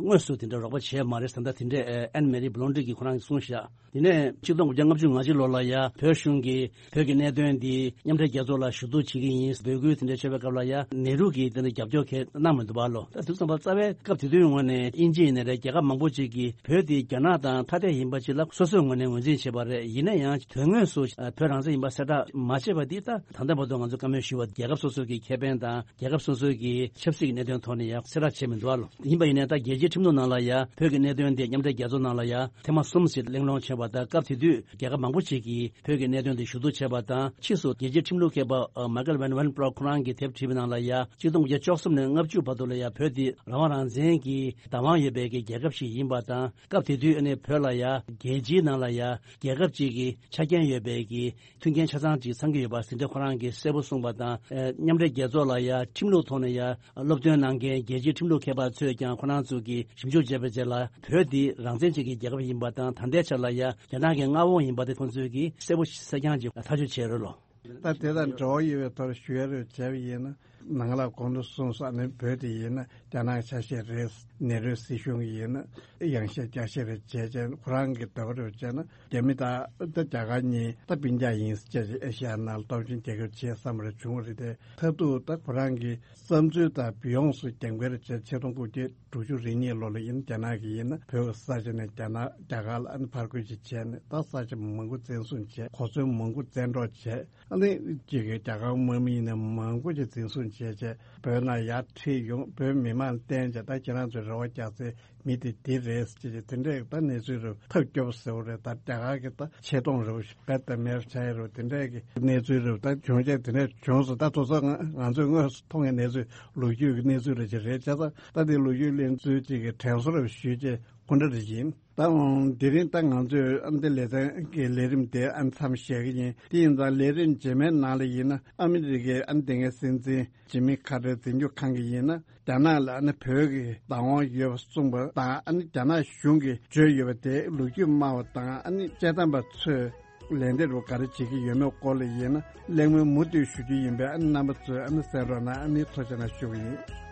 དངོས་སུ་དེ་འདྲ་རོགས་པ་བྱས་མ་རེད་ཟེར་ད་དེ་འདྲའི་ཨན་མེ་རི་བྷི་ལོན་ཌི་གིས་ཁོ་རང་གིས་གསུངས་ཤག་དེ་ནས་ཆིག་སྟོང་དགུ་བརྒྱ་ལྔ་བཅུ་ང་བཞི་ལོ་ལ་ཡ་བོད་གཞུང་གིས་བོད་ཀྱི་གནད་དོན་འདི་མཉམ་འབྲེལ་རྒྱལ་ཚོགས་ལ་ཞུ་གཏུག་བྱེད་ཀྱི་ཡིན་འབོད་སྐུལ་དེ་འདྲ་བྱས་པའི་སྐབས་ལ་ཡ་ནེ་རུ་གིས་དེ་འདྲ་རྒྱབ་སྐྱོར་གང་གནང་མི་འདུག་པ་ལོ། ད་དུས་ཙམ་པ་རྩ་བའི་སྐབས་དེ་དུས་ངོས་ནས་དབྱིན་ཇི་ཡིན་ནའི་རེད་རྒྱལ་ཁབ་མང་པོ་ཅིག་གིས་བོད་འདི་རྒྱ་ནག་དང་ཐ་དད་ཡིན་པ་ཅིག་ལ་སོ་སོའི་ངོས་ནས་ངོས་འཛིན་བྱས་པ་རེད། ཡིན་ན་ཡང་དོན་དངོས་སུ་བོད་རང་བཙན་ཡིན་པ་གསལ་བསྒྲགས་མ་བྱས་པ་འདི་ད་ད་ལྟ་བར་དུ་ང་ཚོ་བཀའ་མོལ་ཞུས་པ་རྒྱལ་ཁབ་སོ་སོ་གི་ཁེ་ཕན་དང་རྒྱལ་ཁབ་སོ་སོའི་གི་ཆབ་སྲིད་ཀྱི་གནད་དོན་ཐོག་ནས་ཡང་གསལ་བསྒྲགས་བྱས་མི་འདུག་ཨ་ལོ། ཡིན་པ་ཡིན་ནའི་ད་རྒྱལ་སྤྱིའི་ཁྲིམས་ལུགས་ནང་ལ་ཡང་བོད་ཀྱི་གནད་དོན་དེ་མཉམ་འབྲེལ་རྒྱལ་ཚོགས་ནང་ལ་ཡང་ཐེངས་མ་གསུམ་ཞིག་གླེང་སློང་བྱས་པ་དང་སྐབས་དེ་དུས་རྒྱལ་ཁབ་མང་པོ་ཞིག་གིས་བོད་ཀྱི་གནད་དོན་དེ་ཞུ་གཏུག་བྱས་པ་དང་ཕྱིས་སུ་རྒྱལ་སྤྱིའི་ཁྲིམས་ལུགས་མཁས་པ་མ་ཀལ་ཝན་ཝན་པྲོག་ཁོ་རང་གིས་དེབ་བྲིས་པའི་ནང་ལ་ཡང་ཆིག་སྟོང་དགུ་བརྒྱ་བཅུ་གསུམ་ནས་ལྔ་བཅུ་བར་དུ་ལ་ཡང་བོད་དེ་རང་དབང་རང་བཙན་གྱི་བདག་དབང་ཡོད་པའི་གི་རྒྱལ་ཁབ་ཞིག་ཡིན་པ་དང་སྐབས་དེ་དུས་ཨ་ནི་བོད་ལ་ཡང་རྒྱལ་སྤྱིའི་ནང་ལ་ཡང་རྒྱལ་ཁབ་ཅིག་གི་ཆ་རྐྱེན་ཡོད་པའི་གི་མཐུན་རྐྱེན་ཆ་ཚང་ཅིག་ཚང་གི་ཡོད་པ་ཟིན་བྲིས་ཁོ་རང་གིས་གསལ་པོ་གསུངས་པ་དང་། ཨེ། མཉམ་འབྲེལ་རྒྱལ་ཚོགས་ལ་ཡ་ཁྲིམས་ལུགས་ཐོག་ནས་ཡ་སློབ་སྟོན་གནང་མཁན་རྒྱལ་སྤྱིའི་ཁྲིམས་ལུགས་མཁས་པ་ཚོས་ཀྱང་ཁོ་རང་ཚོ་གིས་ཞིབ་འཇུག་བྱས་པའི་རྗེས་ལ་བོད་འདི་རང་བཙན་ཅན་གྱི་རྒྱལ་ཁབ་ཡིན་པ་དང་ད་ལྟའི་ཆ་ལ་ཡ་རྒྱ་ནག་གི་མངའ་དབང་ཡིན་པ་དེ་ཁོང་ཚོས་ཀྱིས་གསལ་པོ་གསལ་རྐྱང་ཅིག་ཐག་གཅོད་བྱས་རེད་ལོ། ད་དེ་དང་འབྲེལ་བ་ཡོད་པའི་ཐོག་ཞུ་ཡ་རེད་བྱས་པ་ཡིན་ན། ནང་ལ་གོང་དུ་གསུངས་སོགས་ནི་བོད་དེ་ཡིན་ན་རྒྱ་ནག་ཆ་ཤས་རེད། ནེ་རུའི་སྲིད་གཞུང་ཡིན་ན་ཡང་ཤས་རྒྱ་ཤས་རེད་བྱས་བྱས་ཁོ་རང་གི་ལྟ་བ་རེད་བྱས་ན་རྒྱ་མི་དང་ད་རྒྱ་གར་གཉིས་ད་སྤུན་ཀྱག་ཡིན་ཟེར་བྱས་ཨེ་ཤ་ཡ་ནང་ལ་སྟོབས་ཆེན་རྒྱལ་ཁབ་བྱེད་བསམ་པ་རེ་བྱུང་བ་རེད་དེ། མཐར་ཐུག་ད་ཁོ་རང་གི་བསམ་ཚུལ་དང་ཡོངས་སུ་རྒྱབ་འགལ་བྱས་ཆིག་སྟོང་དགུ་བརྒྱ་དྲུག་ཅུ་རེ་གཉིས་ལོ་ལ་ཡིན་རྒྱ་ནག་གི་ཡིན་ན་བོད་ཀྱི་ས་ཆ་ནས་རྒྱ་ནག་རྒྱ་གར་ལ་ཨ་ནི་ཕར་རྒོལ་ཅིག་བྱས་ནས་ད་ས་ཆ་མང་པོ་བཙན་བཟུང་བྱས་གོ་མཚོན་མང་པོ་བཙན་འཕྲོག་བྱས། ཨ་ནི་གཅིག་གི་རྒྱ་གར་དམག་མི་ཡིན་ན་མང་པོ་ཞིག་འཛིན་བཟུང་བྱས་བྱས་བོད་ནང་ཡར་ཁྲིད་ཡོང་བོད་མི་མང་བསྟན་བྱས་ད་ཁྱེད་རང་ཚོའི་རེ་བ་རྒྱག་སའི་མི་དེ་འདི་རེད་ཅེས་དེ་འདྲས་ད་གནས་ཚུལ་རུ་ཐབས་སྐྱོ་པོ་ཟེར་བ་རེད། ད་རྒྱ་གར་གྱི་ད་ཆེ་མཐོང་རུ་བེད་དེ་མེར་བྱ་ཡི་རུ་དེ་འདྲས་ཀྱི་གནས་ཚུལ་རུ་ད་བྱུང་བྱས་དེ་འདྲས་བྱུང་སོང་། ད་དུ་ཚོ་ང་ཚོས་དངོས་སུ་མཐོང་བའི་གནས་ཚུལ་ལོ་རྒྱུས་ཀྱི་གནས་ཚུལ་རེད་ཅེས་རེད་བྱས་ཙང་ད་དེ་ལོ་རྒྱུས་གླེང་ཚུལ་ཅིག་གི་དྲན་གསོ་རུ་ཞུས་བྱས་ཁོ་འདྲ་རེ་ཡིན། ད་འོང་དེ་རིང་ད་ང་ཚོས་ཨ་འདི་ལེ་ཚན་གྱི་ལས་རིམ་དེ་ཨ་མཚམས་བཞག་གི་ཡིན། དེ་ཡིན་ཙང་ལས་རིམ་རྗེས་མའི་ནང་ལ་ཡིན་ན་ཨ་མི་རི་ཀའི་ཨ་འདི་ངའི་སྲིད་འཛིན་ཇི་མི་ཁ་ཏར་འཛིན་སྐྱོང་ཁང་གི་ཡིན་ན་རྒྱ་ནག་ལ་ཨ་ནི་བོད་ཀྱི་བདག་དབང་ཡོད་པ་གསུངས་པ་དང་ཨ་ནི་རྒྱ་ནག་གཞུང་གིས་བརྗོད་ཡོད་པ་དེ་ལོ་རྒྱུས་སྨྲ་བ་དང་ཨ་ནི་དཔྱད་གཏམ་པ་ཚོས་ལན་འདེབས་རུ་ག་རེ་བྱེད་ཀྱི་ཡོད་མེད་སྐོར་ལ་ཡིན་ན་གླེང་མོལ་མུ་མཐུད་ཞུ་རྒྱུ་ཡིན་པས་ཨ་ནི་རྣམ་པ་ཚོས་ཨ་ནི་གསན་རོགས་གནང་ཨ་ནི་ཐུགས་རྗེ་གནང་ཞུ་གི་ཡིན།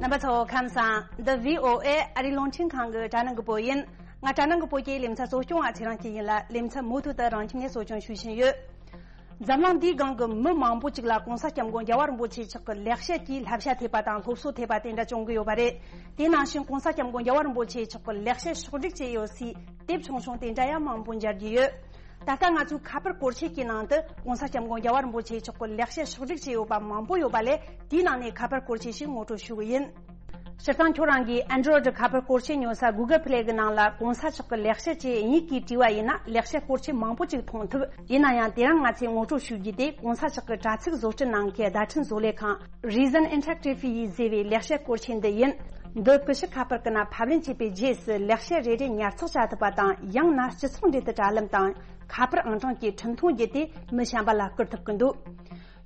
རྣམ་པ་ཚོ་ཁམས་བཟང་། འདི་བྷི་ཨོ་ཨེ་ཨ་རིའི་རླུང་འཕྲིན་ཁང་གི་དྲ་སྣང་གི་བོད་ཡིན། ང་དྲ་སྣང་གི་བོད་ཀྱི་ལེ་ཚན་གཙོ་སྐྱོང་བ་ཚེ་རིང་སྐྱིད་ཡིན་ལ་ལེ་ཚན་མུ་མཐུད་དུ་རང་ཁྱིམ་ནས་གཙོ་སྐྱོང་ཞུ་བཞིན་ཡོད། འཛམ་གླིང་འདིའི་སྒང་གི་མི་མང་པོ་ཅིག་ལ་༸གོང་ས་༸སྐྱབས་མགོན་རྒྱལ་བ་རིན་པོ་ཆེ་མཆོག་གི་ལེགས་བཤད་ཀྱི་བསླབ་བྱ་ཐེབས་པ་དང་སློབ་གསོ་ཐེབས་པ་དེ་འདྲ་བྱུང་གི་ཡོད་པ་རེད། དེ་ནང་བཞིན་༸གོང་ས་༸སྐྱབས་མགོན་རྒྱལ་བ་རིན་པོ་ཆེ་མཆོག་གི་ལེགས་བཤད་ཕྱོགས་བསྒྲིགས་བྱས་ཡོད་སའི་དེབ་ཆུང་ཆུང་དེ་འདྲ་ཡང་མང་པོ་མཇལ་རྒྱུ་ཡོད། ད་ལྟ་ང་ཚོའི་ཁ་པར་སྐོར་ཆས་ཀྱི་ནང་དུ་༸གོང་ས་༸སྐྱབས་མགོན་རྒྱལ་བ་རིན་པོ་ཆེ་མཆོག་གི་ལེགས་བཤད་ཕྱོགས་བསྒྲིགས་བྱས་ཡོད་པ་མང་པོ་ཡོད་པ་ལས་དེའི་ནང་ནས་ཁ་པར་སྐོར་ཆས་ཤིག་ངོ་སྤྲོད་ཞུ་གི་ཡིན། སྤྱིར་བཏང་ཁྱོད་རང་གིས་Android་ཁ་པར་སྐོར་ཆས་ཉོ་ས་Google Play་གི་ནང་ལ་༸གོང་ས་མཆོག་གི་ལེགས་བཤད་ཅེས་དབྱིན་ཡིག་གིས་བྲིས་པ་ཡིན་ན་ལེགས་བཤད་སྐོར་ཆས་མང་པོ་ཅིག་མཐོང་ཐུབ། ཡིན་ན་ཡང་དེ་རིང་ང་ཚོས་ངོ་སྤྲོད་ཞུ་རྒྱུ་དེ་༸གོང་ས་མཆོག་གི་དྲ་ཚིགས་བཟོ་སྐྲུན་གནང་མཁན་བརྡ་འཕྲིན་བཟོ་ལས་ཁང་Reason Interactive་ཡིས་བཟོས་པའི་ལེགས་བཤད་སྐོར་ཆས་འདི་ཡིན། འདི་ཀུ་ཤུ་ཁ་པར་ཀུན་ན་ཕབ་ལེན་བྱས་པའི་རྗེས་སུ་ལེགས་བཤད་རེ་རེ་ཉར་ཚགས་བྱ་ཐུབ་པ་དང་ཡང་ན་སྤྱི་ཚོགས་འབྲེལ་མཐུད་དྲ་ལམ་དང་ཁ་པར་ཨང་གྲངས་ཀྱིས་འཕྲིན་ཐུང་བརྒྱུད་དེ་མི་གཞན་པ་ལ་བསྐུར་ཐུབ་ཀྱི་འདུག་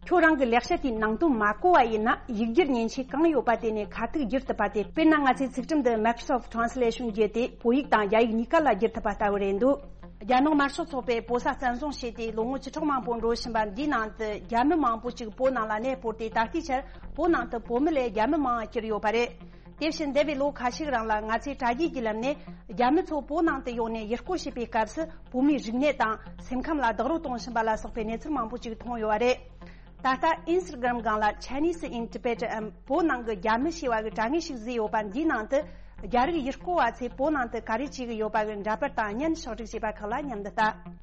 ཁྱོད་རང་གི་ལེགས་བཤད་དེའི་ནང་དོན་མ་གོ་བ་ཡིན་ན་ཡིག་སྒྱུར་མཉེན་ཆས་གང་ཡོད་པ་དེ་ནས་ཁ་ཐུག་བསྒྱུར་ཐུབ་པ་དེ། དཔེར་ན་ང་ཚོའི་ཚིག་ཁྲིམས་འདི་Microsoft Translation་བརྒྱུད་དེ་བོད་ཡིག་དང་རྒྱ་ཡིག་གཉིས་ཀ་ལ་བསྒྱུར་ཐུབ་པ་ལྟ་བུ་རེད་འདུག་རྒྱ་ནག་དམར་ཤོག་ཚོགས་པས་བོད་ས་བཙན་བཟུང་བྱས་ཏེ་ལོ་ངོ་བཅུ་ཕྲག་མང་པོ་འགྲོ་བཞིན་པ་འདིའི་ནང་དུ་རྒྱ་མི་མང་པོ་ཅིག་བོད་ནང་ལ་གནས་སྤོར་ཏེ་ད་ལྟའི་ཆར་བོད་ནང་དུ་བོད་མི་ལས་རྒྱ་མི་མང་བ་གྱུར་ཡོད་པ་རེད། དེ་བཞིན་འདས་པའི་ལོ་ཁ་ཤས་རིང་ལ་ང་ཚོས་དྲ་རྒྱའི་བརྒྱུད་ལམ་ནས་རྒྱ་མི་ཚོ་བོད་ནང་དུ་ཡོང་ནས་ཡུལ་སྐོར་བྱེད་པའི་སྐབས་སུ་བོད་མིའི་རིག་གནས་དང་སེམས་ཁམས་ལ་རྡོག་རོལ་གཏོང་བཞིན་པ་ལ་སོགས་པའི་གནས་ཚུལ་མང་པོ་ཅིག་མཐོང་ཡོད་པ་རེད། ད་ལྟ་ཨིན་སི་ཊ་གྷ་རམ་སྒང་ལ་Chinese in Tibet འམ་བོད་ནང་གི་རྒྱ་མི་ཞེས་པ་གི་དྲ་ངོས་ཤིག་བཟོས་ཡོད་པ་འདིའི་ནང་དུ་རྒྱ་རིགས་ཡུལ་སྐོར་བ་ཚོས་བོད་ནང་དུ་ག་རེ་བྱེད་ཀྱི་ཡོད་པ་གི་འདྲ་པར་དང་བརྙན་ཕྱོགས་སྒྲིག་བྱས་པ་ཁག་ལ་མཉམ་དུ་ལྟ།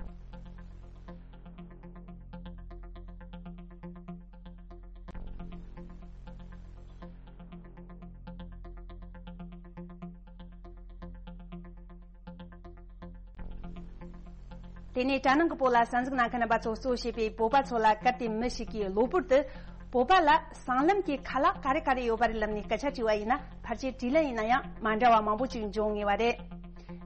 དེ་ནས་དྲ་ནང་གི་བོད་ལ་གསན་གཟིགས་གནང་མཁན་རྣམ་པ་ཚོ་གཙོ་བྱས་པའི་བོད་པ་ཚོ་ལ་གལ་ཏེ་མི་ཞིག་གིས་གློ་བུར་དུ་བོད་པ་ལ་སྲང་ལམ་གྱི་ཁ་ལག་ག་རེ་ག་རེ་ཡོད་པ་རེད་ལབ་ནས་སྐད་ཆ་དྲིས་པ་ཡིན་ན། ཕལ་ཆེར་དྲིས་ལན་ཡིན་ན་ཡང་མ་འདྲ་བ་མང་པོ་ཅིག་འབྱུང་ངེས་པ་རེད།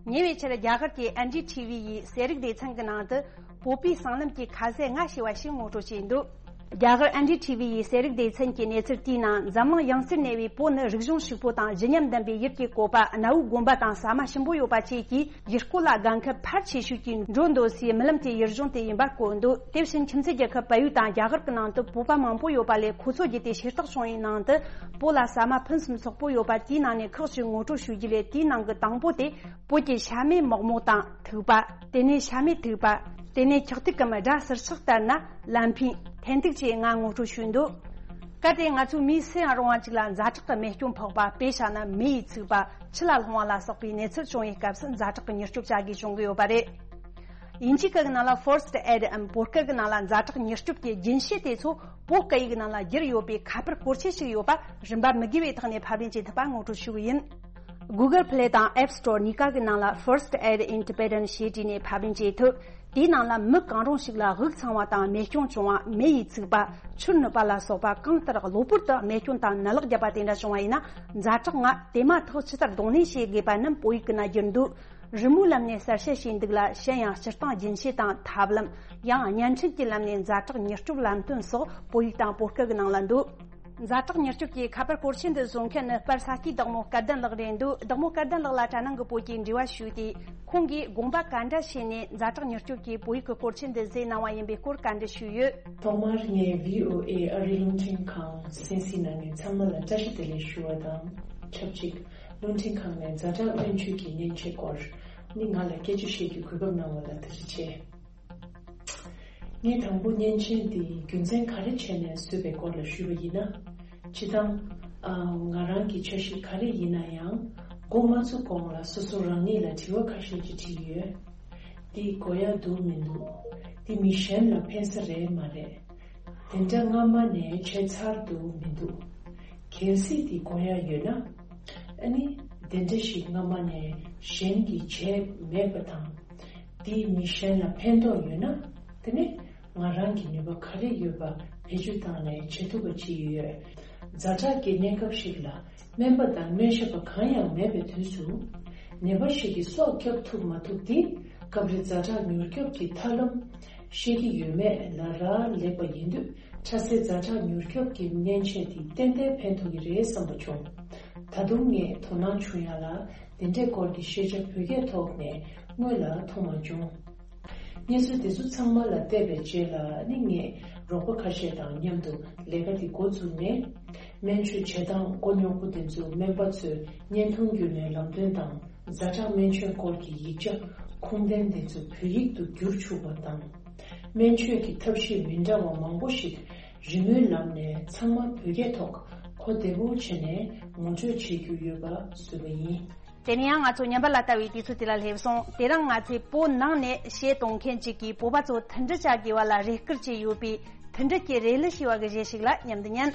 ཉེ་བའི་ཆར་རྒྱ་གར་གྱི་ཨེན་ཌི་ཐི་ཝི་ཡི་གསན་རིག་སྡེ་ཚན་གྱི་ནང་དུ་བོད་པའི་སྲང་ལམ་གྱི་ཁ་ཟས་ལྔ་ཞེས་པ་ཞིག་ངོ་སྤྲོད་བྱས་འདུག་རྒྱ་གར་ཨེན་ཌི་ཐི་ཝི་ཡི་གསན་རིག་སྡེ་ཚན་གྱི་གནས་ཚུལ་དེའི་ནང་འཛམ་གླིང་ཡང་རྩེར་གནས་པའི་བོད་ནི་རིག་གཞུང་ཕྱུག་པོ་དང་བརྗིད་ཉམས་ལྡན་པའི་ཡུལ་གྱི་བཀོད་པ། གནའ་བོའི་དགོན་པ་དང་ཟ་མ་ཞིམ་པོ་ཡོད་པ་བཅས་ཀྱིས་ཡུལ་སྐོར་ལ་དགའ་མཁན་ཕལ་ཆེ་ཤོས་ཀྱིས་འགྲོ་འདོད་སའི་རྨི་ལམ་གྱི་ཡུལ་ལྗོངས་དེ་ཡིན་པར་བཀོད་འདུག་དེ་བཞིན་ཁྱིམ་མཚེས་རྒྱལ་ཁབ་བལ་ཡུལ་དང་རྒྱ་གར་གྱི་ནང་དུ་བོད་པ་མང་པོ་ཡོད་པ་ལས། ཁོ་ཚོ་བརྒྱུད་དེ་ཤེས་རྟོགས་བྱུང་བའི་ནང་དུ་བོད་ལ་ཟ་མ་ཕུན་སུམ་ཚོགས་པོ་ཡོད་པ་དེའི་ནང་ནས་ཁག་ཅིག་ངོ་སྤྲོད་ཞུ་རྒྱུ་ལས། དེའི་ནང་གི་དང་པོ་དེ་བོད་ཀྱི་ཤ་མེད་མོག་མོག་དང་ཐུག་པ། དེ་ནས་ཤ་མེད་ཐུག་པ། དེ་ནས་འཁྱག་ཐིག་གམ་སྦྲ་ཟུར་ཆག་ལྟར་ན་ལམ་ཕིན་ཐན་ཐིག་བཅས་ལྔ་ངོ་སྤྲོད་ཞུས་འདུག་གལ་ཏེ་ང་ཚོས་མིའི་སུ་ཡང་རུང་བ་ཅིག་ལ་ཛ་དྲག་གི་རྨས་སྐྱོན་ཕོག་པ། དཔེ་བཞག་ན་མེ་ཡིས་ཚིག་པ། ཆུ་ལ་ལྷུང་བ་ལ་སོགས་པའི་གནས་ཚུལ་བྱུང་བའི་སྐབས་སུ་ཛ་དྲག་གི་མྱུར་སྐྱོབ་བྱ་དགོས་བྱུང་གི་ཡོད་པ་རེད། དབྱིན་ཇིའི་སྐད་ཀྱི་ནང་ལ་First Aid འམ་བོད་སྐད་ཀྱི་ནང་ལ་ཛ་དྲག་མྱུར་སྐྱོབ་ཀྱི་རྒྱུན་ཤེས་དེ་ཚོ་བོད་སྐད་ཡིག་ནང་ལ་བསྒྱུར་ཡོད་པའི་ཁ་པར་སྐོར་ཆས་ཤིག་ཡོད་པ་རིན་པ་མི་དགོས་པའི་ཐོག་ནས་ཕབ་ལེན་བྱེད་ཐུབ་པ་ངོ་སྤྲོད་ཞུ་གི་ཡིན། Google Play དང་App Store གཉིས་ཀ་གི་ནང་ལ་First Aid in Tibetan ཞེས་བྲིས་ནས་ཕབ་ལེན་བྱེད་ཐུབ། དེའི་ནང་ལ་མི་གང་རུང་ཞིག་ལ་དབུགས་འཚང་བ་དང་རྨས་སྐྱོན་བྱུང་བ། མེ་ཡིས་ཚིག་པ། ཆུར་ནུབ་པ་ལ་སོགས་པ། གང་ལྟར་གློ་བུར་དུ་རྨས་སྐྱོན་དང་ནད་ལག་བརྒྱབ་པ་དེ་འདྲ་བྱུང་བ་ཡིན་ན། ཛ་དྲག་ལྔ་དེ་མ་ཐག་ཇི་ལྟར་གདོང་ལེན་བྱེད་དགོས་པ་རྣམས་བོད་ཡིག་གི་ནང་བསྒྱུར་འདུག་རི་མོའི་ལམ་ནས་གསལ་བཤད་བྱས་འདུག་ལ། གཞན་ཡང་སྤྱིར་བཏང་རྒྱུན་ཤེས་དང་ཐབས་ལམ། ཡང་བརྙན་འཕྲིན་གྱི་ལམ་ནས་ཛ་དྲག་མྱུར་སྐྱོབ་ལམ་སྟོན་སོགས་བོད་ཡིག་དང་བོད་སྐད་ཀྱི་ནང་ལ་འདུག་ཛ་དྲག་མྱུར་སྐྱོབ་ཀྱི་ཁ་པར་སྐོར་ཆས་འདི་བཟོ་མཁན་ནི་པར་ས་སྐྱའི་བདག་མོ་སྐལ་ལྡན་ལགས་རེད་འདུག་བདག་མོ་སྐལ་ལྡན་ལགས་ལ་དྲ་ནང་གི་བོད་ཀྱི་འབྲེལ་བ་ཞུས་ཏེ། ཁོང་གིས་དགོངས་པ་ག་འདྲ་བྱས་ནས་ཛ་དྲག་མྱུར་སྐྱོབ་ཀྱི་བོད་ཡིག་གི་སྐོར་ཆས་འདི་བཟོས་གནང་བ་ཡིན་པའི་སྐོར་བཀའ་འདྲི་ཞུས་ཡོད། ཐོག་མར་ངས་བྷི་ཨོ་ཨེ་ཨ་རིའི་རླུང་འཕྲིན་ཁང་གསན་གཟིགས་གནང་མཁན་ཚང་མ་ལ་བཀྲ་ཤིས་བདེ་ལེགས་ཞུ་བ་དང་ཆབས་ཅིག་རླུང་འཕྲིན་ཁང་ནས་ཛ་དྲག་སྨན་བཅོས་ཀྱི་མཉེན་ཆས་སྐོར་ནི་ང་ལ་སྐད་ཆ་བཤད་རྒྱུའི་གོ་སྐབས་གནང་བ་ལ་ཐུགས་རྗེ་ཆེ། ངས་དང་པོ་མཉེན་ཆས་འདིའི་རྒྱུ་མཚན་ག་རེ་བྱས་ནས་བཟོས་པའི་སྐོར་ལ་ཞུས་པ་ཡིན་ན། སྤྱིར་བཏང་། ཨ། ང་རང་གི་འཆར་གཞི་ག་རེ་ཡིན་ན་ཡང་། འགོ་མ་ཚུགས་གོང་ལ་སོ་སོ་རང་ཉིད་ལ་དྲི་བ་ཁ་ཤས་ཅིག་དྲིས་ཡོད། འདི་དགོས་ཡག་འདུག་མི་འདུག་འདི་མི་གཞན་ལ་ཕན་ས་རེད་མ་རེད། དེ་འདྲ་སྔ་མ་ནས་བྱས་ཚར་འདུག་མི་འདུག་གལ་སྲིད་འདི་དགོས་ཡག་ཡོད་ན། ཨ་ནི། དེ་འདྲ་ཞིག་སྔ་མ་ནས་གཞན་གྱིས་བྱས་མེད་པ་དང་། འདིས་མི་གཞན་ལ་ཕན་ཐོགས་ཡོད་ན། དེ་ནི་ང་རང་གི་ནུས་པ་ག་རེ་ཡོད་པ་བེད་སྤྱོད་བཏང་ནས་བྱེད་ཐུབ་པ་ཅིག་ཡོད། ཛ་དྲག་གི་གནས་སྐབས་ཤིག་ལ་སྨན་པ་དང་སྨན་ཞབས་པ་གང་ཡང་མེད་པའི་དུས་སུ། ནད་པ་ཞིག་གི་སྲོག་སྐྱོབ་ཐུབ་མ་ཐུབ་དེ་སྐབས་རེ་ཛ་དྲག་མྱུར་སྐྱོབ་ཀྱི་ཐབས་ལམ་ཤེས་ཀྱི་ཡོད་མེད་ལ་རག་ལས་པ་ཡིན་དུས། ཁྲ་སེ་ཛ་དྲག་མྱུར་སྐྱོབ་ཀྱི་མཉེན་ཆས་དེ་ཏན་ཏན་ཕན་ཐོགས་ཀྱི་རེད་བསམ་པ་བྱུང་། ད་དུང་ངས་དོ་སྣང་བྱུང་ཡ་ལ་དེ་འདྲའི་སྐོར་གྱི་ཤེས་བྱ་བོད་སྐད་ཐོག་ནས་སྔོན་ལ་མཐོང་མ་བྱུང་། གནས་ཚུལ་དེ་ཚོ་ཚང་མ་ལ་བལྟས་པའི་རྗེས་ལ་ནི་ངས་རོགས་པ་ཁ་ཤས་དང་མཉམ་དུ་ལས་ཀ་དེ་འགོ་བཙུགས་ནས། སྨན་བཅོས་བྱེད་སྟངས་མགོ་རྙོག་པོ་དེ་ཚོ་སྨན་པ་ཚོས་བརྙན་ཐུང་བརྒྱུད་ནས་ལམ་སྟོན་དང་། ཛ་དྲག་སྨན་བཅོས་སྐོར་གྱི་ཡིག་ཆ་ཁུངས་ལྡན་དེ་ཚོ་བོད་ཡིག་ཏུ་བསྒྱུར་ཆོག་པ་དང་། སྨན་བཅོས་ཀྱི་ཐབས་ཤེས་མི་འདྲ་བ་མང་པོ་ཞིག་རི་མོའི་ལམ་ནས་ཚང་མ་བོད་སྐད་ཐོག་གོ་བདེ་པོ་བྱས་ནས་ངོ་སྤྲོད་བྱེད་རྒྱུ་ཡོད་པ་བཟོས་པ་ཡིན། དེ་ནས་ཡང་ང་ཚོ་ཉམས་པ་ལ་ལྟ་བའི་དུས་ཚོད་དེ་ལ་སླེབས་སོང་། དེ་རིང་ང་ཚོས་བོད་ནང་ནས་གཞས་གཏོང་མཁན་ཅིག་གིས་བོད་པ་ཚོ་མཐུན་སྒྲིལ་བྱ་དགོས་པ་ལ་རེ་སྐུལ་བྱས་ཡོད་པའི་མཐུན་སྒྲིལ་གྱི་རེ་ལི་ཞེས་པ་གི་གཞས་ཤིག་ལ་མཉམ་དུ་ཉན།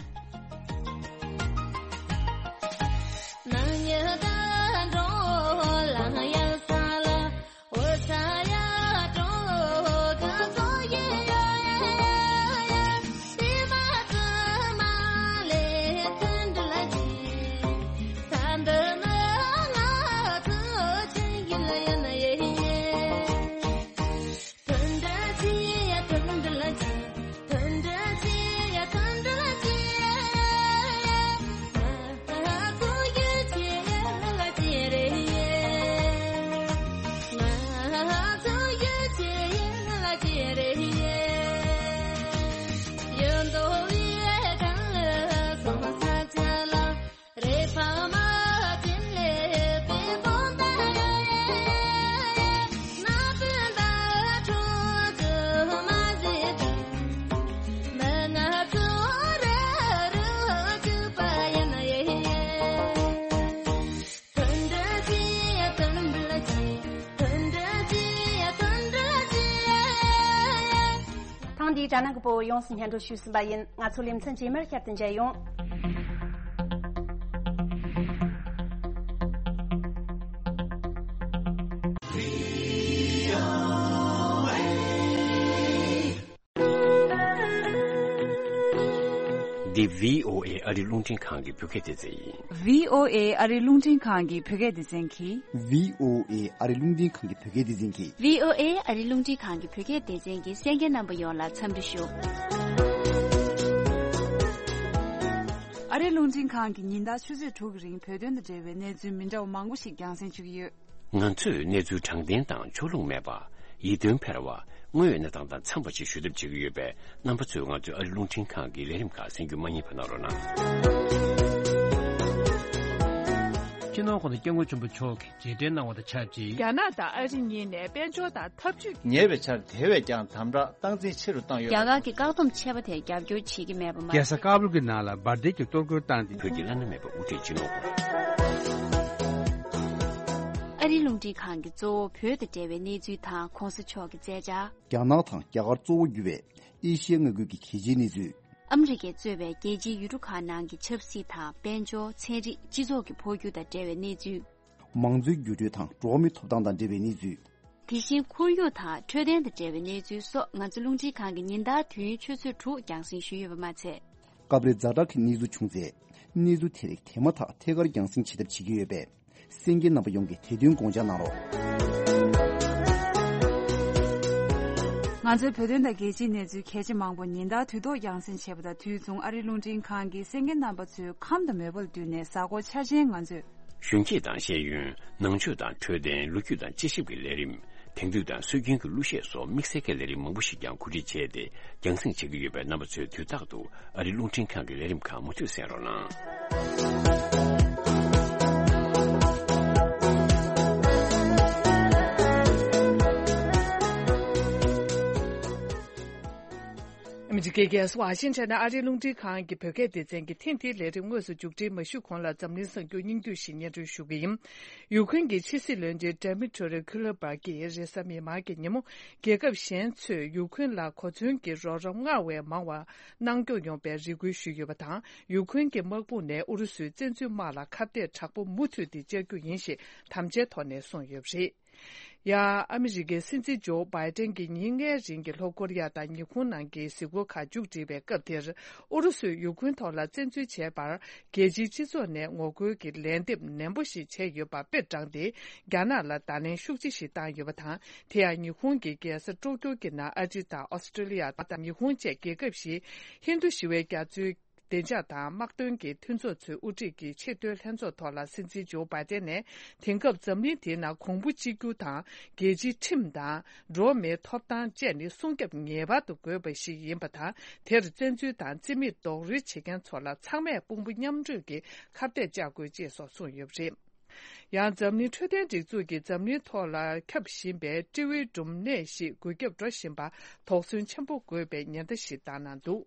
རྒྱ་ནག་གི་བོད་ཡོངས་སུ་སྙན་སྒྲོན་ཞུས་ཟིན་པ་ཡིན། ང་ཚོ་ལེ་ཚན་རྗེས་མར་བསྐྱར་དུ་མཇལ་ཡོང་། འདི་བྷི་ཨོ་ཨེ་ཨ་རི་རླུང་འཕྲིན་ཁང་གི་བོད་སྐད་སྡེ་ཚན་ཡིན། བྷི་ཨོ་ཨེ་ཨ་རི་རླུང་འཕྲིན་ཁང་གི་བོད་སྐད་སྡེ་ཚན་གྱིས། བྷི་ཨོ་ཨེ་ཨ་རི་རླུང་འཕྲིན་ཁང་གི་བོད་སྐད་སྡེ་ཚན་གྱིས། བྷི་ཨོ་ཨེ་ཨ་རི་རླུང་འཕྲིན་ཁང་གི་བོད་སྐད་སྡེ་ཚན་གྱིས་གསན་མཁན་རྣམ་པ་ཡོངས་ལ་འཚམས་འདྲི་ཞུ། ཨ་རི་རླུང་འཕྲིན་ཁང་གིས་ཉིན་ལྟར་ཆུ་ཚོད་དྲུག་གི་རིང་བོད་དོན་དང་འབྲེལ་བའི་གནས་ཚུལ་མི་འདྲ་བ་མང་པོ་ཞིག་རྒྱང་སྲིང་ཞུ་གི་ཡོད། ང་ཚོས་གནས་ཚུལ་དྲང་བདེན་དང་ཕྱོགས་ལྷུང་མེད་པ། ཡིད་རྟོན་འཕེར་བ། དངོས་ཡོད་གནས་སྟངས་དང་འཚམས་པ་ཞིག་ཞུ་ཐབས་བྱེད་ཀྱི་ཡོད་པས། རྣམ་པ་ཚོས་ང་ཚོའི་ཨ་རི་རླུང་འཕྲིན་ཁང་གི་ལས་རིམ་ཁག་གསན་རྒྱུ་མ་བསྙེལ་བ་གནང་རོགས་གནང་། སྤྱི་ནོར་༸གོང་ས་༸སྐྱབས་མགོན་ཆེན་པོ་མཆོག་གིས་རྗེས་དྲན་གནང་བ་དང་ཆབས་ཅིག་རྒྱ་ནག་དང་ཨ་རི་གཉིས་ནས་དཔལ་འབྱོར་དང་འཐབ་ཇུས། ཉེ་བའི་ཆར་དེ་བས་ཀྱང་དམ་དྲག་སྟངས་འཛིན་ཆེ་རུ་བཏང་ཡོད། རྒྱ་གར་གྱི་བཀག་སྡོམ་ཆད་པ་དེར་རྒྱབ་སྐྱོར་བྱེད་ཀྱི་མེད་པ་མ་ཟད། རྒྱལ་ས་ཀ་བུལ་གྱི་ནང་ལ་འབར་མདེལ་གྱི་གཏོར་རྒོལ་བཏང་སྟེ། བོད་ཀྱི་བླ་ན་མེད་པའི་དབུ་ཁྲིད་སྤྱི་ནོར་༸གོང་ས། ཨ་རིའི་རླུང་འཕྲིན་ཁང་གིས་གཙོ་བོ་བོད་དང་འབྲེལ་བའི་གནས་ཚུལ་དང་གོང་ས་མཆོག་གི་མཛད་འཆར། རྒྱ་ནག་དང་རྒྱ་གར་གཙོ་བོ་གྱུར་བའི་ཨེ་ཤི་ཡའི་མངའ་ཁུལ་གྱི་གལ་ཆེའི་གནས་ཚུལ། ཨ་མི་རི་ཀས་གཙོས་པའི་རྒྱལ་སྤྱིའི་ཡུལ་གྲུ་ཁག་ནང་གི་ཆབ་སྲིད་དང་། དཔལ་འབྱོར། ཚན་རིག་སྤྱི་ཚོགས་ཀྱི་འཕོ་འགྱུར་དང་འབྲེལ་བའི་གནས་ཚུལ། མང་གཙོའི་འགྱུར་འགྲོས་དང་འགྲོ་བ་མིའི་ཐོབ་ཐང་དང་འབྲེལ་བའི་གནས་ཚུལ། དེ་བཞིན་ཁོར་ཡུག་དང་འཕྲོད་བསྟེན་དང་འབྲེལ་བའི་གནས་ཚུལ་སོགས་ང་ཚོ་རླུང་འཕྲིན་ཁང་གིས་ཉིན་ལྟར་དུས་ཡུན་ཆུ་ཚོད་དྲུག་རྒྱང་སྲིང་ཞུས་ཡོད་པ་མ་ཚད། སྐབས་རེ་ཛ་དྲག་གི་གནས་ཚུལ་བྱུང་ཚེ། གནས་ཚུལ་དེ་རིགས་དེ་མ་ཐག་ཐད་ཀར་རྒྱང་སྲིང་བྱེད་ཐབས་བྱེད་ཀྱི་ཡོད་པས། གསན་མཁན་རྣམ་པ་ཡོངས་ཀྱིས་དེ་དོན་དགོངས་འཇགས་གནང་རོགས། ང་ཚོའི་བོད་དོན་དང་རྒྱལ་སྤྱིའི་གནས་ཚུལ་གལ་ཆེ་མང་པོ་ཉིན་ལྟར་དུས་ཐོག་རྒྱང་སྲིང་བྱེད་པ་དང་དུས་མཚུངས་ཨ་རིའི་རླུང་འཕྲིན་ཁང་གིས་གསན་མཁན་རྣམ་པ་ཚོའི་ཁམས་དང་མོས་པ་ལ་བསྟུན་ནས་གཟའ་འཁོར་འཆར་ཅན་ང་ཚོས། གཞོན་སྐྱེས་དང་ཤེས་ཡོན། ནང་ཆོས་དང་འཕྲོད་བསྟེན། ལོ་རྒྱུས་དང་དཔྱད་ཞིབ་ཀྱི་ལས་རིམ། དེང་དུས་དང་སྲོལ་རྒྱུན་གྱི་གླུ་གཞས་སོགས་དམིགས་བསལ་གྱི་ལས་རིམ་མང་པོ་ཞིག་ཀྱང་གོ་སྒྲིག་བྱས་ཏེ་རྒྱང་སྲིང་བྱེད་ཀྱི་ཡོད་པས། རྣམ་པ་ཚོས་དུས་རྟག་ཏུ་ཨ་རིའི་རླུང་འཕྲིན་ཁང་གི་ལས་རིམ་ཁག་མུ་མཐུད་གསན་རོགས་གནང་། ཨ་མི་རི་ཀའི་རྒྱལ་ས་ཝ་ཤིང་ཊོན་ནས་ཨ་རིའི་རླུང་འཕྲིན་ཁང་གི་བོད་སྐད་སྡེ་ཚན་གྱིས་ཐེངས་འདིའི་ལས་རིམ་དངོས་སུ་མཇུག་སྒྲིལ་མ་ཞུས་གོང་ལ་འཛམ་གླིང་གསར་འགྱུར་སྙིང་བསྡུས་ཤིག་སྙན་སྒྲོན་ཞུ་གི་ཡིན། ཡུཀ་རེན་གྱི་ཕྱི་སྲིད་བློན་ཆེན་ཌེ་མི་ཊོ་རི་ཁུ་ལེ་བྷ་གིས་རེས་གཟའ་མིག་དམར་གྱི་ཉིན་མོ། རྒྱལ་ཁབ་གཞན་ཚོས་ཡུཀ་རེན་ལ་གོ་མཚོན་གྱི་རོགས་རམ་སྔར་བས་མང་བ་གནང་སྐྱོང་ཡོང་བའི་རེ་སྐུལ་ཞུས་ཡོད་པ་དང་། ཡུཀ་རེན་གྱི་དམག་དཔུང་ནས་ཨུ་རུ་སུའི་བཙན་འཛུལ་དམག་ལ་ཁ་གཏད་དྲག་པོ་མུ་མཐུད་དེ་བཅར་རྒྱུ་ཡིན་ཞེས་དམ་བཅའི་ཐོག་ནས་གསུངས་ཡོད་པ་རེད། ཡང་ཨ་མི་རི་ཀའི་སྲིད་འཛིན་ཇོ་བྷའི་ཏན་གྱིས་ཉིན་ལྔའི་རིང་གི་ལྷོ་ཀོ་རི་ཡ་དང་ཉི་ཧོང་ནང་གི་གཟིགས་སྐོར་ཁག་མཇུག་བསྒྲིལ་བའི་སྐབས་དེར། ཨུ་རུ་སུས་ཡུཀ་རེན་ཐོག་ལ་བཙན་འཛུལ་བྱས་པར། རྒྱལ་སྤྱིའི་སྤྱི་ཚོགས་ནས་ངོ་རྒོལ་གྱི་ལན་འདེབས་ནན་པོ་ཞིག་བྱས་ཡོད་པ་དཔེ་དྲངས་ཏེ། རྒྱ་ནག་ལ་བརྡ་ལན་ཤུགས་ཆེ་ཞིག་བཏང་ཡོད་པ་དང་། དེ་ཡང་ཉི་ཧོང་གི་རྒྱལ་ས་ཀྲོ་ཀྱོ་གི་ནང་ཨ་རི་དང་ཨོ་སི་ཀྲོ་ལི་ཡ་དང་ཉི་ཧོང་བཅས་རྒྱལ་ཁབ་བཞིའི་ཧིན་རྡུ་ཞི་བའི་རྒྱ་མཚོའི་བདེ་འཇགས་དང་དམག་དོན་གྱི་མཐུན་ཚོགས་ཚོའི་དབུ་ཁྲིད་ཀྱི་ཆེས་མཐོའི་ལྷན་ཚོགས་ཐོག་ལ། སྲིད་འཛིན་ཇོ་བྷའི་ཏན་ནས། དེང་སྐབས་འཛམ་གླིང་འདིའི་ནང་གོང་བུ་གཅིག་གྱུར་དང་། རྒྱལ་སྤྱིའི་ཁྲིམས་དང་། འགྲོ་བ་མིའི་ཐོབ་ཐང་བཅས་ནི་སྲུང་སྐྱོབ་ངེས་པར་དུ་དགོས་པ་ཞིག་ཡིན་པ་དང་། དེར་བཙན་འཛུལ་དང་རྩིས་མེད་རྡོག་རོལ་བྱེད་མཁན་ཚོ་ལ་ཚང་མས་དཔུང་པ་མཉམ་འགྲོས་ཀྱིས་ཁ་གཏད་བཅག་དགོས། ཅེས་སོགས་གསུངས་ཡོད་པ་རེད། ཡང་འཛམ་གླིང་འཕྲོད་བསྟེན་སྒྲིག་འཛུགས་ཀྱིས་འཛམ་གླིང་ཐོག་ལ་ཁྱབ་བཞིན་པའི་སྤྲེའུའི་འབྲུམ་ནད་ཞིག་འགོས་ཁྱབ་འགྲོ་བཞིན་པ་དོགས་ཟོན་ཆེན་པོ་དགོས་པའི་ཉེན་བརྡ་ཞིག་བཏང་གནང་འདུག་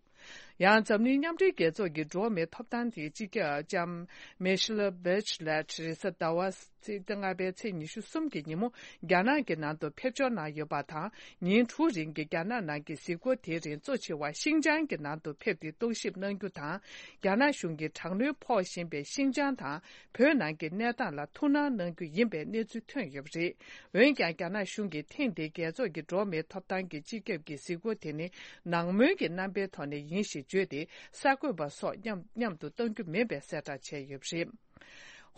ཡང་འཛམ་གླིང་མཉམ་འབྲེལ་རྒྱལ་ཚོགས་ཀྱི་འགྲོ་བ་མིའི་ཐོབ་ཐང་དེའི་སྤྱི་ཁྱབ་ལྕམ་མེ་ཤེལ་བྷེཆ་ལེཊ་རེས་གཟའ་ཟླ་བ་ཚེས་ལྔ་པའི་ཚེས་ཉི་ཤུ་གསུམ་གྱི་ཉིན་མོ་རྒྱ་ནག་གི་ནང་དུ་ཕེབས་འབྱོར་གནང་ཡོད་པ་དང་། ཉིན་དྲུག་རིང་གི་རྒྱ་ནག་ནང་གི་གཟིགས་སྐོར་དེའི་རིང་གཙོ་ཆེ་བ་ཤིང་ཅང་གི་ནང་དུ་ཕེབས་ཏེ་རྟོག་ཞིབ་གནང་རྒྱུ་དང་། རྒྱ་ནག་གཞུང་གིས་དྲག་གནོན་ཕོག་བཞིན་པའི་ཤིང་ཅང་དང་། བོད་ནང་གི་གནས་སྟངས་ལ་ཐུགས་སྣང་གནང་རྒྱུ་ཡིན་པའི་གནས་ཚུལ་ཐོན་ཡོད་པ་རེད། འོན་ཀྱང་། རྒྱ་ནག་གཞུང་གིས་ཐེངས་འདིའི་རྒྱལ་ཚོགས་ཀྱི་འགྲོ་བ་མིའི་ཐོབ་ཐང་གི་སྤྱི་ཁྱབ་ཀྱི་གཟིགས་སྐོར་དེ་ནི། ནང་མོལ་གྱི་རྣམ་པའི་ཐོག་ནས་ཡིན་ཞེས་བརྗོད་དེ། གསར་འགོད་པ་སོགས་མཉམ་མཉམ་དུ་གཏང་རྒྱུ་མིན་པའི་གསལ་བསྒྲགས་བྱས་ཡོད་པ་རེད།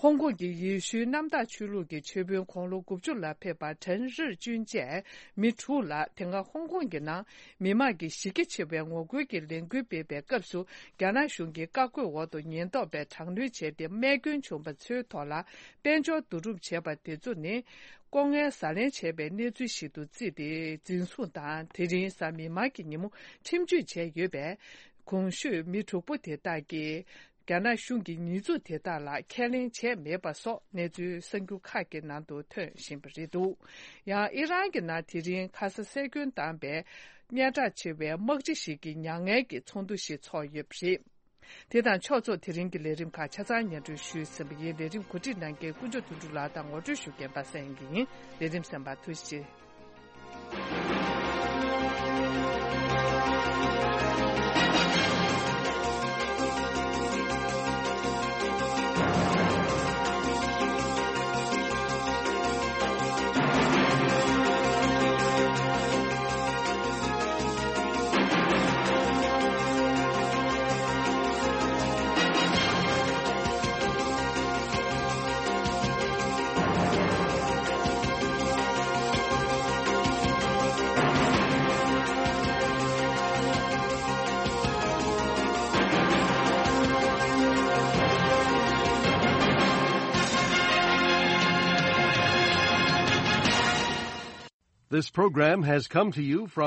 ཧོང་ཀོང་གི་ཡེ་ཤུའི་གནམ་བདག་ཆོས་ལུགས་ཀྱི་ཆོས་དཔོན་དགུང་ལོ་དགུ་བཅུ་ལ་ཕེབས་པ་ཁྲེན་རིར་ཅུན་བཅས་མི་དྲུག་ལ། དེ་སྔ་ཧོང་ཀོང་གི་ནང་མི་མང་གིས་གཞི་རྒྱ་ཆེ་བའི་ངོ་རྒོལ་གྱི་ལས་འགུལ་སྤེལ་བའི་སྐབས་སུ། རྒྱ་ནག་གཞུང་གི་བཀའ་བཀོད་འོག་ཏུ་ཉེན་རྟོག་པས་དྲག་གནོན་བྱས་ཏེ། རྨས་སྐྱོན་བྱུང་བ་ཚོའི་ཐོག་ལ་དཔལ་འབྱོར་བསྡུ་རུབ་བྱས་པ་དེ་ཚོ་ནི། ལྐོག་རྔན་ཟ་ལེན་བྱས་པའི་གནས་ཚུལ་ཞིག་ཏུ་བརྩིས་ཏེ། འཛིན་བཟུང་དང་། དེ་རིང་གཟའ་མིག་དམར་གྱི་ཉིན་མོ་ཁྲིམས་གཅོད་བྱས་ཡོད་པས། གོང་ཞུས་མི་དྲུག་པོ་དེ་དག་གིས། རྒྱ་ནག་གཞུང་གིས་ཉེས་འཛུགས་དེ་དག་ལ་ཁས་ལེན་བྱས་མེད་པ་སོགས་གནས་ཚུལ་གསར་འགྱུར་ཁག་གི་ནང་དུ་ཐོན་བཞིན་པ་རེད་འདུག་ཡང་ཨི་རན་གྱི་ནང་དེ་རིང་ཁ་ས་སེར་སྐྱོན་བཏང་པའི་སྙན་གྲགས་ཆེ་བའི་དམག་སྤྱི་ཞིག་གི་མྱ་ངན་གྱི་ཚོགས་འདུ་ཞིག་ཚོགས་ཡོད་པ་རེད། དེ་དང་ཕྱོགས་མཚུངས། དེ་རིང་གི་ལས་རིམ་ཁག་ཆ་ཚང་སྙན་སྒྲོན་ཞུས་ཟིན་པ་ཡིན། ལས་རིམ་གོ་སྒྲིག་གནང་མཁན་དཀོན་མཆོག་དོན་གྲུབ་ལགས་དང་ངོ་སྤྲོད་ཞུ་མཁན་པ་སངས་དབྱངས་སྐྱིད་ཡིན། ལས་རིམ་གསན་པར་ཐུགས་རྗེ་ཆེ། This program has come to you from